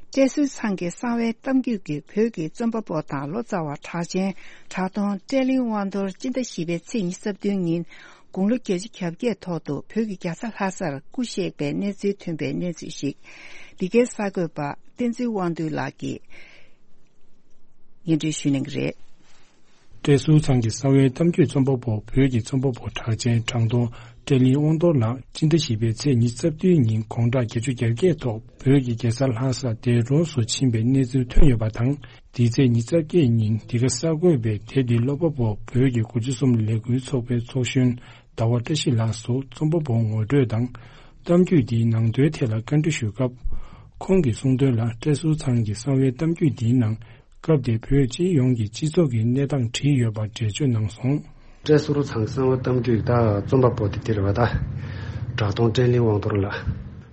བཀྲས་ཟུར་ཚང་གི་གསང་བའི་གཏམ་རྒྱུད་ཀྱི་བོད་ཀྱི་རྩོམ་པ་པོ་དང་ལོ་ཙཱ་བ་གྲགས་ཅན་གྲགས་སྟོང་བཀྲས་གླིང་དབང་རྡོར་སྤྱི་ཟླ་བཞི་པའི་ཚེས་ཉི་ཤུ་རྩ་བདུན་ཉིན་དགུང་ལོ་བརྒྱད་ཅུ་གྱ་བརྒྱད་ཐོག་ཏུ་བོད་ཀྱི་རྒྱལ་ས་ལྷ་སར་སྐུ་གཤེགས་པའི་གནས་ཚུལ་ཐོན་པའི་གནས་ཚུལ་ཞིག་འདི་གའི་གསར་འགོད་པ་བསྟན་འཛིན་དབང་འདུས་ལགས་ཀྱིས་སྙན་སྒྲོན་ཞུ་གནང་གི་རེད། བཀྲས་ཟུར་ཚང་གི་གསང་བའི་གཏམ་རྒྱུད་རྩོམ་པ་པོ། བོད་ཀྱི་རྩོམ་པ་པོ་གྲགས་ཅན་དྲང་གཏོང་བཀྲས་གླིང་དབང་རྡོར་ལགས་སྤྱི་ཟླ་བཞི་པའི་ཚེས་ཉི་ཤུ་རྩ་བདུན་ཉིན་དགོང་དག་བརྒྱད་ཅུ་གྱ་བརྒྱད་ཐོག་བོད་ཀྱི་རྒྱལ་ས་ལྷ་ས་འདས་གྲོངས་སུ་ཕྱིན་པའི་གནས་ཚུལ་ཐོན་ཡོད་པ་དང་། འདི་ཚེས་ཉི་ཤུ་རྩ་བརྒྱད་ཉིན་འདི་ག་གསར་འགོད་པས་དེབ་འདི་ཀློག་པ་པོ་བོད་ཀྱི་དགུ་བཅུ་གསུམ་ལས་འགུལ་ཚོགས་པའི་ཚོགས་གཞོན་ཟླ་བ་བཀྲ་ཤིས་ལགས་སུ་རྩོམ་པ་པོ་ངོ་སྤྲོད་དང་། གཏམ་རྒྱུད་འདིའི་ནང་དོན་ཐད་ལ་བཀའ་འདྲི་ཞུས་སྐབས། ཁོང་གིས་གསུངས་དོན་ལ། བཀྲས་ཟུར་ཚང་གི་གསང་བའི་གཏམ་རྒྱུད་འདིའི་ནང་། སྐབས་དེའི་བོད་སྤྱི་ཡོངས་ཀྱི་སྤྱི་ཚོགས་ཀྱི་གནས་སྟངས་བྲིས་ཡོད་པ་འགྲེལ་བརྗོད་གནང་སོང་། བཀྲས་ཟུར་ཚང་གི་གསང་བའི་གཏམ་རྒྱུད་ད་རྩོམ་པ་པོ་དེ་དེ་རེད་བ་ད། གྲགས་སྟོང་བཀྲས་གླིང་དབང་རྡོར་ལགས།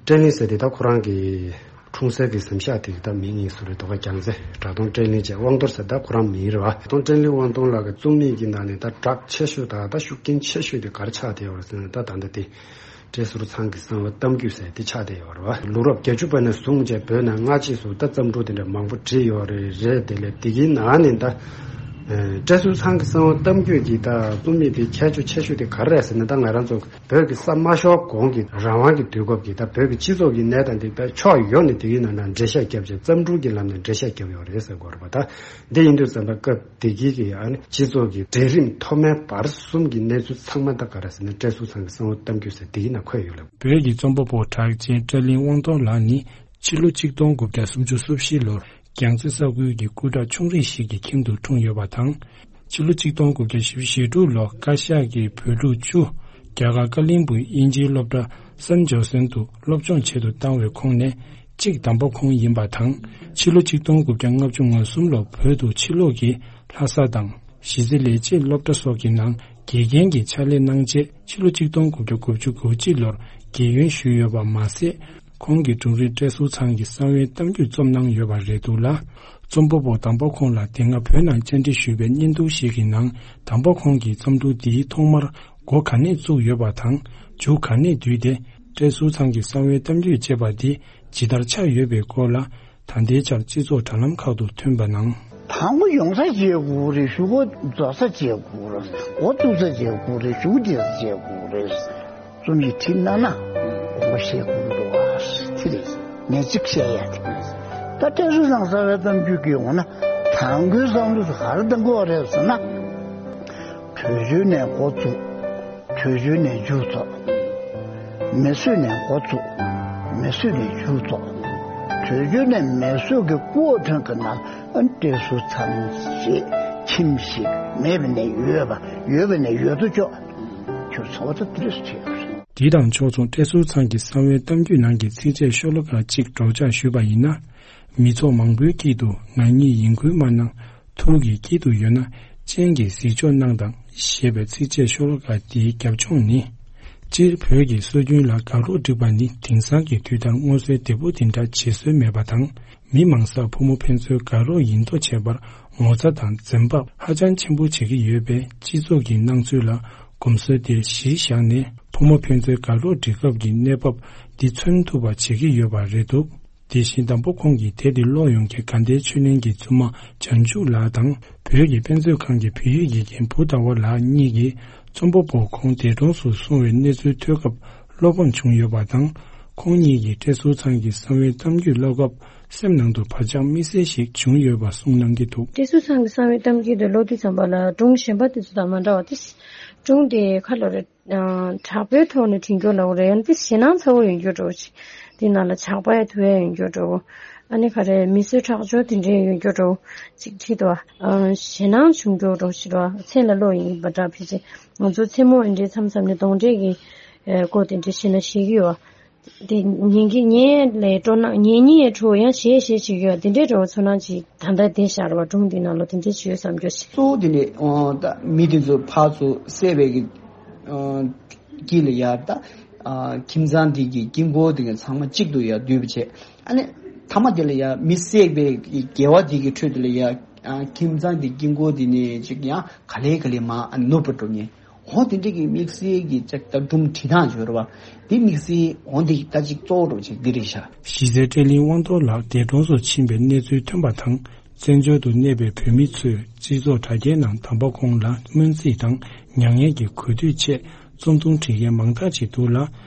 བཀྲས་གླིང་ཟེར་དེ་ད་ཁོ་རང་གི་འཁྲུངས་སའི་གི་གཟིམ་ཤག་དེ་གི་ད་མིང་ཡིན་ཟུར་རེད་དོ་ག་རྒྱང་ཚེ་གྲགས་སྟོང་བཀྲས་གླིང་བཅས་དབང་རྡོར་ཟེར་ད་ཁོ་རང་མིང་རེད་བ། གྲགས་སྟོང་བཀྲས་གླིང་དབང་རྡོར་ལགས་ཀྱི་རྩོམ་ཡིག་གི་ནང་ནས་ད་གྲགས་ཆེ་ཤོས་ད་ད་ཤུགས་རྐྱེན་ཆེ་ཤོས་དེ་ག་རེ་ཆགས་བསྡད་ཡོད་རེད་ཟེར་ན། ད་ད་ལྟ་དེ་བཀྲས་ཟུར་ཚང་གི་གསང་བའི་གཏམ་རྒྱུད་ཟེར་དེ་ཆགས་བསྡད་ཡོད་རེད་བ། ལོ་རབས་བརྒྱད་ཅུ་པ་ནས་བཟུང་བྱས་བོད་ནང་སྔ་རྗེས་སུ་ད་བརྩམས་སྒྲུང་དེ་འདྲ་མང་པོ་བྲིས་ཡོད་རེད། རེད་དེ་ལས་དེ་གི་ནང་ནས་ད་བཀྲས་ཟུར་ཚང་གི་གསང་བའི་གཏམ་རྒྱུད་ཀྱི་ད་རྩོམ་ཡིག་དེ་ཁྱད་ཆོས་ཆེ་ཤོས་དེ་ག་རེ་རེད་ཟེར་ན། ད་ང་རང་ཚོ་བོད་ཀྱི་ས་མ་ཤོར་གོང་གི་རང་དབང་གི་དུས་སྐབས་ཀྱི་ད་བོད་ཀྱི་སྤྱི་ཚོགས་ཀྱི་གནས་སྟངས་དེ་དཔེ་ཕྱོགས་ཡོངས་ནས་དེ་གི་ནང་ན་འགྲེལ་བཤད་བརྒྱབ་བྱས་བརྩམས་སྒྲུང་གི་ལམ་ནས་འགྲེལ་བཤད་བརྒྱབ་ཡོད་རེད་ཟེར་དགོས་རེད་པ། ད་འདི་ཡིན་དུས་ཙམ་པ་སྐབས་དེ་གི་གི་ཨ་ནི་སྤྱི་ཚོགས་ཀྱི་གྲལ་རིམ་མཐོ་དམན་བར་གསུམ་གྱི་གནས་ཚུལ་ཚང་མ་ད་ག་རེ་ཟེར་ན། བཀྲས་ཟུར་ཚང་གི་གསང་བའི་གཏམ་རྒྱུད་ཟེར་དེ་གི་ནང་འཁོད་ཡོད་ལ། བོད་ཀྱི་རྩོམ་པ་པོ་གྲགས་ཅན་བཀྲས་གླིང་དབང་རྡོར་ལགས་ནི་ཕྱི་ལོ་ཆིག་སྟོང་དགུ་བརྒྱ་སུམ་ཅུ་སོ་བཞི་ལོར་རྒྱལ་རྩེ་ས་ཁུལ་གྱི་སྐུ་དྲག་ཆུང་རིགས་ཤིག་གི་ཁྱིམ་དུ་འཁྲུངས་ཡོད་པ་དང་། ཕྱི་ལོ་ཆིག་སྟོང་དགུ་བརྒྱ་བཞི་བཅུ་ཞེ་དྲུག་ལོར་བཀའ་ཤག་གིས་བོད་ཕྲུག་བཅུ་རྒྱ་གར་ཀ་ལིང་སྦུག་དབྱིན་ཇིའི་སློབ་གྲྭ་སན་ཇོ་སན་དུ་སློབ་སྦྱོང་ཆེད་དུ་བཏང་བའི་ཁོངས་ནས་གཅིག་དམ་པ་ཁོང་ཡིན་པ་དང་། ཕྱི་ལོ་ཆིག་སྟོང་དགུ་བརྒྱ་ལྔ་བཅུ་ང་གསུམ་ལོར་བོད་དུ་ཕྱིར་ལོག་གིས་ལྷ་ས་དང་གཞིས་རྩེ་ལས་བྱེད་སློབ་གྲྭ་སོགས་ཀྱི་ནང་དགེ་རྒན་གྱི་ཕྱག་ལས་གནང་རྗེས། ཕྱི་ལོ་ཆིག་སྟོང་དགུ་བརྒྱ་དགུ་བཅུ་གོ་གཅིག་ལོར་རྒས་ཡོན་ཞུས་ཡོད་པ་མ་ཟད། ཁོང་གི་སྒྲུང་རིང་བཀྲས་ཟུར་ཚང་གི་གསང་བའི་གཏམ་རྒྱུད་རྩོམ་གནང་ཡོད་པ་རེད་འདུག་ལ། རྩོམ་པ་པོ་དམ་པ་ཁོང་ལ་དེ་སྔ་བོད་ནང་བཅར་འདྲི་ཞུས་པའི་བརྙན་ཐུང་ཞིག་གི་ནང་། དམ་པ་ཁོང་གིས་རྩོམ་སྒྲུང་འདིའི་ཐོག་མར་འགོ་ག་ནས་བཙུགས་ཡོད་པ་དང་། མཇུག་ག་ནས་བསྡུས་ཏེ། བཀྲས་ཟུར་ཚང་གི་གསང་བའི་གཏམ་རྒྱུད་ཅེས་པ་འདི་ཇི་ལྟར་ཆགས་ཡོད་པའི་སྐོར་ལ། ད་ལྟའི་ཆར་སྤྱི་ཚོགས་དྲ་ལམ་ཁག་ཏུ་ཐོན་པ་ནང་། དང་པོ་ཡོང་ས་བྱེད་དགོས་རེད། གཞུག་གུ་རྫོགས་ས་བྱེད་དགོས་རེད། འགོ་བཙུགས་ས་བྱེད་དགོས་རེད། གཞུག་གུ་བསྡད་ས་བྱེད་དགོས་རེད། རྩོམ་ཡིག་བྲིས་གནང་ན་དགོངས་པ་བཞེས་དགོས་འདུག་ཨ། དེ་རེད། ངས་གཅིག་བཤད་ཡ་དེ། ད་བཀྲས་ཟུར་ཚང་གསང་བའི་གཏམ་རྒྱུད་ཀྱི་འོ་ན་དང་པོའི་བསམ་བློ་དེ་ག་རེ་གཏང་དགོས་རེད་ཟེར་ན། བྲོས་བྱོལ་ནས་འགོ་བཙུགས། བྲོས་བྱོལ་ནས་མཇུག་རྫོགས། མེ་གསོད་ནས་འགོ་བཙུགས། མེ་གསོད་ནས་མཇུག་རྫོགས། བྲོས་བྱོལ་ནས་མེ་གསོད་ཀྱི་སྐུ་འོ་ཐོན་གྱི་ནང་ཨ་བཀྲས་ཟུར་ཚང་ཞེས་ཁྱིམ་ཞིག་མེད་པ་ནས་ཡོད་པ། ཡོད་པ་ནས་ཡོད་དོ་ཅོག་གྱུར་ཚོགས་ད་དེ་རེས་བྱས་ཡོད་རེད། དེ་དང་ཕྱོགས་མཚུངས་བཀྲས་ཟུར་ཚང་གི་གསང་བའི་གཏམ་རྒྱུད་ནང་གི་ཚིགས་བཅད་ཤོ་ལོ་ཀ་གཅིག་སྒྲོག་སྦྱང་ཞུས་པ་ཡིན་ན། མི་ཚོགས་མང་པོའི་དཀྱིལ་དུ་ང་ཉིད་ཡིན་ཁུལ་མ་གནང་། ཐུགས་ཀྱི་དཀྱིལ་དུ་ཡོད་ན། སྤྱན་གྱིས་གཟིགས་ཕྱོགས་གནང་དང་ཞེས་པའི་ཚིགས་བཅད་ཤོ་ལོ་ཀ་འདིའི་རྒྱབ་ལྗོངས་ནི། སྤྱིར་བོད་ཀྱི་སྲོལ་རྒྱུན་ལ་དགའ་རོགས་སྒྲིག་པ་ནི་དེང་སང་གི་དུས་ལྟར་མངོན་གསལ་དོད་པོ་དེ་འདྲ་བྱེད་སྲོལ་མེད་པ་དང་། མི་མང་སར་ཕོ་མོ་ཕན་ཚུན་དགའ་རོགས་ཡིན་མདོག་བྱེད་པར་ངོ་ཚ་དང་འཛེམ་བག་ཧ་ཅང་ཆེན་པོ་བྱེད་ཀྱི་ཡོད་པས། སྤྱི་ཚོགས་ཀྱི་སྣང་ཚུལ་ལ་གོམས་སྲོལ་དེ་གཞིར་བཞག་ནས། ཕོ་མོ་ཕན་ཚུན་དགའ་རོགས་སྒྲིག་སྐབས་ཀྱི་གནས་བབ་འདི་མཚོན་ཐུབ་པ་བྱེད་ཀྱི་ཡོད་པ་རེད་འདུག་དེ་བཞིན་དམ་པ་ཁོང་གིས་དེབ་འདི་ཀློག་ཡོང་མཁན་དགའ་ལྡན་ཆོས་གླིང་གི་བཙུན་མ་བྱང་ཆུབ་ལགས་དང་། བོད་ཀྱི་དཔེ་མཛོད་ཁང་གི་བོད་ཡིག་དགེ་རྒན་བུ་ཟླ་བ་ལགས་གཉིས་ཀྱིས། རྩོམ་པ་པོ་ཁོང་འདས་གྲོངས་སུ་སོང་བའི་གནས་ཚུལ་ཐོས་སྐབས་བློ་ཕམ་བྱུང་ཡོད་པ་དང་། ཁོང་གཉིས་ཀྱིས་བཀྲས་ཟུར་ཚང་གི་གསང་བའི་གཏམ་རྒྱུད་ཀློག་སྐབས་སེམས་ནང་དུ་བག་ཆགས་དམིགས་བསལ་ཞིག་བྱུང་ཡོད་པ་གསུངས་གནང་གི་འདུག་བཀྲས་ཟུར་ཚང་གི་གསང་བའི་གཏམ་རྒྱུད་དེ་ཀློག་དུས་ཙམ་པ་ལ་སྒྲུང་གཞན་པ་དེ་ཚོ་དང་མ་འདྲ་བ་དེ། སྒྲུང་དེ་ཁ་ལོ་རེ། དྲག་པོའི་ཐོག་ནས་བྲིས་རྒྱུ་ལ་འོ་རེད། ཡང་དེ་ཞེད་སྣང་ཚ་བོ་ཡོད་རྒྱུ་འདྲ་བོ་ཅིག་དེ་ནང་ལ་ཇག་པ་ཡང་ཐུག་ཡ་ཡོད་རྒྱུ་འདྲ་བོ། ཨ་ནི་ག་རེ་མི་གསོད་ཁྲག་སྦྱོར་དེ་འདྲའི་ཡོད་རྒྱུ་འདྲ་བོ་ཅིག་བྲིས་འདུག་བ། ཞེད་སྣང་བྱུང་རྒྱུ་འདྲ་བོ་ཞིག་རེད་བ། མཚན་ལ་ཀློག་ཡིན་པ་འདྲ་བྱས་ཙང་ང་ཚོ་མཚན་མོ་འདི་འདྲའི་མཚམས་མཚམས་ནས་གདོན་འདྲེ་གི་སྐོར་དེ་འདྲ་བཤད་ན་ཤེས་ཀྱི་ཡོད་བ། དེ་ཉན་གྱི་ཉན་ལས་སྤྲོ་སྣང་ཉན་ཉན་ཡང་སྤྲོ་ཡང་ཞེད་ཞེད་བྱེད་ཀྱི་ཡོད་བ། དེ་འདྲའི་འདྲ་བོ་ཚོར་སྣང་ཅིག་ད་ལྟ་བསྡད་བཞག་རེད་བ། སྒྲུང་འདི་ནང་ལ་དེ་འདྲའི་ཅིག་ཡོད་བསམ་རྒྱུ་ཞིག་གཙོ་བོ་དེ་ནི་ཨོ་ད་མི་དེ་ཚོ་ཕར་ཚུར་བསད་པའི་གི་ཨོ་དཀྱིལ་ལ་ཡ་ད་ཨ་ཁྱིམ་ཚང་དེ་གི་དཀྱིལ་འཁོར་དེ་གི་ཚང་མ་གཅིག་ཏུ་ཡ་འདུས་པ་བྱས། ཨ་ནི་མཐའ་མ་དེ་ལ་ཡ་མི་བསད་པའི་གི་དགེ་བ་དེ་གི་ཁྲོད་དེ་ལ་ཡ་ཨ་ཁྱིམ་ཚང་དེ་དཀྱིལ་འཁོར་དེ་ནི་ཅིག་ཡང་ག་ལེ་ག་ལེ་མར་ཨ་ནུབ་པ་འགྲོ་ངེས། འོ་དེ་འདྲ་གི་དམིགས་བསལ་གྱི་ཅིག་ད་སྒྲུང་བྲིས་སྟངས་ཡོད་རེད་བ། དེ་དམིགས་བསལ་འོ་འདི་ད་ཅིག་གཙོ་བོ་འདྲ་བོ་ཅིག་འདི་རེད་ཤག་གཞིས་རྩེ་བཀྲས་གླིང་དབང་རྡོར་ལགས་འདས་གྲོངས་སུ་ཕྱིན་པའི་གནས་ཚུལ་ཐོན་པ་དང་། བཙན་བྱོལ་དུ་གནས་པའི་བོད་མི་ཚོས་སྤྱི་ཚོགས་དྲ་རྒྱའི་ནང་དམ་པ་ཁོང་ལ་སྨོན་ཚིག་དང་མྱ་ངན་གྱི་གུས་འདུད་ཆེད་རྩོམ་ཐུང་བྲིས་མཁན་མང་དག་ཅིག་འདུག་ལ།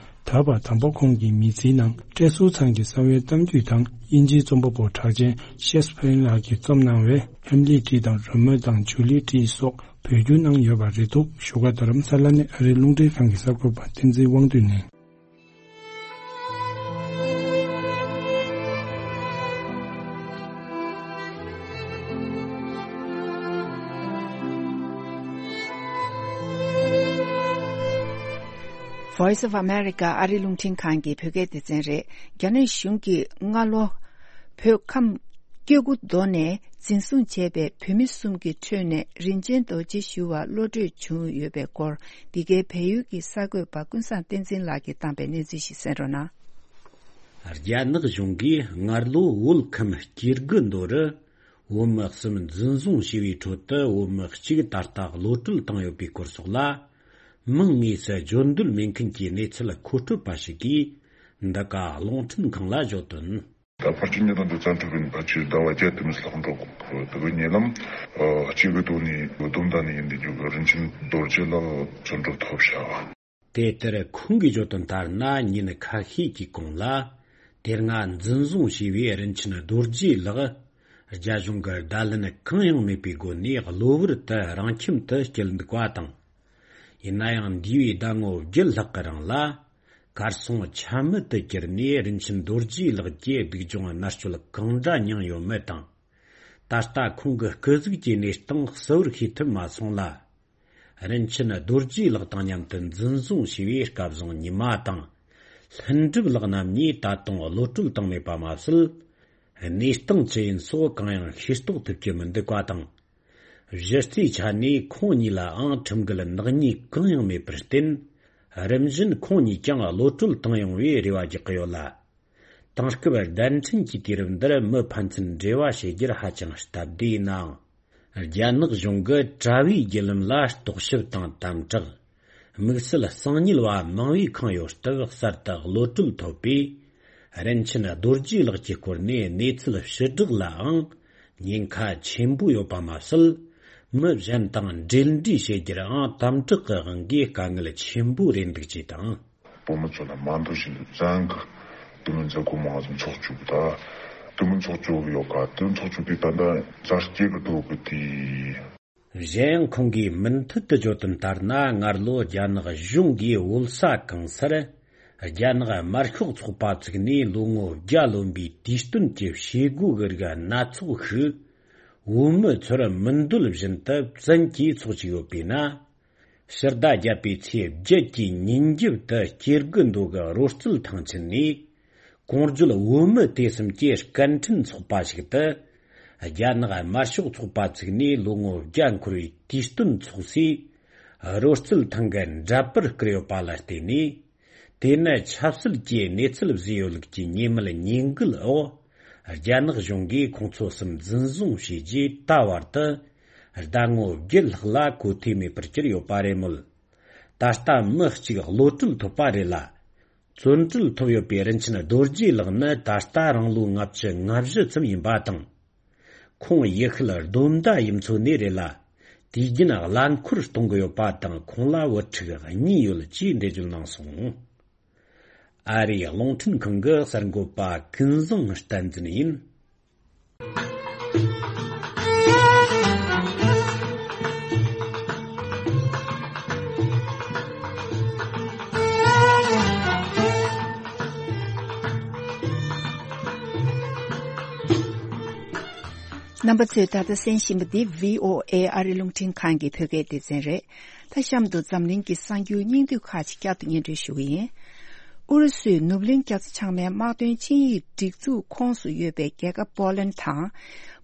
ད་བར་དམ་པ་ཁོང་གི་མི་ཚེའི་ནང་བཀྲས་ཟུར་ཚང་གི་གསང་བའི་གཏམ་རྒྱུད་དང་དབྱིན་ཇིའི་རྩོམ་པ་པོ་གྲགས་ཅན་ཤེས་སི་ཕེར་ལགས་ཀྱིས་རྩོམ་གནང་བའི་ཧེམ་ལེ་ཏྲི་དང་རོ་མེའོ་དང་ཇུ་ལི་ཏྲི་སོགས་བོད་བསྒྱུར་གནང་ཡོད་པ་རེད་འདུག་བཞུགས་སྒར་རྡ་རམ་ས་ལ་ནས་ཨ་རིའི་རླུང་འཕྲིན་ཁང་གི་གསར་འགོད་པ་བསྟན་འཛིན་དབང་འདུས་ནས། Voice of America ཨ་རིའི་རླུང་འཕྲིན་ཁང་གི་བོད་སྐད་སྡེ་ཚན་རེད། རྒྱ་ནག་གཞུང་གིས་སྔ་ལོ་བོད་ཁམས་སྐྱེ་རྒུ་མདོ་ནས་འཛིན་བཟུང་བྱས་པའི་བོད་མི་གསུམ་གྱི་ཁྲོད་ནས་རིན་ཆེན་རྡོ་རྗེ་ཞུ་བ་བློ་གྲོས་བྱུང་ཡོད་པའི་སྐོར། འདི་གའི་བལ་ཡུལ་གྱི་གསར་འགོད་པ་ཀུན་བཟང་བསྟན་འཛིན་ལགས་ཀྱིས་བཏང་པའི་གནས་ཚུལ་ཞིག་གསན་རོགས་གནང་། རྒྱ་ནག་གཞུང་གིས་སྔར་ལོ་བོད་ཁམས་སྐྱེ་རྒུ་མདོ་རུ་བོད་མི་གསུམ་འཛིན་བཟུང་བྱས་པའི་ཁྲོད་དུ་བོད་མི་གཅིག་ད་ལྟ་གློད་གྲོལ་བཏང་ཡོད་པའི་སྐོར་སོགས་ལ། མིང་དངོས་སུ་བརྗོད་འདོད་མེད་མཁན་གྱི་གནས་ཚུལ་མཁོ་སྤྲོད་པ་ཞིག་གིས་འདི་ག་རླུང་འཕྲིན་ཁང་ལ་བརྗོད་དོན། ད་ཕར་ཕྱིན་གཉིས་དང་དུ་བཙན་ཁྲིད་པའི་ཕལ་ཆེར་ཟླ་བ་བརྒྱད་དུ་མི་ལྷག་འགྲོ་དགོས་དུ་བའི་ཉེ་ལམ་གཅིག་གི་ཐོག་ནས་སྡོམ་ད་ནས་ཡིན་དུ་རྒྱུ་གི་རིན་ཆེན་རྡོ་རྗེ་ལགས་བཙོན་གྲོལ་ཐོབ་བྱ་བ། དེ་ལྟར་ཁོང་གིས་བརྗོད་དོན་ལྟར་ན། ཉིན་ཁ་ཤས་ཀྱི་གོང་ལ་དེ་སྔ་འཛིན་བཟུང་བྱས་པའི་རིན་ཆེན་རྡོ་རྗེ་ལགས་རྒྱ་གཞུང་གི་བརྡ་ལན་གང་ཡང་མེད་པའི་སྒོ་ནས་གློ་བུར་དུ་རང་ཁྱིམ་དུ་སྐྱེལ་འདུག་པ་དང་། ཡིན་ན་ཡང་འདས་པའི་ཟླ་ངོ་བརྒྱད་ལྷག་གི་རིང་ལ་གར་སོང་ཆ་མེད་དུ་གྱུར་ནས་རིན་ཆེན་རྡོ་རྗེ་ལགས་ཀྱི་སྡུག་སྦྱོང་མནར་གཅོད་གང་འདྲ་མྱངས་ཡོད་མེད་དང་། ད་ལྟ་ཁོང་གི་སྐུ་གཟུགས་ཀྱི་གནས་སྟངས་གསལ་བོར་ཤེས་ཐུབ་མ་སོང་ལ། རིན་ཆེན་རྡོ་རྗེ་ལགས་དང་མཉམ་དུ་འཛིན་བཟུང་བྱས་པའི་སྐལ་བཟང་ཉི་མ་དང་། ལྷུན་གྲུབ་ལགས་རྣམ་གཉིས་ད་དུང་གློད་གྲོལ་བཏང་མེད་པ་མ་ཟད། གནས་སྟངས་ཅི་ཡིན་སོགས་གང་ཡང་ཤེས་རྟོགས་ཐུབ་ཀྱི་མི་འདུག་པ་དང་། གཞི་རྩའི་ཆ་ནས་ཁོང་གཉིས་ལའང་ཁྲིམས་འགལ་ནག་ཉེས་གང་ཡང་མེད་པར་བརྟེན། རིམ་བཞིན་ཁོང་གཉིས་ཀྱང་གློད་གྲོལ་བཏང་ཡོང་བའི་རེ་བ་རྒྱག་གི་ཡོད་ལ། དེང་སྐབས་གདན་འདྲེན་གྱི་དུས་རབས་འདིར་མི་ཕན་ཚུན་འབྲེལ་བ་བྱེད་རྒྱུར་ཧ་ཅང་སྟབས་བདེ་ཡིན་ནའང་། རྒྱ་ནག་གཞུང་གིས་དྲ་བའི་བརྒྱུད་ལམ་ལ་རྟོག་ཞིབ་དང་དམ་དྲག་དམིགས་བསལ་གསང་ཉུལ་བ་མང་བས་ཁེངས་ཡོད་སྟབས། གསར་དུ་གློད་གྲོལ་ཐོབ་པའི་རིན་ཆེན་རྡོ་རྗེ་ལགས་ཀྱི་སྐོར་ནས་གནས་ཚུལ་ཕྱིར་བསྒྲགས་ལའང་ཉེན་ཁ་ཆེན་པོ་ཡོད་པ་མ་ཟད། མི་གཞན་དང་འབྲེལ་འདྲིས་བྱེད་རྒྱུར་ཡང་དམ་དྲག་གི་དབང་གིས་དཀའ་ངལ་ཆེན་པོ་རེད་འདུག་ཅེས་དང་། བོད་མི་ཚོ་ལ་མ་འདོད་བཞིན་དུ་བཙན་གྱིས་དེ་མིན་མཛད་སྒོ་མང་ཙམ་འཚོགས་བཅུག་གི། ད་དེ་མིན་འཚོགས་བཅུག་གི་ཡོད་ག་དེ་འཚོགས་བཅུག་དུས་ད་ལྟ་མཛའ་སྐྱེ་གི་འདུག་གི་དེ། གཞན་ཡང་ཁོང་གིས་མུ་མཐུད་དུ་བརྗོད་དོན་ལྟར་ན། སྔར་ལོ་རྒྱ་ནག་གཞུང་གིས་བོད་ས་གང་སར་རྒྱ་ནག་དམར་ཤོག་ཚོགས་པ་བཙུགས་ནས་ལོ་ངོ་བརྒྱ་ལོན་པའི་དུས་སྟོན་གྱི་བྱེད་སྒོ་གི་རིགས་སྣ་ཚོགས་ཤིག་བོད་མི་ཚོར་མི་འདོད་བཞིན་དུ་བཙན་གྱིས་འཚོགས་བཅུག་ཡོད་པས་ན། ཕྱི་ཟླ་བརྒྱད་པའི་ཚེས་བརྒྱད་ཀྱི་ཉིན་རྒྱབ་ཏུ་སྐྱེ་རྒུ་མདོ་གི་རོལ་རྩེད་ཐང་ཆེན་ནས། གོང་བརྗོད་བོད་མི་དེ་གསུམ་གྱི་སྐད་འཕྲིན་ཚོགས་པ་ཞིག་ཏུ། རྒྱ་ནག་དམར་ཤོག་ཚོགས་པ་བཙུགས་ནས་ལོ་ངོ་བརྒྱ་འཁོར་བའི་དུས་སྟོན་འཚོགས་སའི་རོལ་རྩེད་ཐང་གི་འདྲ་པར་བསྐུར་ཡོད་པ་ལ་བརྟེན་ནས། དེ་ནི་ཆབ་སྲིད་ཀྱི་གནས་ཚུལ་བཟོས་ཡོད་ལུགས་ཀྱི་ཉེས་མེད་ཉེས་འགུལ་འོག་རྒྱ་ནག་གཞུང་གིས་ཁོང་ཚོ་གསུམ་འཛིན་བཟུང་བྱས་རྗེས་ད་བར་དུ་ཟླ་ངོ་བརྒྱད་ལྷག་ལ་གོ་ཐོས་མེད་པར་གྱུར་ཡོད་པ་རེད་མོད། ད་ལྟ་མི་གཅིག་གློད་གྲོལ་ཐོབ་པ་རེད་ལ། བཙོན་གྲོལ་ཐོབ་ཡོད་པའི་རིན་ཆེན་རྡོ་རྗེ་ལགས་ནི་ད་ལྟ་རང་ལོ་ལྔ་བཅུ་ང་བཞི་ཙམ་ཡིན་པ་དང་། ཁོང་ཡུལ་ཤུལ་སྡོམ་མདའ་ཡུལ་མཚོ་ནས་རེད་ལ། དུས་རྒྱུན་རླངས་འཁོར་གཏོང་གི་ཡོད་པ་དང་། ཁོང་ལ་བུ་ཕྲུག་གཉིས་ཡོད་ཅེས་འགྲེལ་བརྗོད་གནང་སོང་། ཨ་རིའི་རླུང་འཕྲིན་ཁང་གི་གསར་འགོད་པ་ཀུན་བཟང་བསྟན་འཛིན་ཡིན། རྣམ་པ་ཚོས་ད་ལྟ་གསན་བཞིན་པ་འདི་བྷི་ཨོ་ཨེ་ཨ་རི་རླུང་འཕྲིན་ཁང་གི་བོད་སྐད་སྡེ་ཚན་རེད། ད་གཤམ་དུ་འཛམ་གླིང་གི་གསར་འགྱུར་སྙིང་བསྡུས་ཁག་ཅིག་བསྐྱར་དུ་སྙན་སྒྲོན་ཞུ་གི་ཡིན། ཨུ་རུ་སུས་ནུབ་གླིང་རྒྱ་མཚོ་བྱང་མའི་དམག་དོན་ཆིངས་ཡིག་སྒྲིག་འཛུགས་ཁོངས་སུ་ཡོད་པའི་རྒྱལ་ཁབ་པོ་ལན་དང་།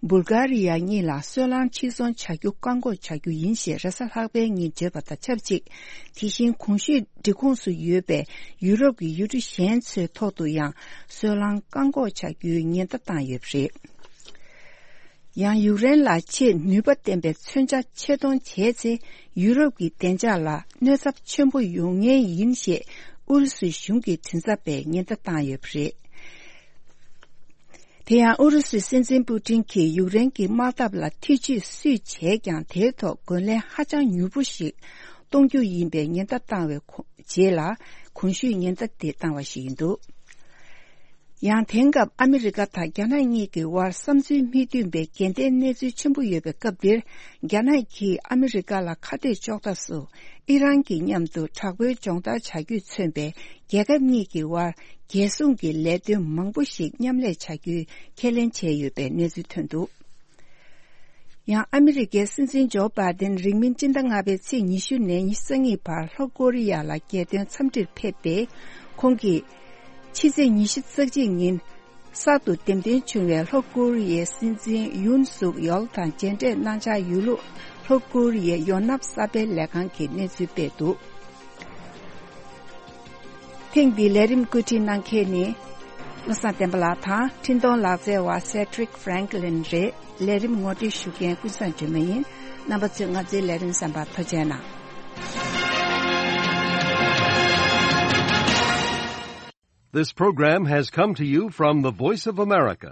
སྦུལ་གྷ་རི་ཡ་གཉིས་ལ་སོལ་རླངས་ཕྱིར་ཚོང་བྱ་རྒྱུ་བཀག་འགོག་བྱ་རྒྱུ་ཡིན་ཞེས་རེས་གཟའ་ལྷག་པའི་ཉིན་བརྗོད་པ་དང་ཆབས་ཅིག་དེ་བཞིན་གོང་ཞུས་སྒྲིག་ཁོངས་སུ་ཡོད་པའི་ཡུ་རོབ་ཀྱི་ཡུལ་གྲུ་གཞན་ཚོའི་ཐོག་ཏུ་ཡང་སོལ་རླངས་བཀག་འགོག་བྱ་རྒྱུའི་ཉེན་བརྡ་བཏང་ཡོད་པ་རེད། ཡང་ཡུཀ་རེན་ལ་ཆེས་ནུས་པ་ལྡན་པའི་མཚོན་ཆ་ཆེད་གཏོང་བྱས་ཚེ། ཡུ་རོབ་ཀྱི་བདེ་འཇགས་ལ་གནོད་ཚབས་ཆེན་པོ་ཡོང་ངེས་ཡིན་ཞེས་ཨུ་རུ་སུའི་གཞུང་གི་མགྲིན་ཚབ་པས་ཉེན་བརྡ་བཏང་ཡོད་པ་རེད། དེ་ཡང་ཨུ་རུ་སུའི་སྲིད་འཛིན་པུ་ཏིན་གྱིས་ཡུཀ་རེན་གྱི་དམག་འཐབ་ལ་ཐེ་བྱུས་སུས་བྱས་ཀྱང་། དེའི་ཐོག་རྒོལ་ལན་ཧ་ཅང་མྱུར་པོ་ཞིག་གཏོང་ གཏོང་རྒྱུ་ཡིན་པའི་ཉེན་བརྡ་བཏང་བའི་གོ་རྗེས་ལ་གོང་ཞུས་ཉེན་བརྡ་དེ་བཏང་བ་ཞིག་ཡིན་འདུག་ཡང་དེང་སྐབས་ཨ་མི་རི་ཀ་དང་རྒྱ་ནག་གཉིས་ཀྱི་དབར་བསམ་ཚུལ་མི་མཐུན་པའི་འགལ་ཟླའི་གནས་ཚུལ་ཆེན་པོ་ཡོད་པའི་སྐབས་འདིར། རྒྱ་ནག་གིས་ཨ་མི་རི་ཀ་ལ་ཁ་གཏད་གཅོག་ཐབས་སུ་ཨི་རན་གྱི་མཉམ་དུ་དྲག་པོའི་སྦྱོང་བརྡར་བྱ་རྒྱུས་མཚོན་པའི་རྒྱལ་ཁབ་གཉིས་ཀྱི་དབར་རྒྱལ་སྲུང་གི་ལས་དོན་མང་པོ་ཞིག་མཉམ་ལས་བྱ་རྒྱུའི་ཁས་ལེན་བྱས་ཡོད་པའི་གནས་ཚུལ་ཐོན་འདུག་ཡང་ཨ་མི་རི་ཀའི་སྲིད་འཛིན་ཇོ་བྷའི་ཏིན་རིང་མིན་སྤྱི་ཟླ་ལྔ་པའི་ཚེས་ཉི་ཤུ་ནས་ཉི་ཤུ་རྩ་གཉིས་བར་ལྷོ་ཀོ་རི་ཡ་ལ་རྒྱལ་དོན་འཚམས་འདྲིར་ཕེབས་ཏེ། ཁོང་གིས་ཕྱི་ཚེས་ཉི་ཤུ་རྩ་གཅིག་ཉིན་གསར་དུ་འདེམས་ཐོན་བྱུང་བའི་ལྷོ་ཀོ་རི་ཡའི་སྲིད་འཛིན་ཡུན་སུག་ཡོལ་དང་མཇལ་འཕྲད་གནང་འཆར་ཡོད་ལུགས་ལྷོ་ཀོ་རི་ཡའི་ཡོ་ནབ་གསར་སྤེལ་ལས་ཁང་གིས་གནས་ཚུལ་སྤེལ་འདུག་ཐེངས་འདིའི་ལས་རིམ་བཀོད་སྒྲིག་གནང་མཁན་ནི་བློ་བཟང་བསྟན་པ་ལགས་དང་འཕྲིན་གཏོང་ལག་རྩལ་བ་Cedric Franklin་རེད། ལས་རིམ་ངོ་སྤྲོད་ཞུ་མཁན་ཀུན་བཟང་སྒྲོལ་མ་ཡིན། རྣམ་པ་ཚོས་ང་ཚོའི་ལས་རིམ་གསན་པར་ཐུགས་རྗེ་གནང་། This program has come to you from the Voice of America,